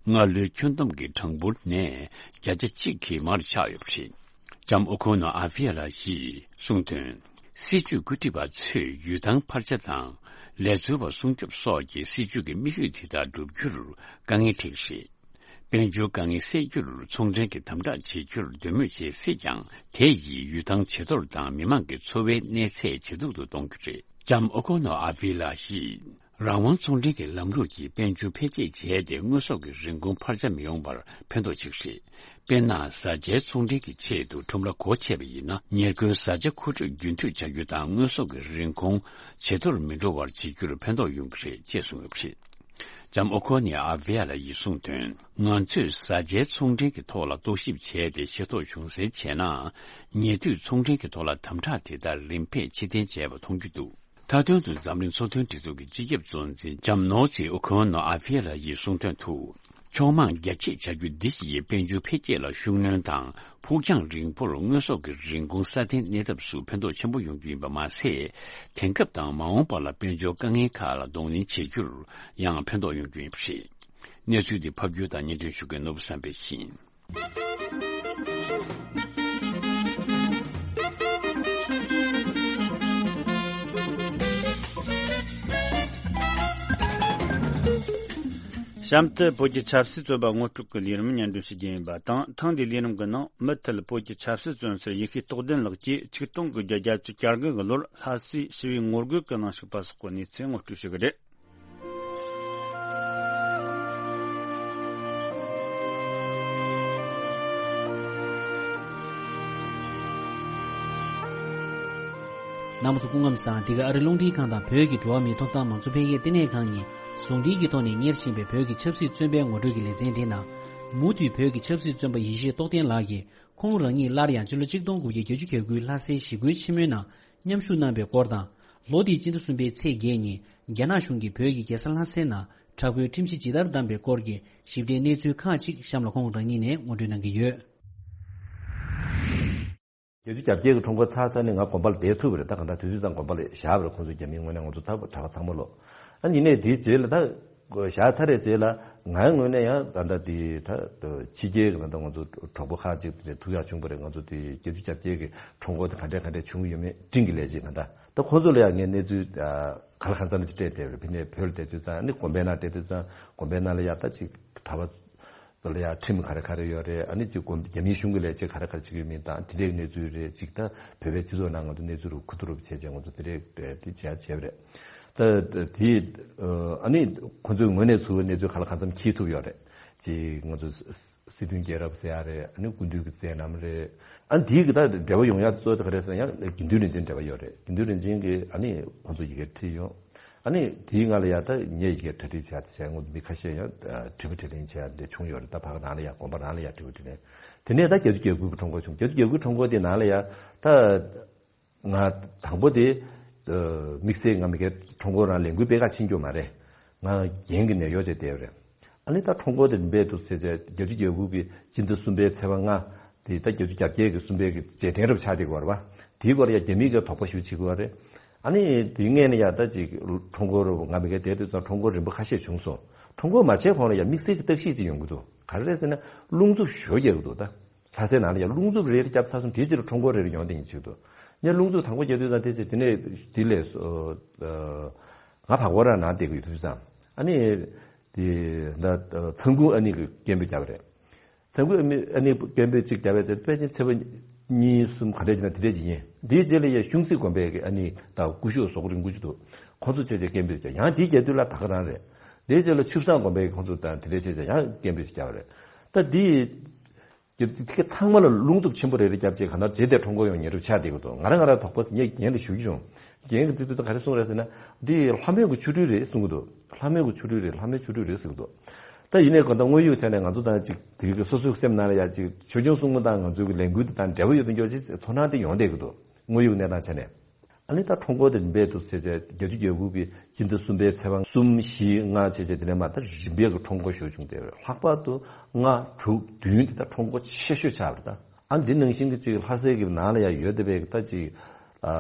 སྔ་ལོའི་ཁྱོན་བསྡོམས་ཀྱི་གྲངས་འབོར་ནས་བརྒྱ་ཆ་གཅིག་གིས་མར་ཆག་ཡོད་པ་རེད། ལྕམ་ཨོ་ཁོ་ནོ་ཨ་བྷི་ཡ་ལ་ཡིས་གསུངས་དོན། སྲིད་ཇུས་བཀོད་སྒྲིག་པ་ཚོས་ཡུལ་ཐང་འཕར་ཆ་དང་། ལས་བཟོ་བ་སྲུང་སྐྱོབ་སོགས་ཀྱི་སྲིད་ཇུས་ཀྱི་དམིགས་ཡུལ་དེ་དག་བསྒྲུབ་རྒྱུར་དཀའ་ངལ་འཕྲད་ཀྱི་རེད། དཔལ་འབྱོར་དཀའ་ངལ་སེལ་རྒྱུར་ཚོང་འབྲེལ་གྱི་དམ་དྲག་བྱེད་རྒྱུར་འདོད་མོས་བྱེད་སྲིད་ཀྱང་། དེ་ཡིས་ཡུལ་ཐང་ཇེ་མཐོར་དང་མི་དམངས་ཀྱི་འཚོ་བའི་གནས་ཚད་ཇེ་སྡུག་ཏུ་གཏོང་རྒྱུ་རེད། ལྕམ་ཨོ་ཁོ་ནོ་ཨ་བྷི་ལ་ཡིས། རང་དབང་ཚོང་འབྲེལ་གྱི་ལམ་ལུགས་ཀྱིས་དཔལ་འབྱོར་འཕེལ་རྒྱས་བྱས་ཏེ། དངོས་ཟོག་གི་རིན་གོང་འཕར་ཆ་མི་ཡོང་བར་ཕན་ཐོགས་ཆེ་གི་རེད། དཔེར་ན། བཟའ་བཅའི་ཚོང་འབྲེལ་གྱི་ཆེད་དུ་ཁྲོམ་ར་སྒོ་ཕྱེ་བ་ཡིན་ན། ཉེར་མཁོའི་བཟའ་བཅའ་མཁོ་སྤྲོད་རྒྱུན་མཐུད་བྱ་རྒྱུ་དང་། དངོས་ཟོག་གི་རིན་གོང་ཇེ་མཐོར་མི་འགྲོ་བར་བྱེད་རྒྱུར་ཕན་ཐོགས་ཡོང་གི་རེད་ཅེས་གསུངས་ཡོད་པ་རེད། ལྕམ་ཨོ་ཁོ་ནི་ཨ་བྷི་ཡ་ལ་ཡིས་གསུངས་དོན། ང་ཚོས་བཟའ་བཅའི་ཚོང་འབྲེལ་གྱི་ཐོག་ལ་རྟོག་ཞིབ་བྱས་ཏེ་ཤེས་རྟོགས་བྱུང་གསལ་བྱས་ན། ཉེ་དུས་ཚོང་འབྲེལ་གྱི་ཐོག་ལ་དམ་དྲག་དེ་ལྟར་རིམ་པས་ཕྱིར་འཐེན་བྱས་པ་མཐོང་རྒྱུ་འདུག། མཐའ་དོན་དུ་འཛམ་གླིང་ཚོང་དོན་སྒྲིག་འཛུགས་ཀྱི་སྤྱི་ཁྱབ་གཙོ་འཛིན་ལྕམ་ནོ་ཛི་ཨོ་ཁོན་ནོ་ཨ་ཧྥི་ཡ་ལ་ཡིས་གསུངས་དོན་དུ། ཕྱོགས་མང་རྒྱ་སྐྱེད་བྱ་རྒྱུ་འདི་ཡིས་དཔལ་འབྱོར་འཕེལ་རྒྱས་ལ་ཤུགས་སྣོན་དང་། ཕུགས་རྒྱང་རིང་པོར་དངོས་ཟོག་གི་རིན་གོང་སྲ་བརྟན་གནས་ཐབས་སུ་ཕན་ཐོགས་ཆེན་པོ་ཡོང་རྒྱུ་ཡིན་པ་མ་ཟད། དེང་སྐབས་དང་མ་འོངས་པ་ལ་དཔལ་འབྱོར་དཀའ་ངལ་ཁག་ལ་གདོང་ལེན་བྱེད་རྒྱུར་ཡང་ཕན་ཐོགས་ཡོང་རྒྱུ་ཡིན་པ་རེད། གནས་ཚུལ་འདི་ཕབ་སྒྱུར་དང་སྙན་སྒྲོན་ཞུ་མཁན་ནོར་བུ་བསམ་འཕེལ་ཡིན། གཤམ་དུ་བོད་ཀྱི་ཆབ་སྲིད་བཙོན་པ་ངོ་སྤྲོད་ཀྱི་ལས་རིམ་སྙན་སྒྲོན་ཞུ་རྒྱུ་ཡིན་པ་དང་། ཐེངས་འདིའི་ལས་རིམ་གྱི་ནང་མུ་མཐུད་བོད་ཀྱི་ཆབ་སྲིད་བཙོན་ཟུར་ཡེ་ཤེས་རྟོགས་ལྡན་ལགས་ཀྱིས་ཆིག་སྟོང་དགུ་བརྒྱ་བརྒྱད་ཅུ་གྱ་དགུ་གི་ལོར་ལྷ་སའི་ཞི་བའི་ངོ་རྒོལ་གྱི་ནང་ཞུགས་པ་སོགས་ཀྱི་གནས་ཚུལ་ངོ་སྤྲོད་ཞུ་གི་རེད། རྣམ་པ་ཚོ་སྐུ་ཁམས་བཟང་། འདི་ག་ཨ་རི་རླུང་འཕྲིན་ཁང་དང་བོད་ཀྱི་འགྲོ་བ་མིའི་ཐོབ་ཐང་མང་གཙོ་འཕེལ་རྒྱས་ལྟེ་གནས་ཁང་གཉིས་ཟུང་འབྲེལ་གྱི་ཐོག་ནས་གཉེར་བཞིན་པའི་བོད་ཀྱི་ཆབ་སྲིད་བཙོན་པའི་ངོ་སྤྲོད་ཀྱི་ལེ་ཚན་དེའི་ནང་། མུ་མཐུད་བོད་ཀྱི་ཆབ་སྲིད་བཙོན་པ་ཡེ་ཤེས་རྟོགས་ལྡན་ལགས་ཀྱིས། ཁོང་རང་ཉིད་སླར་ཡང་སྤྱི་ལོ་ཆིག་སྟོང་དགུ་བརྒྱ་བརྒྱད་ཅུ་གྱ་དགུའི་ལྷ་སའི་ཞི་རྒོལ་ཆེན་མོའི་ནང་མཉམ་ཞུགས་གནང་བའི་སྐོར་དང་། ལོ་འདིའི་སྤྱི་ཟླ་གསུམ་པའི་ཚེས་བརྒྱད་ཉིན་རྒྱ་ནག་གཞུང་གིས་བོད་ཀྱི་རྒྱལ་ས་ལྷ་སའི་ནང་དྲག་པོའི་ཁྲིམས་གཞི་ཇི་ལྟར་བསྡམས་པའི་སྐོར་གྱི་ཞིབ་ཕྲའི་གནས་ཚུལ་ཁག་ཅིག་གཤམ་ལ་ཁོང་རང་ཉིད་ནས་ངོ་སྤྲོད་གནང་གི་ཡོད། བརྒྱད་ཅུ་གྱ་བརྒྱད་ཀྱི་ཁྲོམ་སྐོར་ཚར་ཚར་ནས་ང་དགོན་པ་ལ་བསྡད་ཐུབ་པ་རེད། ད་གང་ལྟར་དུས་ཚོད་ཙམ་དགོན་པ་ལ་བཞག་པ་རེད། ཁོང་ཚོ་རྒྱ་མིའི་ངོས་ནས་ང་ཚོ་ད་གྲྭ་པ་ཚང་མ་ལོ། ཨ་ནི་ཡིན་ནའི་དེའི་རྗེས་ལ་ད་ བཞག་ཚར་རེད་རྗེས་ལ་ངའི་ངོས་ནས་ཡང་ད་ལྟ་དེ་ད་ཕྱི་རྒྱལ་གྱི་ད་ལྟ་ང་ཚོ་གྲོགས་པོ་ཁག་ཅིག་དེ་ཐུག་ཡག་བྱུང་བ་རེད། ང་ཚོ་དེ་བརྒྱད་ཅུ་གྱ་བརྒྱད་ཀྱི་ཁྲོམ་སྐོར་དེ་ག་འདྲས་ག་འདྲས་བྱུང་ཡོད་མེད་སྤྲིན་གྱི་ལས་བྱེད་ང་ད་ད་ཁོང་ཚོ་ལ་ཡང་ངས་གནས་ཚུལ་ག་ལ་གང་འཚམ་ཅིག་སྤྲད་དེ་རེད། ཕི་ནས་བོད་ལ་བསྡད་དུས་ཙང་ནི་དགོན་པའི་ནང་བསྡད་དུས་ཙང་དགོན་པའི་ནང་ལ་ཡག་ད་ཅིག་གྲྭ་པ་ལ་ཡ་ཁྲིམས་ག་རེ་ག་རེ་ཡོད་རེད། ཨ་ནི་ཅིག་དགོན་རྒྱ་མིའི་གཞུང་གི་ལས་བྱེད་ག་རེ་ག་རེ་བྱེད་ཀྱི་ཡོད་མིན་དང་དེ་འདྲའི་གནས་ཚུལ་རེད། ཅིག་ད་བོད་པའི་སྤྱི་ཚོགས་ནང་ང་ཚོ་གནས་ཚུལ་རུ་ཁུ་ཐུ་རུ་བྱས་བྱས་ང་ཚོ་དེ་འདྲའི་དེ་བྱས་བྱས་པ་རེད། ད་དེ་ཨ་ནི་ཁོ་ཚོའི་ངོས་ནས་ཚུར་གནས་ཚུལ་ག་ལ་གང་འཚམ་འཁྱེར་ཐུབ་ཡོད་རེད། ཅིག་ང་ཚོ་སྲིད་དོན་རྒྱལ་རབས་ཟེར་ཡ་རེད། ཨ་ནི་སྐུ་མདུན་གྱི་མཛད་རྣམ་རེད། ཨ་ནི་དེའི་གི་ད་འབྲེལ་བ་ཡོང་ཡ་གཙོ་བོ་དེ་ག་རེ་ཟེར་ན་ཡང་དགེ་འདུན་རིན་ཆེན་འབྲེལ་བ་ཡོད་རེད། དགེ་འདུན་རིན་ཆེན་གྱིས་ཨ་ནི་ཁོང་ཚོ་ཡི་གེ་བྲིས་ཡོང་། ཨ་ནི་དེའི་སྔ་ལ་ཡ་ད་ངས་ཡི་གེ་གྲ་སྒྲིག་བྱས་བྱས་ངོ་མི་ཁ་ཤས་ཡང་དྲི་བ་དྲིས་ལན་བྱས་ཡ་འདི་བྱུང་ཡོད་རེད། ད་ཕ་གི་རང་ལ་ཡ་དགོན་པ་རང་ལ་ཡ་དྲི་བ་དྲིས་ལན། དེ་ནས་ད་བརྒྱད་ཅུ་གྱ་དགུ་གི་ཁྲོམ་སྐོར་བྱུང་། བརྒྱད་ཅུ་གྱ་དགུ་ཁྲོམ་སྐོར་དེ་ནང་ལ་ཡ་ད་ང་དང་པོ་དེ་དམིགས་བསལ་ང་མི་གའི་ཁྲོམ་སྐོར་རང་ལས་འགུལ་སྤེལ་ག་ཕྱིན་རྒྱུ་མ་རེད། ང་རྒན་གྱི་ནད་གཡོག་བྱས་བསྡད་ཡོད་རེད། ཨ་ནི་ད་ཁྲོམ་སྐོར་དེ་རིམ་པས་འདུག་ཟེར་བྱས་བརྒྱད་ཅུ་གྱ་དགུ་གི་སྤྱི་ཟླ་གསུམ་པའི་ཚེས་པ་ལྔ་དེ་ད་བརྒྱད་ཅུ་གྱ་བརྒྱད་ཀྱི་གསུམ་པའི་གི་རྗེས་དྲན་རབ་ཆགས་བསྡད་ཀྱི་ཡོད་རེད་པ། དེའི་སྐོར་ལ་ཡ་རྒྱ་མིས་ཀྱི་དོགས་པ་ཞེ་པོ་བྱེད་ཀྱི་ཡོད་རེད། ཨ་ནི་དེའི་སྔས་ནས་ཡ་ད་ཅིག་ཁྲོམ་སྐོར་ང་མི་གའི་དེ་དུས་ཙང་ཁྲོམ་སྐོར་རིམ་པ་ཁ་ཤས་བྱུང་སོང་། ཁྲོམ་སྐོར་མ་བྱས་གོང་ལ་ཡ་དམིགས་བསལ་གྱི་བརྟག་ཞིབ་ཅིག་ཡོང་གི་འདུག་ག་རེ་རེད་ཟེར་ན་རླུང་འཚུབ་ཞེ་པོ་རྒྱག་གི་འདུག་ད་ལྷ་སའི་ནང་ལ་ཡ་རླུང་འཚུབ་རེ་རེ་བརྒྱབ་ཚར་སོང་། དེའི་རྗེས་ལ་ཁྲོམ་སྐོར་རེ་རེ་ཡོང་བསྡད་མཁན་ཅིག་འདུག་ངས་རླུང་འཚུབ་དང་པོ་རྒྱག་དུས་ཙང་དེ་ཚེ་དེ་ནས་དེ་ལས་ང་བར་སྐོར་ར་ནང་བསྡད་ཀྱི་ཡོད་དུས་ཙང་ཨ་ནི་དེ་ད་ཚང་ཁུག་ཨ་ནི་གི་སྐད་འབོད་བརྒྱབ་པ་རེད། ཚང་ཁུག་ཨ་ནི་སྐད་འབོད་གཅིག་བརྒྱབ་པ་དེ་དཔེ་ཅན་ཚེས་པ་གཉིས་གསུམ་ག་འདྲ་ཅིག་ན་དེ་འདྲ་ཅིག་ཡིན། དེའི་རྗེས་ལ་ཡ་གཞུང་སྲིད་དགོན་པའི་གི་ཨ་ནི་ད་སྐུ་ཞབས་ཟོག་རིང་པོ་ཅིག་འདུག་ཁོང་ཚོ་བྱས་བྱས་སྐད་འབོད་བརྒྱབ། ཡང་དེའི་རྒྱབ་དུས་ལ་ད་ག་རང་རེད། དེའི་རྗེས་ལ་ཆུ་བཟང་དགོན་པའི་ཁོང་ཚོ་དང་དེ་འདྲ་བྱས་བྱས་ཡང་སྐད་འབོད་ཅིག་བརྒྱབ་པ་རེད། ད་དེ་དེ་ག་ཚང་མ་ལ་རླུང་འཚུབ་ཆེན་པོ་རེ་རེ་བརྒྱབ་བྱས་ག་ནར་རྗེས་དེ་ཁྲོམ་སྐོར་ཡོང་ཉེ་རུ་ཆགས་བསྡད་ཀྱི་འདུག་ང་རང་ང་རང་དོགས་པ་ངས་རྒན་དེ་ཞུ་གི་བྱུང་། རྒན་གྱིས་དེ་དུས་ད་ག་རེ་གསུངས་རེད་ཟེར་ན། འདི་ལྷ་མོའི་གི་ཆོ་འཕྲུལ་རེད་གསུང་གི་འདུག་ལྷ་མོའི་གི་ཆོ་འཕྲུལ་རེད། ལྷ་མོའི་ཆོ་འཕྲུལ་རེད་ཟེར་གི་འདུག་ད་ཡིན་ནའི་གང་ལྟར་དངོས་ཡོད་ཆ་ནས་ང་ཚོ་དང་ཅིག་དེ་གི་སོ་སོའི་སེམས་ནང་ལ་ཡ་ཅིག་ཆོས་སྐྱོང་སྲུང་མ་དང་ང་ཚོའི་གི་ལས་འགུལ་དེ་དང་འབྲེལ་བ་ཡོད་པའི་འགྱོ་ཅིག་ཚོར་སྣང་དེ་ཡོང་བསྡད་ཀྱི་འདུག་དངོས་ཡོད་གནས་སྟངས་ཆ་ནས། ཨ་ནི་ད་ཁྲོམ་སྐོར་དེ་རིམ་པས་འདུག་ཟེར་བྱས་བརྒྱད་ཅུ་གྱ་དགུ་གི་སྤྱི་ཟླ་གསུམ་པའི་ཚེས་པ་གསུམ་བཞི་ལྔ་བྱས་བྱས་དེ་ནས་མ་ད་རིམ་པས་ཀྱི་ཁྲོམ་སྐོར་ཞུ་བྱུང་སྟེ། ལྷག་པར་དུ་ལྔ་དྲུག་བདུན་དེ་ད་ཁྲོམ་སྐོར་ཆེ་ཤོས་ཆགས་པ་རེད་ད། ཨ་འདི་ནང་བཞིན་གྱི་ཅིག་ལྷ་སའི་གི་ནང་ལ་ཡང་ཡོད་བསྡད་པའི་ད་ཅིག་ཨ་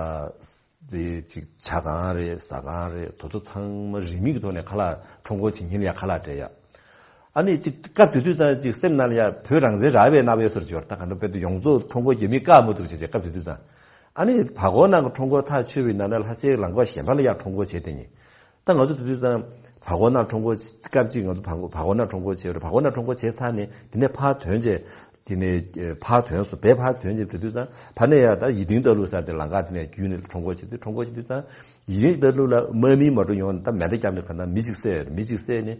དེ་ཅིག་ཇ་ཁང་རེད། ཟ་ཁང་རེད། དེ་ཚོ་ཚང་མ་རིན་མེད་ཀྱི་ཐོག་ནས་ཁ་ལག་ཁྲོམ་སྐོར་བྱེད་མཁན་ལ་ཡང་ཁ་ལག་སྤྲད་ཡ། ཨ་ནི་ཅིག་སྐབས་དེ་དུས་ཙང་ཅིག་སེམས་ནང་ལ་ཡ་བོད་རང་བཙན་རག་པའི་རྣམ་པའི་སོར་འབྱོར་ད་ག་འདྲ་དཔེ་དུ་ཡོངས་རྫོགས་ཁྲོམ་སྐོར་རྒྱ་མིས་བཀག་མ་ཐུབ་བྱས་བྱས་སྐབས་དེ་དུས་ཙང་། ཨ་ནི་བར་སྐོར་ནང་གི་ཁྲོམ་སྐོར་ཐག་ཆོད་པའི་ནང་ལ་ལྷ་སའི་ལམ་ཁ་གཞན་པ་ལ་ཡ་ཁྲོམ་སྐོར་བྱས་བསྡད་མཁན། ད་ང་ཚོ་དེ་དུས་ཙང་བར་སྐོར་ནང་ཁྲོམ་སྐོར་སྐབས་གཅིག་ང་ཚོ་བར་སྐོར་བར་སྐོར་ནང་ཁྲོམ་སྐོར་བྱས་རེད། བར་སྐོར་ནང་ཁྲོམ་སྐོར་བྱས་ཚར་ནས་དེ་ནས་ཕར་ཐོན་བྱས་དེ་ནས་ཕར་ཐོན་སོང་། བས་ཕར་ཐོན་བྱས་དེ་དུས་ཙང་ཕར་ནས་ཡ་ད་ཡིད་བརྟན་རྟ་ལུག་ས་དེ་ལམ་ཁ་དེ་ནས་བརྒྱུད་ནས་ཁྲོམ་སྐོར་བྱས་དུས་ཁྲོམ་སྐོར་བྱས་དུས་ཙང་། ཡིན་ད་ལུ་ལ་དམག་མི་མ་འགྲོ་ཡོང་ད་མེ་མདའ་བརྒྱབ་ནས་ག་ན་མི་གཅིག་བསད་མི་གཅིག་བསད་ནས་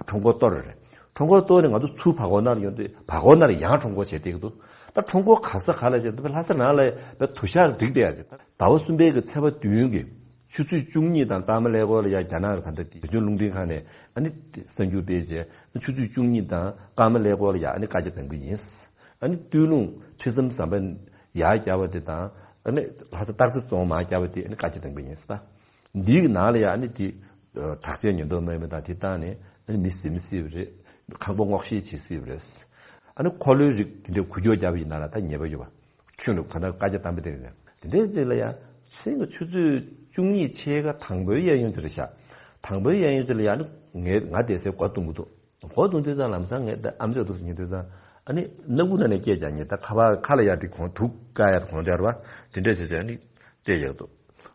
ཁྲོམ་སྐོར་གཏོར་རེད། ཁྲོམ་སྐོར་གཏོར་ནས་ང་ཚོ་ཚུར་བར་སྐོར་ནང་ལ་ཡོང་དུས་བར་སྐོར་ནང་ལ་ཡང་ཁྲོམ་སྐོར་བྱས་བསྡད་ཀྱི་འདུག་ད་ཁྲོམ་སྐོར་ག་ས་ག་ལ་བྱས་ད་ལྷ་ས་ནང་ལ་བས་དུ་ཞག་འགྲིག་བསྡད་ཡ་ཟེར། ཟླ་བ་གསུམ་པའི་གི་ཚེས་པ་བདུན་གི་ཆུ་ཚོད་བཅུ་གཉིས་དང་སྐར་མ་ཀླད་ཀོར་ལ་ཡ་རྒྱ་ནག་གི་ད་ལྟ་དེ་བོད་ལྗོངས་རླུང་འཕྲིན་ཁང་ནས་ཨ་ནི་གསར་འགྱུར་སྤེལ་རྗེས་ཆུ་ཚོད་བཅུ་གཉིས་དང་སྐར་མ་ཀླད་ཀོར་ལ་ཡ་ཨ་ནི་བཀའ་རྒྱ་གཏང་གི་ཡིན། ཨ་ནི་སྟོད་ལུང་ཁྲི་ཟམ་ཟམ་པ་ཡར་བརྒྱབ་པ་དེ་དང་ཨ་ནི་ལྷ་ས་སྟག་རྩེ་རྫོང་མར་བརྒྱབ་པ་དེ་ཨ་ནི་བཀའ་རྒྱ་གཏང་གི་ཡིན་ཟེར། འདིའི་ནང་ལ་ཡ་ཨ་ནི་དེ་དྲག་ཆས་ཉེན་རྟོག་དམག་མི་དང་དེ་བཏང་ནས་ཨ་ནི་མི་ཟིན་སྲིད་པ་རེད། ཁང་པ་སྔོག་བཤེར་བྱེད་སྲིད་པ་རེད། ཨ་ནི་འཁོར་ལོའི་རིགས་དེ་འདྲའི་འགུལ་སྐྱོད་བརྒྱབ་པ་ཡིན་ན་ལ་ད་ཉེས་པ་ཡོད་པ། ཁྱོད་ནི་ག་ད་བཀའ་རྒྱ་བཏང་པ་དེ་རེད། དེ་འདྲའི་རྗེས་ལ་ཡ་ཚེས་ཆུ་ཚོད་བཅུ་གཉིས་ཕྱེད་ཀ་དང་པོའི་གཡས་གཡོན་དེ་རེད་ཤག་དང་པོའི་གཡས་གཡོན་དེ་ལ་ཡ་ཨ་ནི་ངས་ང་བསྡད་སའི་སྒོ་རྡུང་གི་འདུག་སྒོ་རྡུང་དུས་ཙང་ལམ་སང་ངས་ད་ཨམ་ཅོག་འདུག་སེ་ཉན་དུས་ཙང་ཨ་ནི་སྣ་ཁུག་ནང་ནས་སྐད་རྒྱག་ཉན། ད་ཁ་པར་ཁ་ལ་ཡར་དེ་གོང་དུག་བཀག་ཡ་གོང་དེར་བ་དེ་འདྲས་བྱས་བྱས་ཨ་ནི་སྐད་རྒྱག་འདུག་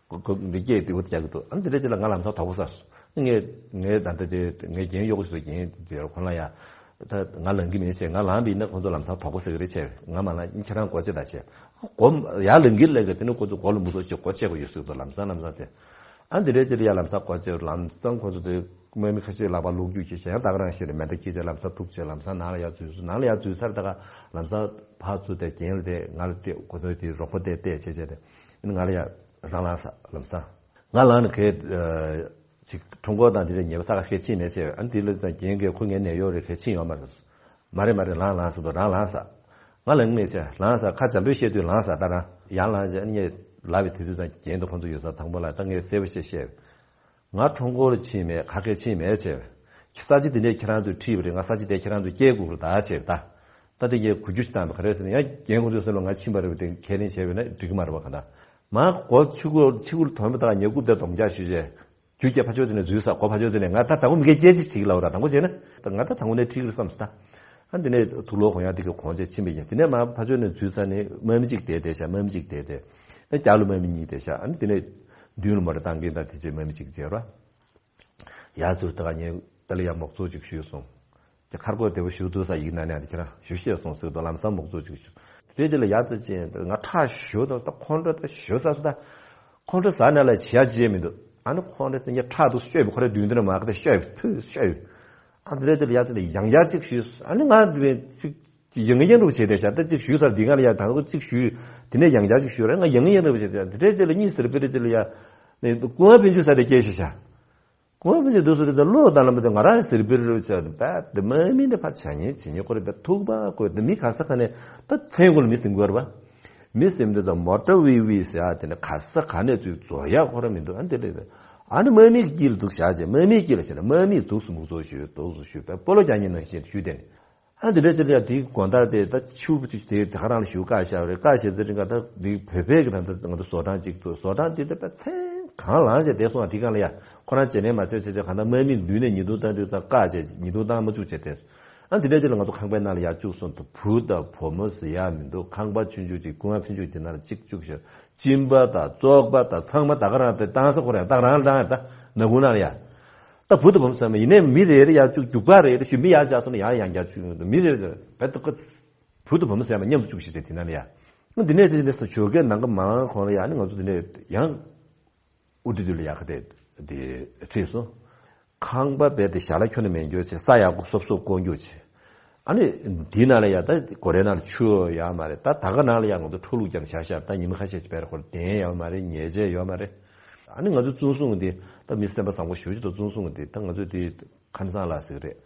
གོ་གོ་འདི་སྐད་དེ་འུ་རྒྱག་གི་འདུག་ཨ་ནི་དེ་འདྲས་བྱས་ལ་ང་ལམ་སང་དོགས་པ་ཟ་སོང་། ངས་ངས་ད་ལྟ་དེ་ངས་རྒན་གཡོག་གི་སུ་རྒན་དེ་ཁོང་ལ་ཡ་ད་ང་ལངས་གི་མིན་བྱས། ང་ལངས་པ་ཡིན་ན་ཁོང་ཚོ་ལམ་སང་དོགས་པ་ཟ་གི་རེད་བྱས། ང་མ་ལངས་ཁྱེད་རང་སྒོ་ཕྱེ་ད་བྱས། སྒོ་ཡར་ལངས་གི་ལངས་གི་དེ་ནི་ཁོང་ཚོ་སྒོ་ལ་མུ་ཏོག་ཅིག་སྒོ་ཕྱེ་དགོས་ཡོད་ཟེར་གི་འདུག་ལམ་སང་ལམ་སང་དེ། ཨ་འདི་འདྲའི་ཅིག་ལ་ཡ་ལམ་སང་སྒོ་ཕྱེ། ལམ་སང་ཁོང་ཚོ་དེ་དམག་མི་ཁ་ཤས་ལག་པ་ལོག་རྒྱུག་བྱས་བྱས་ཡང་ད་ག་རང་ཞིག་རེད། མེ་མདའ་འཁྱེར་བྱས་ལམ་སང་ཐུག་བྱས་ལམ་སང་ནང་ལ་ཡར་འཛུལ་སོང་། ནང་ལ་ཡར་འཛུལ་ཚར་ད་ག་ལམ་སང་ཕར་ཚུར་དེ་རྒན་ལ་དེ་ང་ལ་དེ་ཁོ་ཚོའི་དེ་རོགས་པ་དེ་བལྟས་བྱས་བྱས་དེ་ང་ལ་ཡ་རང་ལངས་ས་ལམ་སང་ང་ལངས་ནས་གས་ཅིག་ཁྲོམ་སྐོར་དང་དེ་འདྲའི་ཉེས་པ་ས་ཁ་ཤས་ཕྱིན་མེད་བྱས། ཨ་འདི་ལ་ད་རྒན་གས་ཁོ་ངའི་ནད་གཡོག་རེད་གས་ཕྱིན་ཡོད་མ་རེད། མ་རེད་མ་རེད་ལངས་ལངས་ཟེར་དུས་རང་ལངས་ས། ང་ལངས་མེད་བྱས་ལངས་ས་ཁ་འཇམ་པོས་བཤད་དུས་ལངས་ས་ད་རང་ཡར་ལངས་བྱས་ཨ་ནི་ངས་ལབ་པའི་དུས་ཚོད་ཙང་རྒན་དུ་ཁོང་ཚོ་ཡོད་ས་དང་པོ་ལ་ད་ངས་གསལ་པོ་བཤད་བཤད། ང་ཁྲོམ་སྐོར་ཕྱིན་མེད། ག་གེ་ཕྱིན་མེད་བྱས། ས་ཆ་དེ་འདྲས་ཁྱེད་རང་ཚོས་ཁྲིད་པ་རེད། ང་ས་ཆ་དེ་ཁྱེད་རང་ཚོས་སྐྱེལ་དགོས་རེད་ད་བྱས་ད། ད་དེ་ངས་གུ་རྒྱུ་ཞིག་བཏང་བ་ག་རེ་ཟེར་ན་ཡང་རྒན་ཁོང་ཚོའི་སེམས་ལ་ང་ཕྱིན་པ་རེད་པ་དེ་ཁས་ལེན་བྱས་པས་ན་འགྲིག་གི་མ་རེད་པ་ག་ད། མ་སྒོ་ཕྱི་སྒོ་ཕྱི་སྒོ་ལ་ཐོན་པ་དང་ཉེ་རྐུབ་དེ་སྡོམ་རྒྱག་ཞུས་བྱས། རྒྱུ་སྐྱེ་ཕ་ཆོས་དེ་ནས་འཛུལ་ས་གོ་ཕ་ཆོས་དེ་ནས་ང་ད་དང་པོ་མི་སྐད་སྐད་ཅིག་ཅིག་ལབ་ར། དང་པོ་བྱས་ན་ད་ང་ད་དང་པོ་ནས་ཁྲིག་རེད་བསམ་སོང་ད། ཨ་འདི་ནས་དུག་ལོག་གོན་ཡག་དེ་གི་གོན་བྱས་ཕྱིན་པ་ཡིན། དེ་ནས་མ་ཕ་ཆོས་ནས་འཛུལ་ས་ནས་དམག་མི་གཅིག་དེ་དེ་ཤ་དམག་མི་གཅིག་དེ་དེ། ཨ་རྒྱ་ལོ་དམག་མི་གཉིས་དེ་ཤ་ཨ་ནི་དེ་ནས་མདུན་ལ་མོ་ཊ་བཏང་གིན་ད་དེ་རྗེས་དམག་མི་གཅིག་བྱས་ར། ཡ་ཚུར་ད་ག་ཉེ་ད་ལ་ཡ་མོག་ཚོ་ཅིག་ཞུས་སོང་། དེ་ཁར་གོ་དེ་བོ་ཞུ་དུ་ས་ཡིག་ན་ནས་དེ་ཁྱེད་རང་ཞུ་ཤེས་སོང་ཟེར་དུ་ལམ་སང་མོག་ཚོ་ཅིག་ཞུ། དེ་དེ་ལ་ཡ་ཚུར་ཅན་ང་ཁྲག་ཞུ་དང་ད་ཁོང་ཁྲོ་ད་ཞུ་ས་སུ་ད། ཁོང་ཁྲོ་ཟ་ན་ལ་བྱ་བྱེད་མི་འདུག་ཨ་ནི་ཁོང་ཁྲོ་ཟ་ཉེ་ཁྲག་ཏུ་ཤོད་པའི་ཁོ་རེ་མདུན་དེ་ནས་མ་ག་དེ་ཤོད་ཕུ་ཤོད། ཨ་དེ་རེད་དེ་ལ་ཡ་ཚུར་ལ་ཡང་ཡ་ཅིག་ཞུས། ཨ་ནི་ང་དེ་བས་ཅིག་ཡང་ཡང་རུ་བྱེད་དེ་ཤ་ད་ཅིག་ཞུས་ཚར་འདི་ག་ལ་ཡ་དང་པོ་ཅིག་ཞུས། དེ་ནས་ཡང་ཡ་ཅིག་ཞུས་རེད། ང་ཡང་ཡང་རུ་བྱེད་དེ་དེ་རེད་དེ་ལ་གཉིས་ཟེར་པི་རེད་དེ་ལ་ཡ། ནས་ཀུ་བ་ཕན་ཆུ་ས་དེ་སྐྱེ་ཤ་ཤ། ཀུ་བ་ཕན་ཆུ་འདུག་ཟེར་དེ་ལོ་དང་ལ་མ་དེ་ང་རང་ཟེར་པི་རུ་བྱ་དེ་བས་དེ་དམག་མི་འདི་ཕ་བྱ་ཉེ་བྱེད་ཉེ་ཁོ་རེ་བས་ཐུག་པ་ཁོ་དེ་མི་ག་ས་ག་ནས་ད་མཚན་གོ་ལ་མི་ཟིན་གོ་ར་བ། མི་ཟིན་དེ་ད་མོ་ཊ་ཝི་ཝི་ཟེར་ཡ་དེ་ནས་ག་ས་ག་ནས་ཚུར་རྫོགས་ཡ་ཁོ་ར་མི་འདུག་ཨ་འདི་རེད། ཨ་ནི་དམག་མིའི་དཀྱིལ་འདུག་བཞག་བྱས་དམག་མིའི་དཀྱིལ་ལ་བྱས་ན་དམག་མིས་འདུག་སུ་མུག་ཚོགས་ཞུས་འདུག་སུ་ཞུས་པས་སྤོ་ལོ་རྒྱག་ཉིན་ནང་བཞིན་ཞུས་དེ་ནི། ཨ་འདི་འདྲ་ཅིག་ལ་ཡ་དེའི་དགོང་དག་དེ་ད་ཆུ་བུ་དེ་དེ་ག་རང་ལ་ཞུ་བཀའ་བཞག་རེད། བཀའ་བཞག་ཚེ་རིང་ག་ད་དེ་བོད་པའི་གི་ད་ད་ང་ཚོ་བཟོ་གྲྭ་གཅིག་ཏུ་བཟོ་གྲྭ་དེ་ད་པ་ཚན་གང་ལངས་བྱས་བསྡད་སོང་བ། དེ་གང་ལ་ཡ་ཁོ་རང་བྱས་ནས་མ་ཚོད་བྱས་བྱས་གང་ད་དམག་མི་མདུན་ནས་ཉེས་རྡུང་བཏང་དུས་ད་བཀའ་བྱས་ཉེས་རྡུང་བཏང་མ་བཅུག་བྱས་ཏེ། ཨ་འདི་འདྲ་ཅིག་ལ་ང་ཚོ་ཁང་པའི་ནང་ལ་ཡ་བཅུག་སོང་། ད་བུ་དང་བུ་མོ་ཟེར་ཡ་མི་འདུག་ཁང་པ་ཆུང་ཆུང་ཅིག་ཀུན་དགའ་ཆུང་ཆུང་དེ་ནང་ལ་གཅིག་བཅུག་ཤག་གཅིན་པ་དང་བཙོག་པ་དང་ཚང་མ་ད་ག་རང་དེ་བཏང་ས་ཁོ་རང་ད་རང་ལ་བཏང་ཡ་ད་ནག་ཁུང་ནང་ལ་ཡ། ད་བུ་དང་བུ་མོ་ཟེར་མ་ཡིན་ནའི་མི་རེ་རེ་ཡར་བཅུག་རྒྱུག་པ་རེ་རེ་ཞུ་མི་ཡར་བཅག་སོང་ན་ཡང་ཡང་བརྒྱབ་བཅུག་ཡོང་དུས་མི་རེ་རེ་བེད་ད་ཁོ་བུ་དང་བུ་མོ་ཟེར་མ་མཉམ་དུ་བཅུག་ཤི་ཟེར་དེ་ན་ལ་ཡ། ཨ་འདི་ནས་དེ་འདྲ་ས་ཇོ་ཀའི་ནང་གི་མང་ཁོང་ལ་ཡ་ནི་ང་ཚོ་དེ་འདྲ་ཡང་དབུ་ཁྲིད་དུ་ལ་ཡག་ག་དེ་དེ་ཚེས་སོ། ཁང་པ་བེད་དེ་ཞྭ་ལ་ཁྱོན་ནས་མེད་འགྱོ་ཆེ་ས་ཡག་པོ་སོབ་སོབ་བསྐོར་འགྱོ་ཆེ། ཨ་ནི་འདི་ན་ལ་ཡ་ད་སྒོ་རའི་ནང་ལ་ཆུ་ཡོད་མ་རེད། ད་ད་ག་ན་ལ་ཡ་ང་ཚོ་འཕྲོ་ལུག་ཀྱང་བྱ་ཤ་ད་ཉི་མ་ཁ་ཤས་ཅིག་བེར་ཁོར་དེན་ཡོད་མ་རེད། ཉལ་ཆས་ཡོད་མ་རེད། ཨ་ནི་ང་ཚོ་ཙུང་སུང་འདི་ད་མི་སེམས་པ་བཟང་པོ་ཞུ་རྒྱུ་ད་ཙུང་སུང་འདི་ད་ང་ཚོ་འདི་ཁ་སང་ལ་ཟིག་རེད།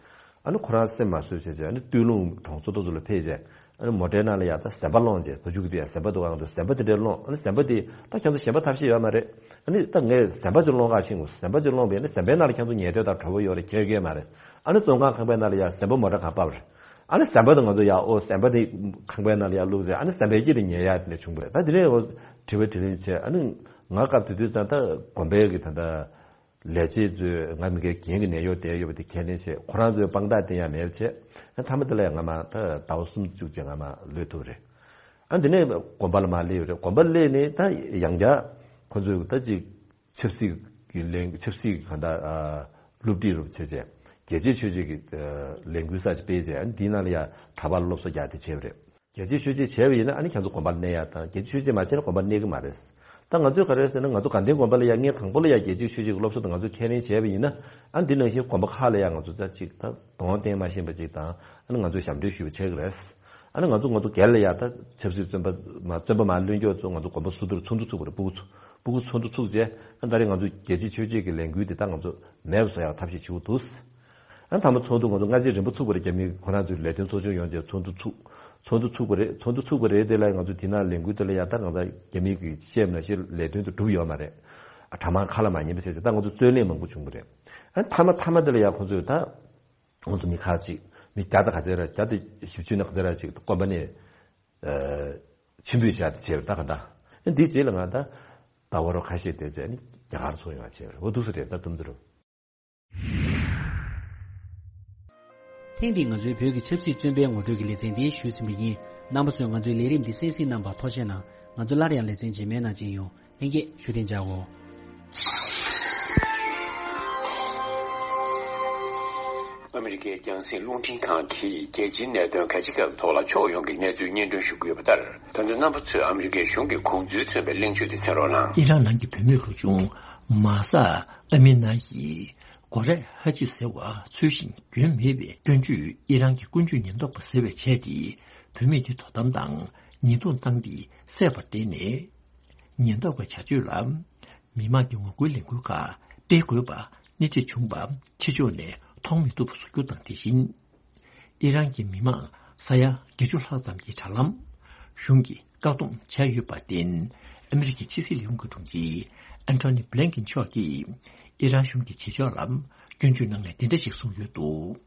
ཨ་ནི་ཁོ་རང་སེམས་མ་བཟོད་བྱས་བྱས་ཨ་ནི་སྟོད་ལུང་གྲོང་ཚོ་ཏོ་ཚོ་ལ་ཕེབས་བྱས་ཨ་ནི་མོ་ཊའི་ནང་ལ་ཡ་ད་ཟམ་པ་སློང་བྱས་བུ་ཕྲུག་དེ་ཡ་ཟམ་པ་འདུག་ཨང་དུ་ཟམ་པ་དེ་འདྲས་སློང་། ཨ་ནི་ཟམ་པ་དེ་ད་ཁྱེད་ཚོ་གཞན་པ་ཐབས་ཤེས་ཡོད་མ་རེད། ཨ་ནི་ད་ངས་ཟམ་པ་ཅིག་སློང་ག་ཕྱིན་དགོས། ཟམ་པ་ཅིག་སློང་བས་ཨ་ནི་ཟམ་པའི་ནང་ལ་ཁྱེད་ཚོ་ཉལ་དོད་དང་གྲོད་པ་ཡོད་རེད་ཁྱེད་སྐད་མ་རེད། ཨ་ནི་བཙོན་ཁང་ཁང་པའི་ནང་ལ་ཡ་ཟམ་པ་མོ་ཊ་གང་པར་རེད། ཨ་ནི་ཟམ་པ་དང་ང་ཚོ་ཡ་ཨོ་ཟམ་པ་དེ་ཁང་པའི་ནང་ལ་ཡ་བླུགས་ཟེར་ཨ་ནི་ཟམ་པའི་དཀྱིལ་དུ་ཉལ་ཡ་དེ་འདྲས་བྱུང་བ་རེད། ད་དེ་ནས་ཨོ་དྲི་བ་དྲིས་ལན་བྱས་ཨ་ནི་ང་སྐབས་དེ་དུས་ད་ད་དགོན་པའི་གི་ད་ད། ལས་བྱེད་ཚོས་ང་མི་སྒེར་རྒན་གྱི་ནད་གཡོག་བསྡད་ཡོད་པ་དེ་ཁས་ལེན་བྱས། ཁོ་རང་ཚོའི་དཔང་རྟགས་དེ་ཡང་མེད་པ་བྱས། མཐའ་མ་དེ་ལ་ཡང་ང་མ་ད་ཟླ་བ་གསུམ་བཅུ་ཅིག་ང་མ་ལུས་ཐུབ་རེད། ཨ་འདི་ནས་དགོན་པ་ལ་མ་སླེབས་རེད། དགོན་པ་སླེབས་ནས་ད་ཡང་བསྐྱར་ཁོ་ཚོས་ད་ཅིག་ཆབ་སྲིད་ཀྱི་ལས་ཆབ་སྲིད་ཀྱི་གང་ལྟར་སློབ་ཁྲིད་རུ་བྱས་བྱས་རྒྱལ་གཅེས་ཆོས་གཅེས་ཀྱི་ལས་འགུལ་ས་ཅིག་སྤེལ་བྱས་ཨ་འདིའི་ནང་ལ་ཡང་གྲྭ་པ་སློབ་གསོ་རྒྱག་དེ་བྱས་པ་རེད། རྒྱལ་གཅེས་ཆོས་གཅེས་བྱས་པ་ཡིན་ན་ཨ་ནི་ཁྱེད་ཚོ་དགོན་པར་གནས་ཡག་དང་རྒྱལ་གཅེས་ཆོས་གཅེས་མ་བྱས་ན་དགོན་པར་གནས་ཀྱི་མ་རེད། ད་ང་ཚོས་ག་རེ་ཟེར་ན་ང་ཚོ་དགའ་ལྡན་དགོན་པ་ལ་ཡ་ངས་དང་པོ་ལ་ཡ་རྒྱལ་གཅེས་ཆོས་གཅེས་ཀྱི་སློབ་གསོ་དང་ང་ཚོས་ཁས་ལེན་བྱས་པ་ཡིན་ན་ཨ་འདི་ནང་བཞིན་དགོན་པ་ཁག་ལ་ཡ་ང་ཚོ་ད་ཅིག་ད་གདོང་བསྟན་མ་ཤེས་པ་ཅིག་དང་ཨ་ནི་ང་ཚོས་ཞབས་འདྲེན་ཞུས་པ་བྱེད་ཀྱི་རེད། ཨ་ནི་ང་ཚོ་ང་ཚོ་སྒེར་ལ་ཡ་ད་ཆབ་སྲིད་བཙོན་པ་མ་བཙོན་པ་མ་ལྷུན་རྒྱུ་ཚོ་ང་ཚོ་དགོན་པ་སོ་སོར་ཚོགས་འདུ་ཚུགས་པ་རེད། སྤུ་གུ་ཚོ་སྤུ་གུ་ཚོགས་འདུ་ཚུགས་རྗེས་ཨ་ད་རེས་ང་ཚོ་རྒྱལ་གཅེས་ཆོས་གཅེས་ཀྱི་ལས་འགུལ་འདི་ད་ང་ཚོ་མེད་པ་བཟོ་ཡག་ཐབས་ཤེས་བྱེད་དགོས་འདུག་ཨ་མཐའ་མ་ཚོགས་འདུ་ང་ཚོ་སྔ་རྗེས་རིམ་པ་ཚུགས་པ་རེད། རྒྱ་མི་ཁོ་རང་ཚོའི་ལས་དོན་ཚོགས་ཆུང་ཡོང་རྗེས་ཚོགས་འདུ་ཚུགས། ཚོགས་འདུ་ཚུགས་པ་རེད། ཚོགས་འདུ་ཚུགས་པ་རེད་དེ་ལ་ང་ཚོ་དེ་ནང་ལས་འགུལ་དེ་ལ་ཡ་ད་གང་ལྟར་རྒྱ་མི་གིས་བཤད་ན་ཤེས་ལས་དོན་དུ་གྲུབ་ཡོད་མ་རེད། ཨ་གྲྭ་མང་ཁ་ལ་མ་ཉན་པ་བྱས་ཚེ་ད་ང་ཚོ་རྩོད་གླེང་མང་པོ་བྱུང་བ་རེད། ཨ་མཐའ་མ་མཐའ་མ་དེ་ལ་ཡ་ཁོ་ཚོས་ད་ང་ཚོ་མི་ཁག་ཅིག་མི་བརྒྱ་དང་ག་ཚད་ར་བརྒྱ་དང་བཞི་བཅུ་ནས་ག་ཚད་ར་ཅིག་དགོན་པ་ནས་ཕྱིར་འབུད་བྱས་ཏེ་བྱས་པ་རེད། ད་གང་ལྟར་འདིའི་རྗེས་ལ་ང་ད་ཟླ་བ་རོ་ཁ་ཤས་དེ་ཚེ་ནི་རྒྱ་གར་ཚོ་ཡོང་བ་བྱས་པ་རེད། འོ་འདུག་སེ་རེད། ད་དུམ་ཚོ་རུ། ཐེངས་འདིའི་ང་ཚོའི་བོད་ཀྱི་ཆབ་སྲིད་བཙོན་པའི་ངོ་སྤྲོད་ཀྱི་ལེ་ཚན་འདི་ཞུས་ཟིན་པ་ཡིན། རྣམ་པ་ཚོས་ང་ཚོའི་ལས་རིམ་འདི་གསན་གཟིགས་གནང་བར་ཐུགས་རྗེ་གནང་། ང་ཚོ་སླར་ཡང་ལེ་ཚན་རྗེས་མའི་ནང་མཇལ་ཡོང་། ལྷན་རྒྱས་བཞུགས་གདན་འཇགས་འོ། ཨ་མི་རི་ཀའི་རྒྱང་སྲིང་རླུང་འཕྲིན་ཁང་གིས་རྒྱལ་སྤྱིའི་གནད་དོན་ག་ཅི་ག་ཐོག་ལ་ཕྱོགས་ཡོངས་ཀྱི་གནས་ཚུལ་སྙན་སྒྲོན་ཞུ་གི་ཡོད་པ་ལྟར། ད་ལྟ་རྣམ་པ་ཚོས་ཨ་མི་རི་ཀའི་གཞུང་གི་དགོངས་ཚུལ་མཚོན་པའི་གླེང་བརྗོད་དེ་གསན་རོགས་གནང་། ཨི་རན་ནང་གི་བུད་མེད་ལོ་ཆུང་མཱ་ས་ཨ་མི་ན་ཡིས་གོ་རེ་ཧ་ཅི་ཟེར་བ་ཚུལ་བཞིན་གྱོན་མེད་པའི་སྐྱོན་བརྗོད་ཨི་རན་གྱི་ཀུན་སྤྱོད་ཉེན་རྟོག་པ་ཟེར་བས་བྱས་ཏེ། བུད་མེད་དེ་དོ་དམ་དང་ཉེས་རྡུང་བཏང་སྟེ་བསད་པར་བརྟེན་ནས། ཉེན་རྟོག་པའི་བྱ་སྤྱོད་ལ་མི་མང་གི་ངོ་རྒོལ་ལས་འགུལ་ཁག་སྤེལ་དགོས་པ་སྣེ་ཁྲིད་བྱུང་བ་ཕྱི་ཕྱོགས་ནས་མཐོང་མི་ཐུབ་པ་བཟོ་རྒྱུ་དང་དེ་བཞིན། ཨི་རན་གྱི་མི་མང་ས་ཡ་བརྒྱད་ཅུ་ལྷག་ཙམ་གྱི་དྲ་ལམ་གཞུང་གིས་བཀག་སྡོམ་བྱས་ཡོད་པར་བརྟེན། ཨ་མི་རི་ཀའི་ཕྱི་སྲིད་ལས་ཁུངས་ཀྱི་དྲུང་ཆེ་ཨན་ཐོ་ནི་བྷི་ལན་ཀིན་མཆོག་གིས་ཨི་རན་གཞུང་གི་བྱེད་ཕྱོགས་ལ་སྐྱོན་བརྗོད་གནང་ནས་འདི་འདྲ་ཞིག་གསུངས་ཡོད་འདུག་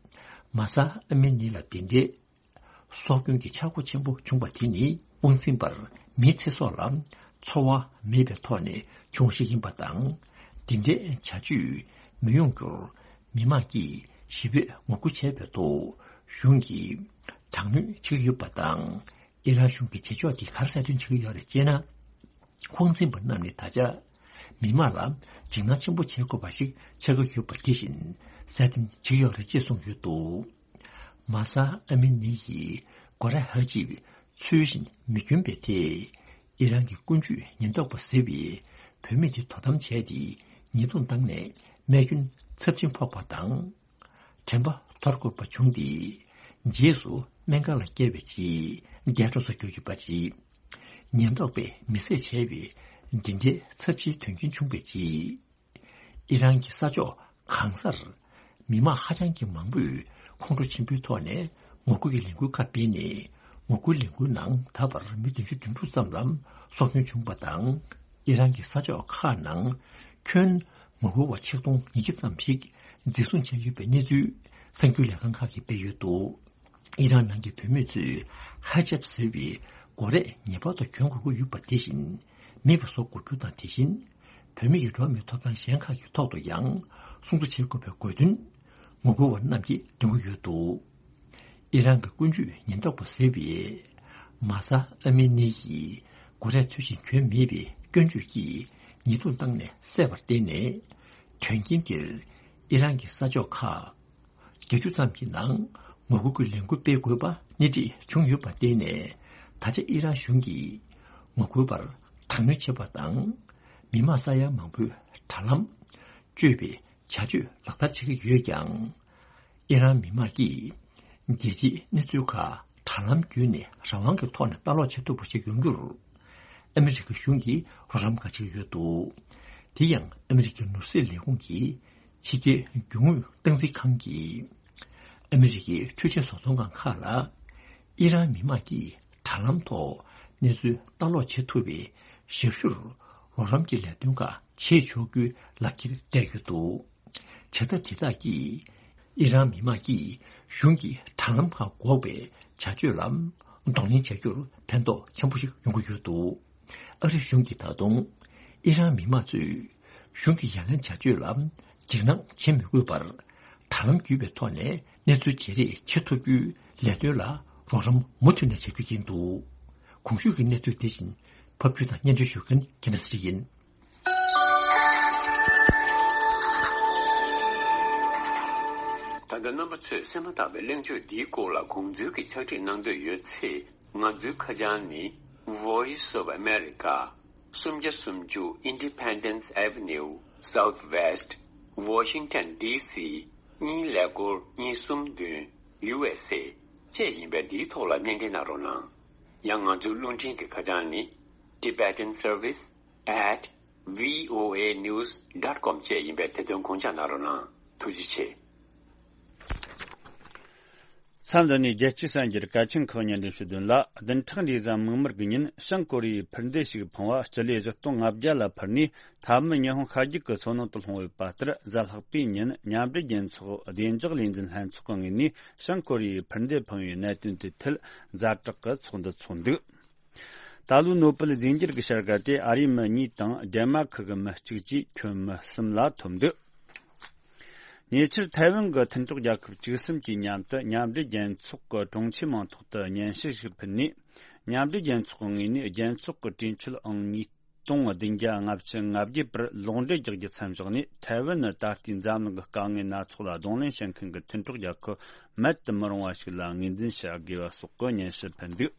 མཱ་ས་ཨ་མི་ནི་ལ་དེ་འདྲའི་སྲོག་སྐྱོན་གྱི་ཆག་སྒོ་ཆེན་པོ་བྱུང་བ་དེ་ནི་དབང་འཛིན་པར་མིའི་ཚེ་སྲོག་ལ་འཚོ་བ་མེད་པའི་ཐོག་ནས་བྱུང་བ་ཞིག་ཡིན་པ་དང་ འདི་འདྲའི་བྱ་སྤྱོད་མི་ཡོང་རྒྱུར་མི་མང་གིས་ཞེ་པོས་ངོ་རྒོལ་བྱས་པའི་ཐོག་གཞུང་གིས་དྲག་གནོན་བྱེད་ཀྱི་ཡོད་པ་དང་། ཨི་རན་གཞུང་གི་བྱེད་ཕྱོགས་དེ་ག་རེ་གསལ་སྟོན་བྱེད་ཀྱི་ཡོད་རེད་ཅེ་ན། དབང་འཛིན་པ་རྣམས་ནས་ད་ཆ་མི་མང་ལ་འཇིགས་སྣང་ཆེན་པོ་བྱེད་དགོས་པ་ཞིག་ཆགས་ཀྱི་ཡོད་པ་དེ་བཞིན་གསལ་སྟོན་བྱེད་ཀྱི་ཡོད་རེད་ཅེས་གསུངས་ཡོད་འདུག། མཱ་ས་ཨ་མི་ནི་ཡིས་གོ་རེ་ཧ་ཅིབ་ཚུལ་བཞིན་མི་གྱོན་པའི་ཐད། ཨི་རན་གྱི་ཀུན་སྤྱོད་ཉེན་རྟོག་པ་ཟེར་བས་བུད་མེད་དེ་དོ་དམ་བྱས་ཏེ་ཉེས་རྡུང་བཏང་ནས་རྨས་སྐྱོན་ཚབས་ཆེན་ཕོག་པ་དང་། དྲན་པ་འཐོར་དགོས་པ་བྱུང་སྟེ། རྗེས་སུ་སྨན་ཁང་ལ་བསྐྱལ་བའི་རྗེས་འདས་གྲོངས་སུ་གྱུར་ཡོད་པ་རེད། ཉེན་རྟོག་པས་མི་བསད་བྱས་པའི་འདི་འདྲའི་ཚབས་ཆེའི་དོན་རྐྱེན་བྱུང་བའི་རྗེས། ཨི་རན་གྱི་ས་ཕྱོགས་གང་སར་མི་མང་ཧ་ཅང་གི་མང་པོས་ཁོང་ཁྲོ་ཆེན་པོའི་ཐོག་ནས་ངོ་རྒོལ་གྱི་ལས་འགུལ་ཁག་སྤེལ་ནས། ངོ་རྒོལ་ལས་འགུལ་ནང་ད་བར་མི་བདུན་ཅུ་དོན་དྲུག་ཙམ་ལ་སྲོག་སྐྱོན་བྱུང་བ་དང་། ཨི་རན་གྱི་ས་ཕྱོགས་ཁག་ནང་ཁྱོན་ངོ་རྒོལ་བ་ཆིག་སྟོང་ཉིས་བརྒྱ་ཙམ་ཞིག་འཛིན་བཟུང་བྱས་ཡོད་པའི་གནས་ཚུལ་གསར་འགྱུར་ལས་ཁང་ཁག་གིས་སྤེལ་ཡོད་འདུག། ཨི་རན་ནང་གི་བུད་མེད་ཚོས་ཧ་ཇབ་ཟེར་བའི་གོ་རེ་ངེས་པར་དུ་གྱོན་དགོས་ཀྱི་ཡོད་པ་དེ་བཞིན། མེད་པ་བཟོ་དགོས་རྒྱུ་དང་། དེ་བཞིན་བུད་མེད་ཀྱི་འགྲོ་བ་མིའི་ཐོབ་ཐང་གཞན་ཁག་གི་ཐོག་ཏུ་ཡང་སྲུང་བརྩི་བྱེད་དགོས་པའི་དགོས་འདུན་ངོ་རྒོལ་བ་རྣམས་ཀྱིས་འདོན་གྱི་ཡོད་འདུག། ཨི་རན་གྱི་ཀུན་སྤྱོད་ཉེན་རྟོག་པ་ཟེར་བས་མཱ་ས་ཨ་མི་ནི་ཡིས་གོ་རེ་ཚུལ་བཞིན་གྱོན་མེད་པའི་སྐྱོན་བརྗོད་ཀྱིས་ཉེས་རྡུང་བཏང་ནས་བསད་པར་བརྟེན་ནས། དོན་རྐྱེན་འདིར་ཨི་རན་གྱི་ས་ཕྱོགས་ཁག་བརྒྱད་ཅུ་ཙམ་གྱི་ནང་ངོ་རྒོལ་གྱི་ལས་འགུལ་སྤེལ་དགོས་པ་སྣེ་ཁྲིད་བྱུང་ཡོད་པར་བརྟེན་ནས། ད་ཆ་ཨི་རན་གཞུང་གིས་ངོ་རྒོལ་པར་དྲག་གནོན་བྱེད་པ་དང་། མི་མང་ས་ཡ་མང་པོའི་དྲ་ལམ་གཅོད་པའི་བྱ་སྤྱོད་ལག་བསྟར་བྱེད་ཀྱི་ཡོད་ཀྱང་། ཨི་རན་མི་མང་གིས་རྒྱལ་སྤྱིའི་གནས་ཚུལ་ཁག་དྲ་ལམ་བརྒྱུད་ནས་རང་དབང་གི་ཐོག་ནས་ལྟ་ཀློག་བྱེད་ཐུབ་པ་ཞིག་ཡོང་རྒྱུར། ཨ་མི་རི་ཀའི་གཞུང་གིས་རོགས་རམ་འགའ་བྱེད་ཀྱི་ཡོད་འདུག། དེ་ཡང་ཨ་མི་རི་ཀའི་ནོར་སྲིད་ལས་ཁུངས་ཀྱི་ཕྱི་རྒྱལ་རྒྱུ་དངོས་སྟངས་འཛིན་ཁང་གིས། ཨ་མི་རི་ཀའི་འཕྲུལ་ཆས་བཟོ་ཚོང་ཁང་ཁག་ལ། ཨི་རན་མི་མང་གིས་དྲ་ལམ་ཐོག་གནས་ཚུལ་ལྟ་ཀློག་བྱེད་ཐུབ་པའི་ཞབས་ཞུར་རོགས་རམ་གྱི་ལས་དོན་ཁག་བྱེད་ཆོག་རྒྱུའི་ལག་འཁྱེར་སྤྲད་ཡོད་འདུག། བྱ་ཐབས་དེ་དག་གིས་ཨི་རན་མི་མང་གིས་གཞུང་གི་དྲ་ལམ་ཁག་འགོག་པའི་བྱ་སྤྱོད་ལ་གདོང་ལེན་བྱ་རྒྱུར་ཕན་ཐོགས་ཆེན་པོ་ཞིག་ཡོང་གི་ཡོད་འདུག། ཨ་རི་གཞུང་གིས་ད་དུང་ཨི་རན་མི་མང་ཚོས་གཞུང་གི་ཡ་ལན་བྱ་སྤྱོད་ལ་འཇིགས་སྣང་བྱེད་མི་དགོས་པར། དྲ་ལམ་བརྒྱུད་པའི་ཐོག་ནས་གནས་ཚུལ་བརྗེ་རེས་བྱེད་ཐུབ་རྒྱུའི་ལས་དོན་ལ་རོགས་རམ་མུ་མཐུད་ནས་བྱ་རྒྱུ་ཡིན་འདུག། གོང་ཞུས་ཀྱི་གནས་ཚུལ་དེ་བཞིན་ཕབ་སྒྱུར་དང་སྙན་སྒྲོན་ཞུ་མཁན་རྒྱལ་མཚན་ཡིན། ད་ལྟ་རྣམ་པ་ཚོས་གསན་མ་ཐག་པའི་གླེང་བརྗོད་འདིའི་སྐོར་ལ་དགོངས་ཚུལ་གྱི་ཕྱག་བྲིས་གནང་འདོད་ཡོད་ཚེ། ང་ཚོའི་ཁ་བྱང་ནི། Voice of America། སུམ་བརྒྱ་སུམ་ཅུ་Independence Avenue, Southwest, Washington D C གཉིས་ཀླད་ཀོར་གཉིས་གསུམ་བདུན། ཡུ་ཨེས་ཨེ་བཅས་ཡིན་པས། འདིའི་ཐོག་ལ་སྣེ་འདྲེན་གནང་རོགས་གནང་། ཡང་ང་ཚོའི་རླུང་འཕྲིན་གྱི་ཁ་བྱང་ནི། Tibetan Service at V O A news dot com བཅས་ཡིན་པས། དེ་དོན་དགོངས་འཇགས་གནང་རོགས་གནང་། ཐུགས་རྗེ་ཆེ། མཚམས་འདི་ནས་རྒྱལ་སྤྱིའི་གསར་འགྱུར་གལ་ཆེན་ཁག་སྙན་སྒྲོན་ཞུ་དོན་ལ། བདུན་ཕྲག་འདིའི་གཟའ་མིག་དམར་གྱི་ཉིན་བྱང་ཀོ་རི་ཡའི་འཕུར་མདེལ་ཞིག་འཕངས་པ་སྤྱི་ལེ་བཞི་སྟོང་ལྔ་བརྒྱ་ལ་འཕུར་ནས། མཐའ་མི་ཉི་ཧོང་ཤར་རྒྱུད་ཀྱི་མཚོ་ནང་དུ་ལྷུང་ཡོད་པ་ལྟར། གཟའ་ལྷག་པའི་ཉིན་མཉམ་འབྲེལ་རྒྱལ་ཚོགས་བདེ་འཇགས་ལས་འཛིན་ལྷན་ཚོགས་ཀྱི་ངོས་ནས་བྱང་ཀོ་རི་ཡའི་འཕུར་མདེལ་འཕངས་པའི་གནད་དོན་དེའི་ཐད་ཛ་དྲག་གི་ཚོགས་འདུ་ཚོགས་འདུག། ད་ལོའི་ནོ་པེལ་རྫས་འགྱུར་གྱི་བྱ་དགའ་དེ་ཨ་རིའི་མི་གཉིས་དང་ཌེན་མཱར་ཁི་གི་མི་གཅིག་བཅས་ཁྱོན་མི་གསུམ་ལ་ཐོབ་འདུག། ཉེ་ཆར་ཐའེ་ཝན་གྱི་མཐུན་གྲོགས་རྒྱལ་ཁབ་བཅུ་གསུམ་གྱིས་མཉམ་དུ་མཉམ་འབྲེལ་རྒྱལ་ཚོགས་ཀྱི་དྲུང་ཆེ་མིང་ཐོག་ཏུ་སྙན་ཞུ་ཞིག་ཕུལ་ནས། མཉམ་འབྲེལ་རྒྱལ་ཚོགས་ཀྱི་ངོས་ནས་རྒྱལ་ཚོགས་ཀྱི་གྲོས་ཆོད་ཨང་ཉིས་སྟོང་བདུན་བརྒྱ་ལྔ་བཅུ་ང་བརྒྱད་པར་ལོག་འགྲེལ་རྒྱག་རྒྱུ་མཚམས་བཞག་ནས། ཐའེ་ཝན་ནི་ད་ལྟའི་འཛམ་གླིང་གི་དཀའ་ངལ་སྣ་ཚོགས་ལ་གདོང་ལེན་བྱེད་མཁན་གྱི་མཐུན་གྲོགས་རྒྱལ་ཁབ་མེད་དུ་མི་རུང་བ་ཞིག་ལ་ངོས་འཛིན་བྱ་དགོས་པ་སོགས་ཀྱི་སྙན་ཞུ་ཕུལ་འདུག།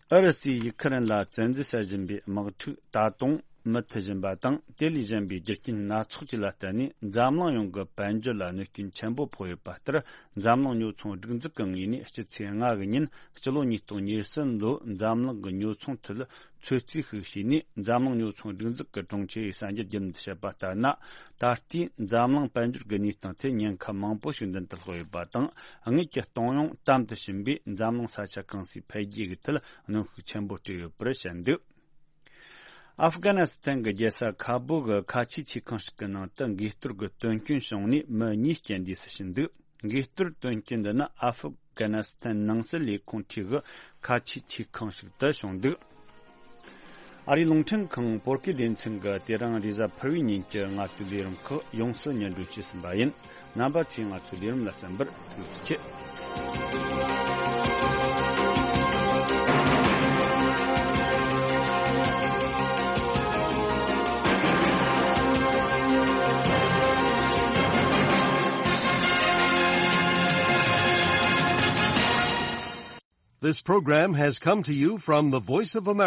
ཨུ་རུ་སུས་ཡུ་ཁུ་རེན་ལ་བཙན་འཛུལ་བྱེད་བཞིན་པའི་དམག་འཁྲུག་ད་དུང་མུ་མཐུད་བཞིན་པ་དང་། དེ་ལས་གཞན་པའི་རྒྱུ་རྐྱེན་སྣ་ཚོགས་བཅས་ལ་བརྟེན་ནས། འཛམ་གླིང་ཡོངས་ཀྱི་དཔལ་འབྱོར་ལ་གནོད་སྐྱོན་ཆེན་པོ་ཕོག་ཡོད་པ་ལྟར། འཛམ་གླིང་ཉོ་ཚོང་སྒྲིག་འཛུགས་ཀྱི་ངོས་ནས་སྤྱི་ཚེས་ལྔ་གི་ཉིན། སྤྱི་ལོ་ཉིས་སྟོང་ཉེར་གསུམ་ལོའི་འཛམ་གླིང་གི་ཉོ་ཚོང་ཐད་ཚོད་རྩིས་ཤིག་བྱས་ནས། འཛམ་གླིང་ཉོ་ཚོང་སྒྲིག་འཛུགས་ཀྱི་དྲུང་ཆེ་གསར་འགྱུར་བརྒྱུད་ནས་བཤད་པ་ལྟར་ན། ད་ལྟའི་འཛམ་གླིང་དཔལ་འབྱོར་གྱི་གནས་སྟངས་དེ་ཉེན་ཁ་མང་པོ་ཞིག་མདུན་དུ་ལྷོད་ཡོད་པ་དང་། དངུལ་གྱི་གཏོང་ཡོང་དམ་དུ་ཕྱིན་པས། འཛམ་གླིང་ས་ཆ་གང་སའི་འཕེལ་རྒྱས་ཀྱི་ཐད་གནོན་ཤུགས་ཆེན་པོ་སྤྲད་ཡོད་པར་བཤད་འདུག། ཨབ་གྷ་ནི་སི་ཐན་གྱི་རྒྱལ་ས་ཁ་བོ་གི་ཁ་ཆེའི་ཆེ་ཁང་ཞིག་གི་ནང་དུ་འགས་གཏོར་གྱི་དོན་རྐྱེན་བྱུང་ནས། མི་གཉིས་རྐྱེན་འདས་སུ་ཕྱིན་འདུག། འགས་གཏོར་དོན་རྐྱེན་འདི་ནི་ཨབ་གྷ་ནི་སི་ཐན་ནང་སྲིད་ལས་ཁུངས་འཁྲིས་ཀྱི་ཁ་ཆེའི་ཆེ་ཁང་ཞིག་ཏུ་བྱུང་འདུག། ཨ་རིའི་རླུང་འཕྲིན་ཁང་བོད་སྐད་སྡེ་ཚན་གྱིས་དེ་རིང་རེས་གཟའ་ཕུར་བུའི་ཉིན་གྱི་ང་ཚོའི་ལས་རིམ་ཁག་ཡོངས་སུ་སྙན་སྒྲོན་བྱས་ཟིན་པ་ཡིན། རྣམ་པ་ཚོས་ང་ཚོའི་ལས་རིམ་ལ་གསན་པར་ཐུགས་རྗེ་ཆེ། This program has come to you from the Voice of America.